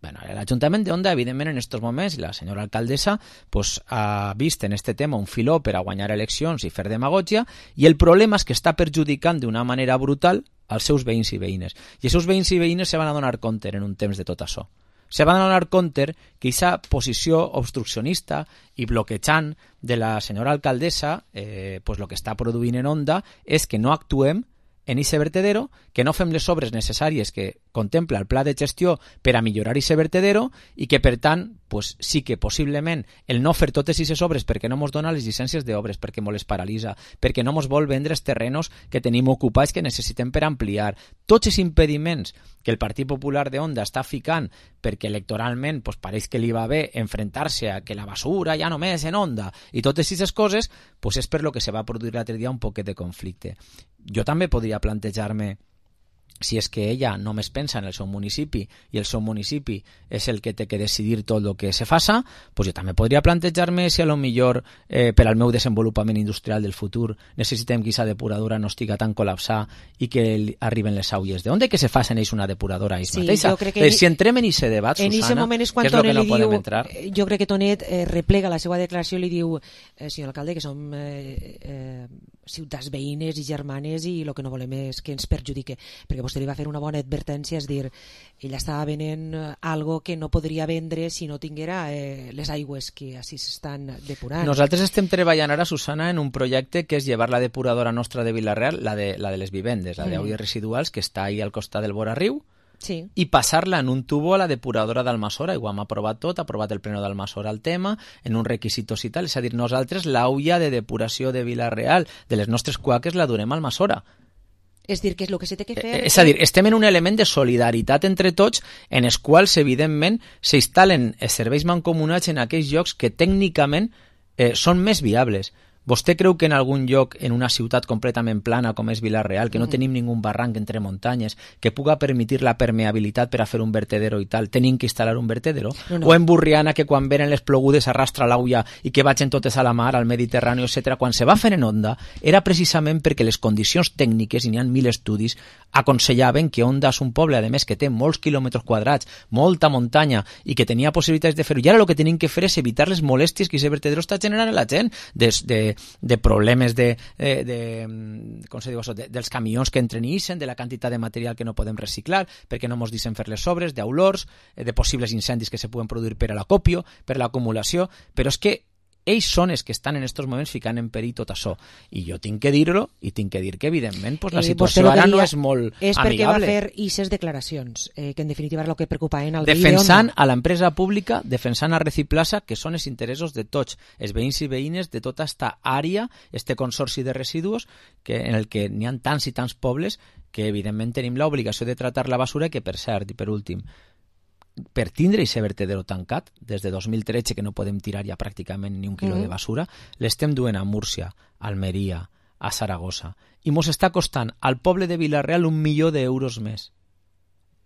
Bueno, l'Ajuntament de Onda, evidentment, en aquests moments, la senyora alcaldessa pues, ha vist en este tema un filó per a guanyar eleccions i fer demagògia, i el problema és que està perjudicant d'una manera brutal als seus veïns i veïnes. I els seus veïns i veïnes se van a donar compte en un temps de tot això. Se van a donar compte que aquesta posició obstruccionista i bloquejant de la senyora alcaldessa, eh, pues, el que està produint en Onda és que no actuem en ese vertedero, que no fem les obres necessàries que contempla el pla de gestió per a millorar ese vertedero i que, per tant, pues, sí que possiblement el no fer totes aquestes obres perquè no mos dona les llicències d'obres, perquè mos les paralitza, perquè no mos vol vendre els terrenos que tenim ocupats que necessitem per ampliar. Tots els impediments que el Partit Popular de Onda està ficant perquè electoralment pues, pareix que li va bé enfrontar-se a que la basura ja només en Onda i totes aquestes coses, pues, és per lo que se va produir l'altre dia un poquet de conflicte. Jo també podria plantejar-me, si és que ella només pensa en el seu municipi i el seu municipi és el que té que decidir tot el que se faça, pues jo també podria plantejar-me si a lo millor eh, per al meu desenvolupament industrial del futur necessitem que aquesta depuradora no estiga tan col·lapsada i que arriben les aulles. De on que se facin ells una depuradora ells
sí,
mateixa? Eh, si entrem en aquest debat,
en
Susana,
moment és
que és el que no
diu,
podem entrar.
Jo crec que Tonet eh, replega la seva declaració i li diu, eh, senyor alcalde, que som eh, eh, ciutats veïnes i germanes i el que no volem és que ens perjudique, perquè vostè li va fer una bona advertència, és dir, ella estava venent algo que no podria vendre si no tinguera eh, les aigües que així s'estan depurant.
Nosaltres estem treballant ara, Susana, en un projecte que és llevar la depuradora nostra de Vila-real, la de, la de les vivendes, la mm. d'olles residuals, que està ahí al costat del Vora-riu,
sí.
i passar-la en un tubo a la depuradora d'Almassora. Igual hem aprovat tot, ha aprovat el pleno d'Almassora el tema, en un requisitos i tal. És a dir, nosaltres l'olla de depuració de Vila-real, de les nostres cuaques, la durem a Almassora.
És dir, que és el que s'ha de fer...
És a dir, estem en un element de solidaritat entre tots, en els quals, evidentment, s'instal·len serveis mancomunats en aquells llocs que tècnicament eh, són més viables. Vostè creu que en algun lloc, en una ciutat completament plana com és Vila-real, que no mm. tenim ningú barranc entre muntanyes, que puga permetir la permeabilitat per a fer un vertedero i tal, tenim que instal·lar un vertedero? No, no. O en Burriana, que quan venen les plogudes arrastra l'aulla i que vagin totes a la mar, al Mediterrani, etcètera. Quan se va fer en Onda, era precisament perquè les condicions tècniques, i n'hi ha mil estudis, aconsellaven que Onda és un poble, a més, que té molts quilòmetres quadrats, molta muntanya, i que tenia possibilitats de fer-ho. I ara el que tenim que fer és evitar les molèsties que aquest vertedero està generant a la gent, des de de problemes de, de, de, com se diu això, de, dels camions que entren i ixen, de la quantitat de material que no podem reciclar, perquè no ens deixen fer les obres, d'olors, de possibles incendis que se poden produir per a l'acopio, per l'acumulació, però és que ells són els que estan en aquests moments ficant en perill tot això. I jo tinc que dir-ho, i tinc que dir que, evidentment, pues, la situació
eh,
ara no és molt
és
amigable.
És perquè va fer aquestes declaracions, eh, que en definitiva és el que preocupa en el
defensant a l'empresa pública, defensant a Reciplaza, que són els interessos de tots, els veïns i veïnes de tota esta àrea, este consorci de residus, que, en el que n'hi ha tants i tants pobles que, evidentment, tenim l'obligació de tratar la basura, que, per cert, i per últim, per tindre aquest vertedero tancat, des de dos mil tretze, que no podem tirar ja pràcticament ni un quilo mm. de basura, l'estem duent a Múrcia, a Almeria, a Saragossa, i mos està costant al poble de Vila-real un milió d'euros més.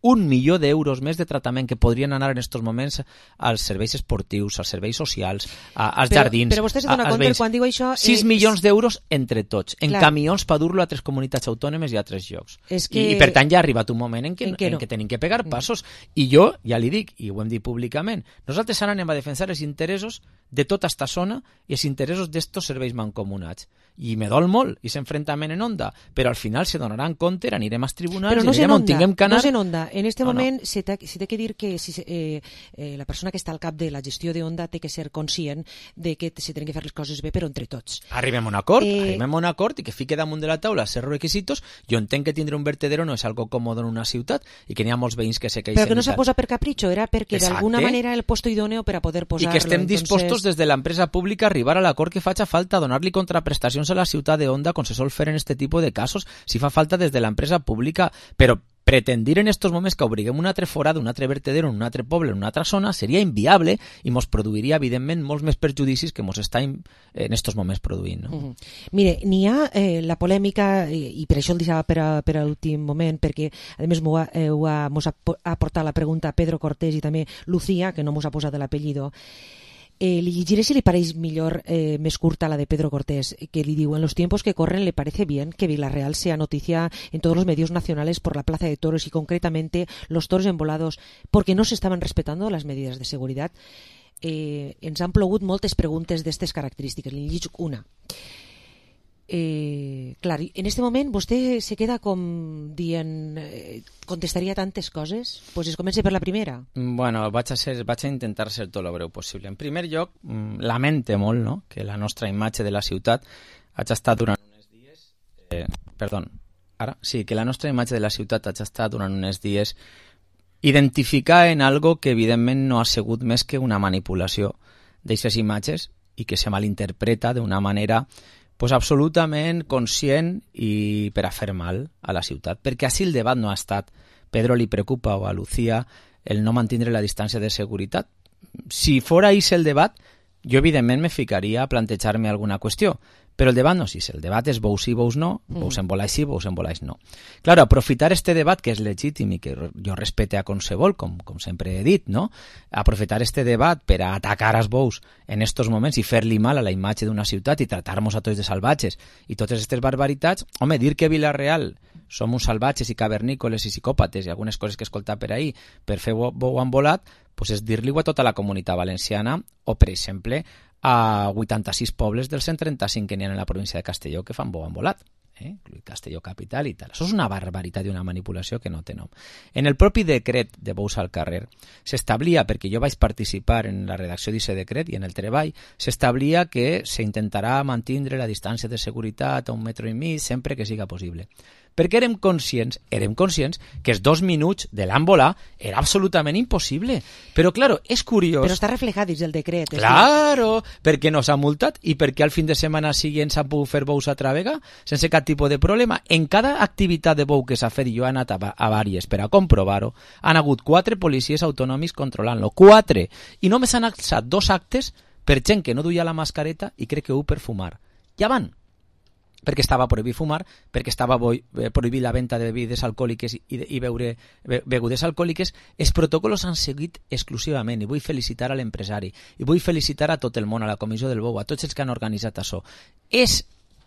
Un milió d'euros més de tractament que podrien anar en aquests moments als serveis esportius, als serveis socials, a, als
però,
jardins.
Però vostè se dona compte quan diu això...
sis milions d'euros entre tots, en
Clar.
camions per dur-lo a tres comunitats autònomes i a tres llocs.
És que...
I, I per tant ja ha arribat un moment en què,
en què,
en
no.
què tenim que pegar passos. I jo, ja li dic, i ho hem dit públicament, nosaltres ara anem a defensar els interessos de tota esta zona i els interessos d'estos serveis mancomunats. I me dol molt, i s'enfrontament en onda, però al final se donaran compte, anirem als tribunals,
no
anirem on tinguem que anar...
No s'enonda. En este
no,
moment
no.
se té, se té que dir que si, eh, eh, la persona que està al cap de la gestió d'Onda té que ser conscient de que se tenen que fer les coses bé, però entre tots.
Arribem a un acord,
eh...
arribem a un acord i que fique damunt de la taula certs requisitos. Jo entenc que tindre un vertedero no és algo còmode en una ciutat i que n'hi ha molts veïns que se queixen.
Però que no s'ha posat per capritxo, era perquè d'alguna manera el puesto idòneo per a poder posar-lo.
I que estem
entonces...
dispostos des de l'empresa pública a arribar a l'acord que faci falta, a donar-li contraprestacions a la ciutat de Onda, com se sol fer en este tipus de casos, si fa falta des de l'empresa pública, però pretendir en estos moments que obriguem un altre forada, un altre vertedero en un altre poble, en una altra zona, seria inviable i mos produiria, evidentment, molts més perjudicis que mos està en estos moments produint. No?
Uh -huh. Mire, n'hi ha eh, la polèmica, i, i per això el deixava per a, per a l'últim moment, perquè, a més, m'ho ha, eh, ho ha, mos ha aportat la pregunta Pedro Cortés i també Lucía, que no mos ha posat l'apellido. Eh, li llegiré si li pareix millor, eh, més curta la de Pedro Cortés, que li diu: en los tiempos que corren le parece bien que Vila-real sea noticia en todos los medios nacionales por la plaza de toros y concretamente los toros embolados porque no se estaban respetando las medidas de seguridad. Eh, ens han plogut moltes preguntes d'aquestes característiques. Li llegeixo una. Eh, clar, en este moment vostè se queda com dient eh, contestaria tantes coses? Pues es comença per la primera.
Bueno, vaig a, ser, vaig a intentar ser tot el breu possible. En primer lloc, lamente molt, no?, que la nostra imatge de la ciutat hagi estat durant uns dies eh, perdó, ara, sí, que la nostra imatge de la ciutat hagi estat durant uns dies identificar en algo que evidentment no ha sigut més que una manipulació d'aquestes imatges i que se malinterpreta d'una manera pues absolutament conscient i per a fer mal a la ciutat, perquè així el debat no ha estat. Pedro li preocupa o a Lucía el no mantindre la distància de seguretat. Si fora així el debat, jo evidentment me ficaria a plantejar-me alguna qüestió, però el debat no és així, el debat és bous sí, bous no, bous embolais sí, bous embolais no. Claro, aprofitar este debat, que és legítim i que jo respecte a qualsevol, com, com sempre he dit, no? Aprofitar este debat per a atacar als bous en estos moments i fer-li mal a la imatge d'una ciutat i tratar-nos a tots de salvatges i totes aquestes barbaritats, home, dir que Vila-real som uns salvatges i cavernícoles i psicòpates i algunes coses que he escoltat per ahir per fer bou embolat, pues és dir-li-ho a tota la comunitat valenciana o, per exemple, a vuitanta-sis pobles dels cent trenta-cinc que n'hi ha en la província de Castelló que fan bou embolat, eh? Castelló capital i tal. Això és una barbaritat i una manipulació que no té nom. En el propi decret de bous al carrer s'establia, perquè jo vaig participar en la redacció d'aquest decret i en el treball, s'establia que s'intentarà mantindre la distància de seguretat a un metro i mig sempre que siga possible. Perquè érem conscients, érem conscients que els dos minuts de l'embolà era absolutament impossible. Però, claro, és curiós...
Però està reflejat dins el decret.
Claro, perquè no s'ha multat i perquè al fin de setmana siguient s'han pogut fer bous a travega sense cap tipus de problema. En cada activitat de bou que s'ha fet, i jo he anat a, a vàries per a comprovar-ho, han hagut quatre policies autonòmics controlant-lo. Quatre! I només han alçat dos actes per gent que no duia la mascareta i crec que ho per fumar. Ja van! Perquè estava prohibit fumar, perquè estava prohibit la venda de begudes alcohòliques i, i beure begudes alcohòliques. Els protocols han seguit exclusivament i vull felicitar a l'empresari i vull felicitar a tot el món, a la Comissió del Bou, a tots els que han organitzat això. És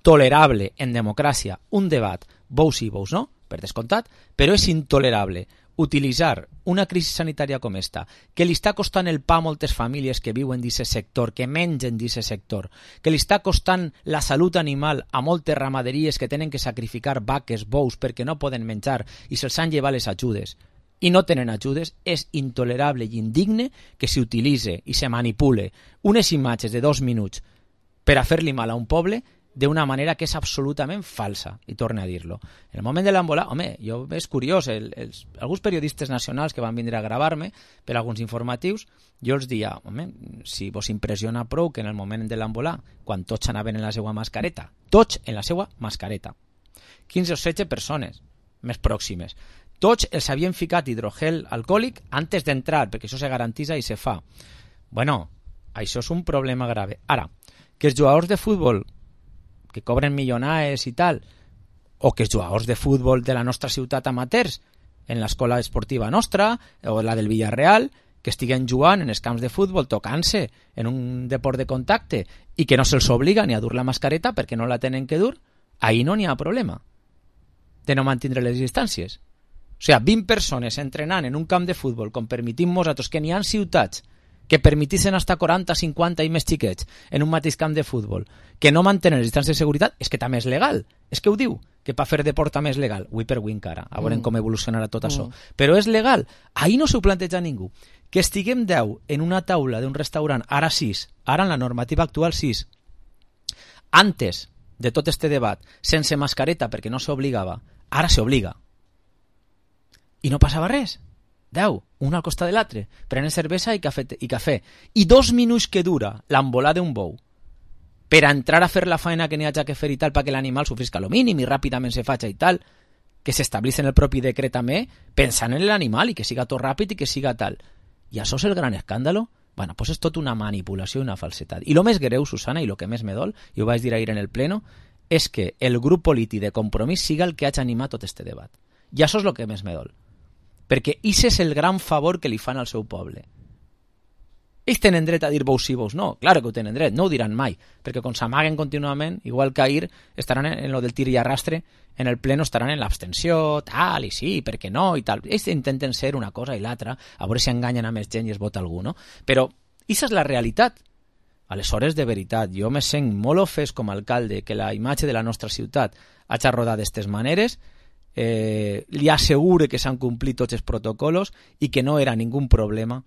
tolerable en democràcia un debat, bous sí, bous no, per descomptat, però és intolerable utilitzar una crisi sanitària com esta, que li està costant el pa a moltes famílies que viuen d'aquest sector, que mengen d'aquest sector, que li està costant la salut animal a moltes ramaderies que tenen que sacrificar vaques, bous, perquè no poden menjar i se'ls han llevat les ajudes. i no tenen ajudes, és intolerable i indigne que s'utilitzi i se manipule unes imatges de dos minuts per a fer-li mal a un poble d'una manera que és absolutament falsa, i torno a dir-lo. En el moment de l'embolada, home, jo és curiós, el, els, alguns periodistes nacionals que van vindre a gravar-me per alguns informatius, jo els dia, home, si vos impressiona prou que en el moment de l'embolada, quan tots anaven en la seva mascareta, tots en la seva mascareta, quinze o setze persones més pròximes, tots els havien ficat hidrogel alcohòlic antes d'entrar, perquè això se garantitza i se fa. Bueno, això és un problema grave. Ara, que els jugadors de futbol que cobren milionades i tal, o que els jugadors de futbol de la nostra ciutat amateurs, en l'escola esportiva nostra, o la del Villarreal, que estiguen jugant en els camps de futbol, tocant-se en un deport de contacte, i que no se'ls obliga ni a dur la mascareta perquè no la tenen que dur, ahí no n'hi ha problema de no mantindre les distàncies. O sigui, vint persones entrenant en un camp de futbol, com permitim nosaltres, que n'hi ha ciutats que permetissin hasta quaranta, cinquanta i més xiquets en un mateix camp de futbol, que no mantenen les distàncies de seguretat, és que també és legal. És que ho diu, que per fer deport també és legal. Ui per ui encara, a veure mm. com evolucionarà tot mm. això. Però és legal. Ahí no s'ho planteja ningú. Que estiguem deu en una taula d'un restaurant, ara sis, ara en la normativa actual sis, antes de tot este debat, sense mascareta perquè no s'obligava, ara s'obliga. I no passava res. Deu, un al costat de l'altre, prenen cervesa i cafè, i cafè. I dos minuts que dura l'embolada d'un bou per a entrar a fer la feina que n'hi hagi que fer i tal, perquè l'animal sofrisca lo mínim i ràpidament se faci i tal, que s'establís en el propi decret també, pensant en l'animal i que siga tot ràpid i que siga tal. I això és el gran escàndalo? Bueno, pues és tot una manipulació i una falsetat. I el més greu, Susana, i el que més me dol, i ho vaig dir ahir en el pleno, és que el grup polític de Compromís siga el que hagi animat tot este debat. I això és el que més me dol. Perquè això és el gran favor que li fan al seu poble. Ells tenen dret a dir vos sí, vos no. Claro que ho tenen dret, no ho diran mai, perquè quan s'amaguen contínuament, igual que ahir, estaran en, en lo del tir i arrastre, en el pleno estaran en l'abstenció, tal, i sí, perquè no, i tal. Ells intenten ser una cosa i l'altra, a veure si enganyen a més gent i es vota algú, no? Però això és la realitat. Aleshores, de veritat, jo me sent molt ofès com a alcalde que la imatge de la nostra ciutat hagi rodat d'estes maneres. Eh, li assegure que s'han complit tots els protocols i que no era ningú problema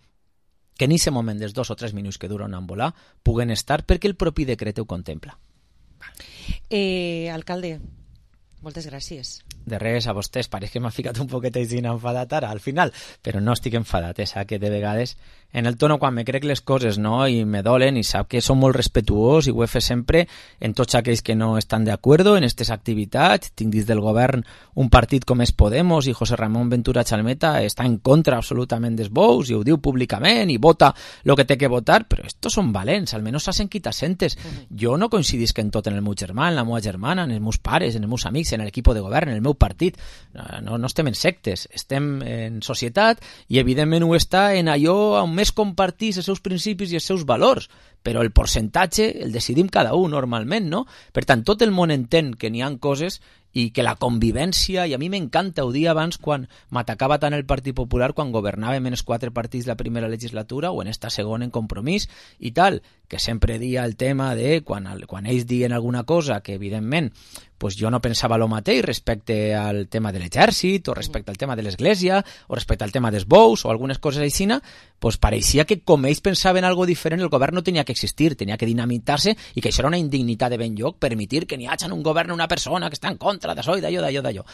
que en aquest moment dels dos o tres minuts que dura un embolà puguen estar perquè el propi decret ho contempla.
Eh, alcalde, moltes gràcies.
De res, a vostès, pareix que m'ha ficat un poquet així enfadat ara, al final, però no estic enfadat, eh? Sap que de vegades en el tono quan me crec les coses, no? I me dolen, i sap que som molt respetuós i ho he fet sempre en tots aquells que no estan d'acord en aquestes activitats. Tinc dins del govern un partit com és Podemos i José Ramón Ventura Chalmeta està en contra absolutament dels bous i ho diu públicament i vota el que té que votar, però estos són valents, almenys s'hacen quitasentes. Uh-huh. Jo no coincidisc en tot en el meu germà, en la meva germana, en els meus pares, en els meus amics, en l'equip de govern, en el meu partit. No, no estem en sectes, estem en societat i evidentment ho està en allò on més compartís els seus principis i els seus valors, però el percentatge el decidim cada un normalment, no? Per tant, tot el món entén que n'hi ha coses i que la convivència, i a mi m'encanta, ho dia abans quan m'atacava tant el Partit Popular quan governàvem en els quatre partits la primera legislatura o en esta segona en Compromís i tal, que sempre dia el tema de quan, quan ells diuen alguna cosa que evidentment pues jo no pensava el mateix respecte al tema de l'exèrcit o respecte al tema de l'església o respecte al tema dels bous o algunes coses així, pues pareixia que com ells pensaven algo diferent el govern no tenia que existir, tenia que dinamitar-se i que això era una indignitat de ben lloc permitir que n'hi hagi en un govern una persona que està en contra d'això i d'allò, d'allò, d'allò.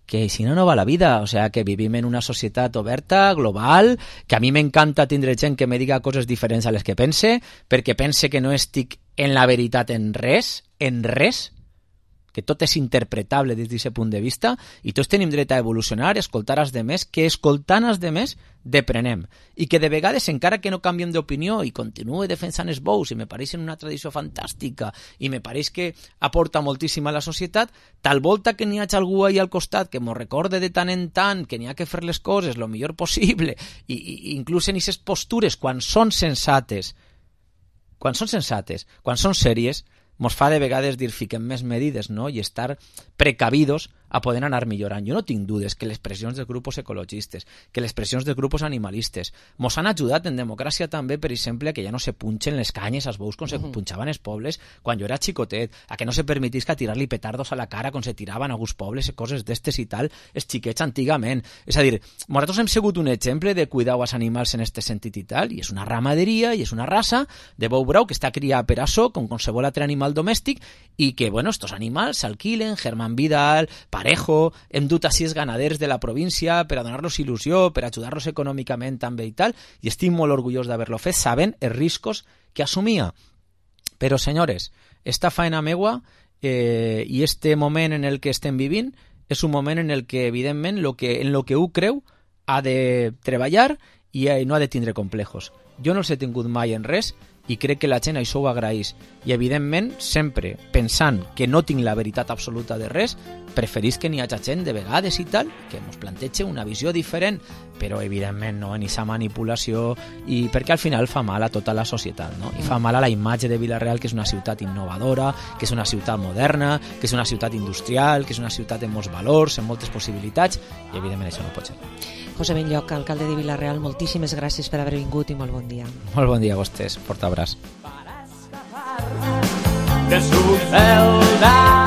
Que si no, no va la vida. O sea, que vivim en una societat oberta, global, que a mi m'encanta tindre gent que me diga coses diferents a les que pense, perquè pense que no estic en la veritat en res, en res, que tot és interpretable des d'aquest punt de vista i tots tenim dret a evolucionar, a escoltar els demés, que escoltant els demés deprenem i que de vegades encara que no canviem d'opinió i continue defensant els bous i me pareix una tradició fantàstica i me pareix que aporta moltíssim a la societat, tal volta que n'hi hagi algú ahí al costat que m'ho recorde de tant en tant que n'hi ha que fer les coses el millor possible i, i inclús en aquestes postures quan són sensates quan són sensates, quan són sèries mos fa de vegades dir fiquem més medides, no? I estar precavidos a poder anar millorant. Jo no tinc dudes que les pressions dels grups ecologistes, que les pressions dels grups animalistes mos han ajudat en democràcia també, per exemple, a que ja no se punxen les canyes als bous com se punxaven els pobles quan jo era xicotet, a que no se permetisca tirar-li petardos a la cara com se tiraven a alguns pobles i coses d'estes i tal, els xiquets antigament. És a dir, nosaltres hem sigut un exemple de cuidar els animals en este sentit i tal, i és una ramaderia i és una raça de bou brau que està criada per açò, com qualsevol altre animal domèstic, i que, bueno, estos animals s'alquilen, Germán Vidal, Parejo, hem dut a sis ganaders de la província per a donar-los il·lusió, per ajudar-los econòmicament també i tal, i estic molt orgullós d'haver-lo fet, sabent els riscos que assumia. Però, senyores, esta faena meua eh, i este moment en el que estem vivint és un moment en el que, evidentment, lo que, en lo que ho creu ha de treballar i no ha de tindre complejos. Jo no els he tingut mai en res i crec que la gent això ho agraeix. I, evidentment, sempre pensant que no tinc la veritat absoluta de res, preferís que n'hi hagi gent de vegades i tal, que ens plantege una visió diferent, però, evidentment, no en aquesta manipulació, i perquè al final fa mal a tota la societat, no? I fa mal a la imatge de Vila-real, que és una ciutat innovadora, que és una ciutat moderna, que és una ciutat industrial, que és una ciutat amb molts valors, amb moltes possibilitats, i, evidentment, això no pot ser.
José Benlloch, alcalde de Vila-real, moltíssimes gràcies per haver vingut i molt bon dia.
Molt bon dia a vostès, fort abraç.
De su celda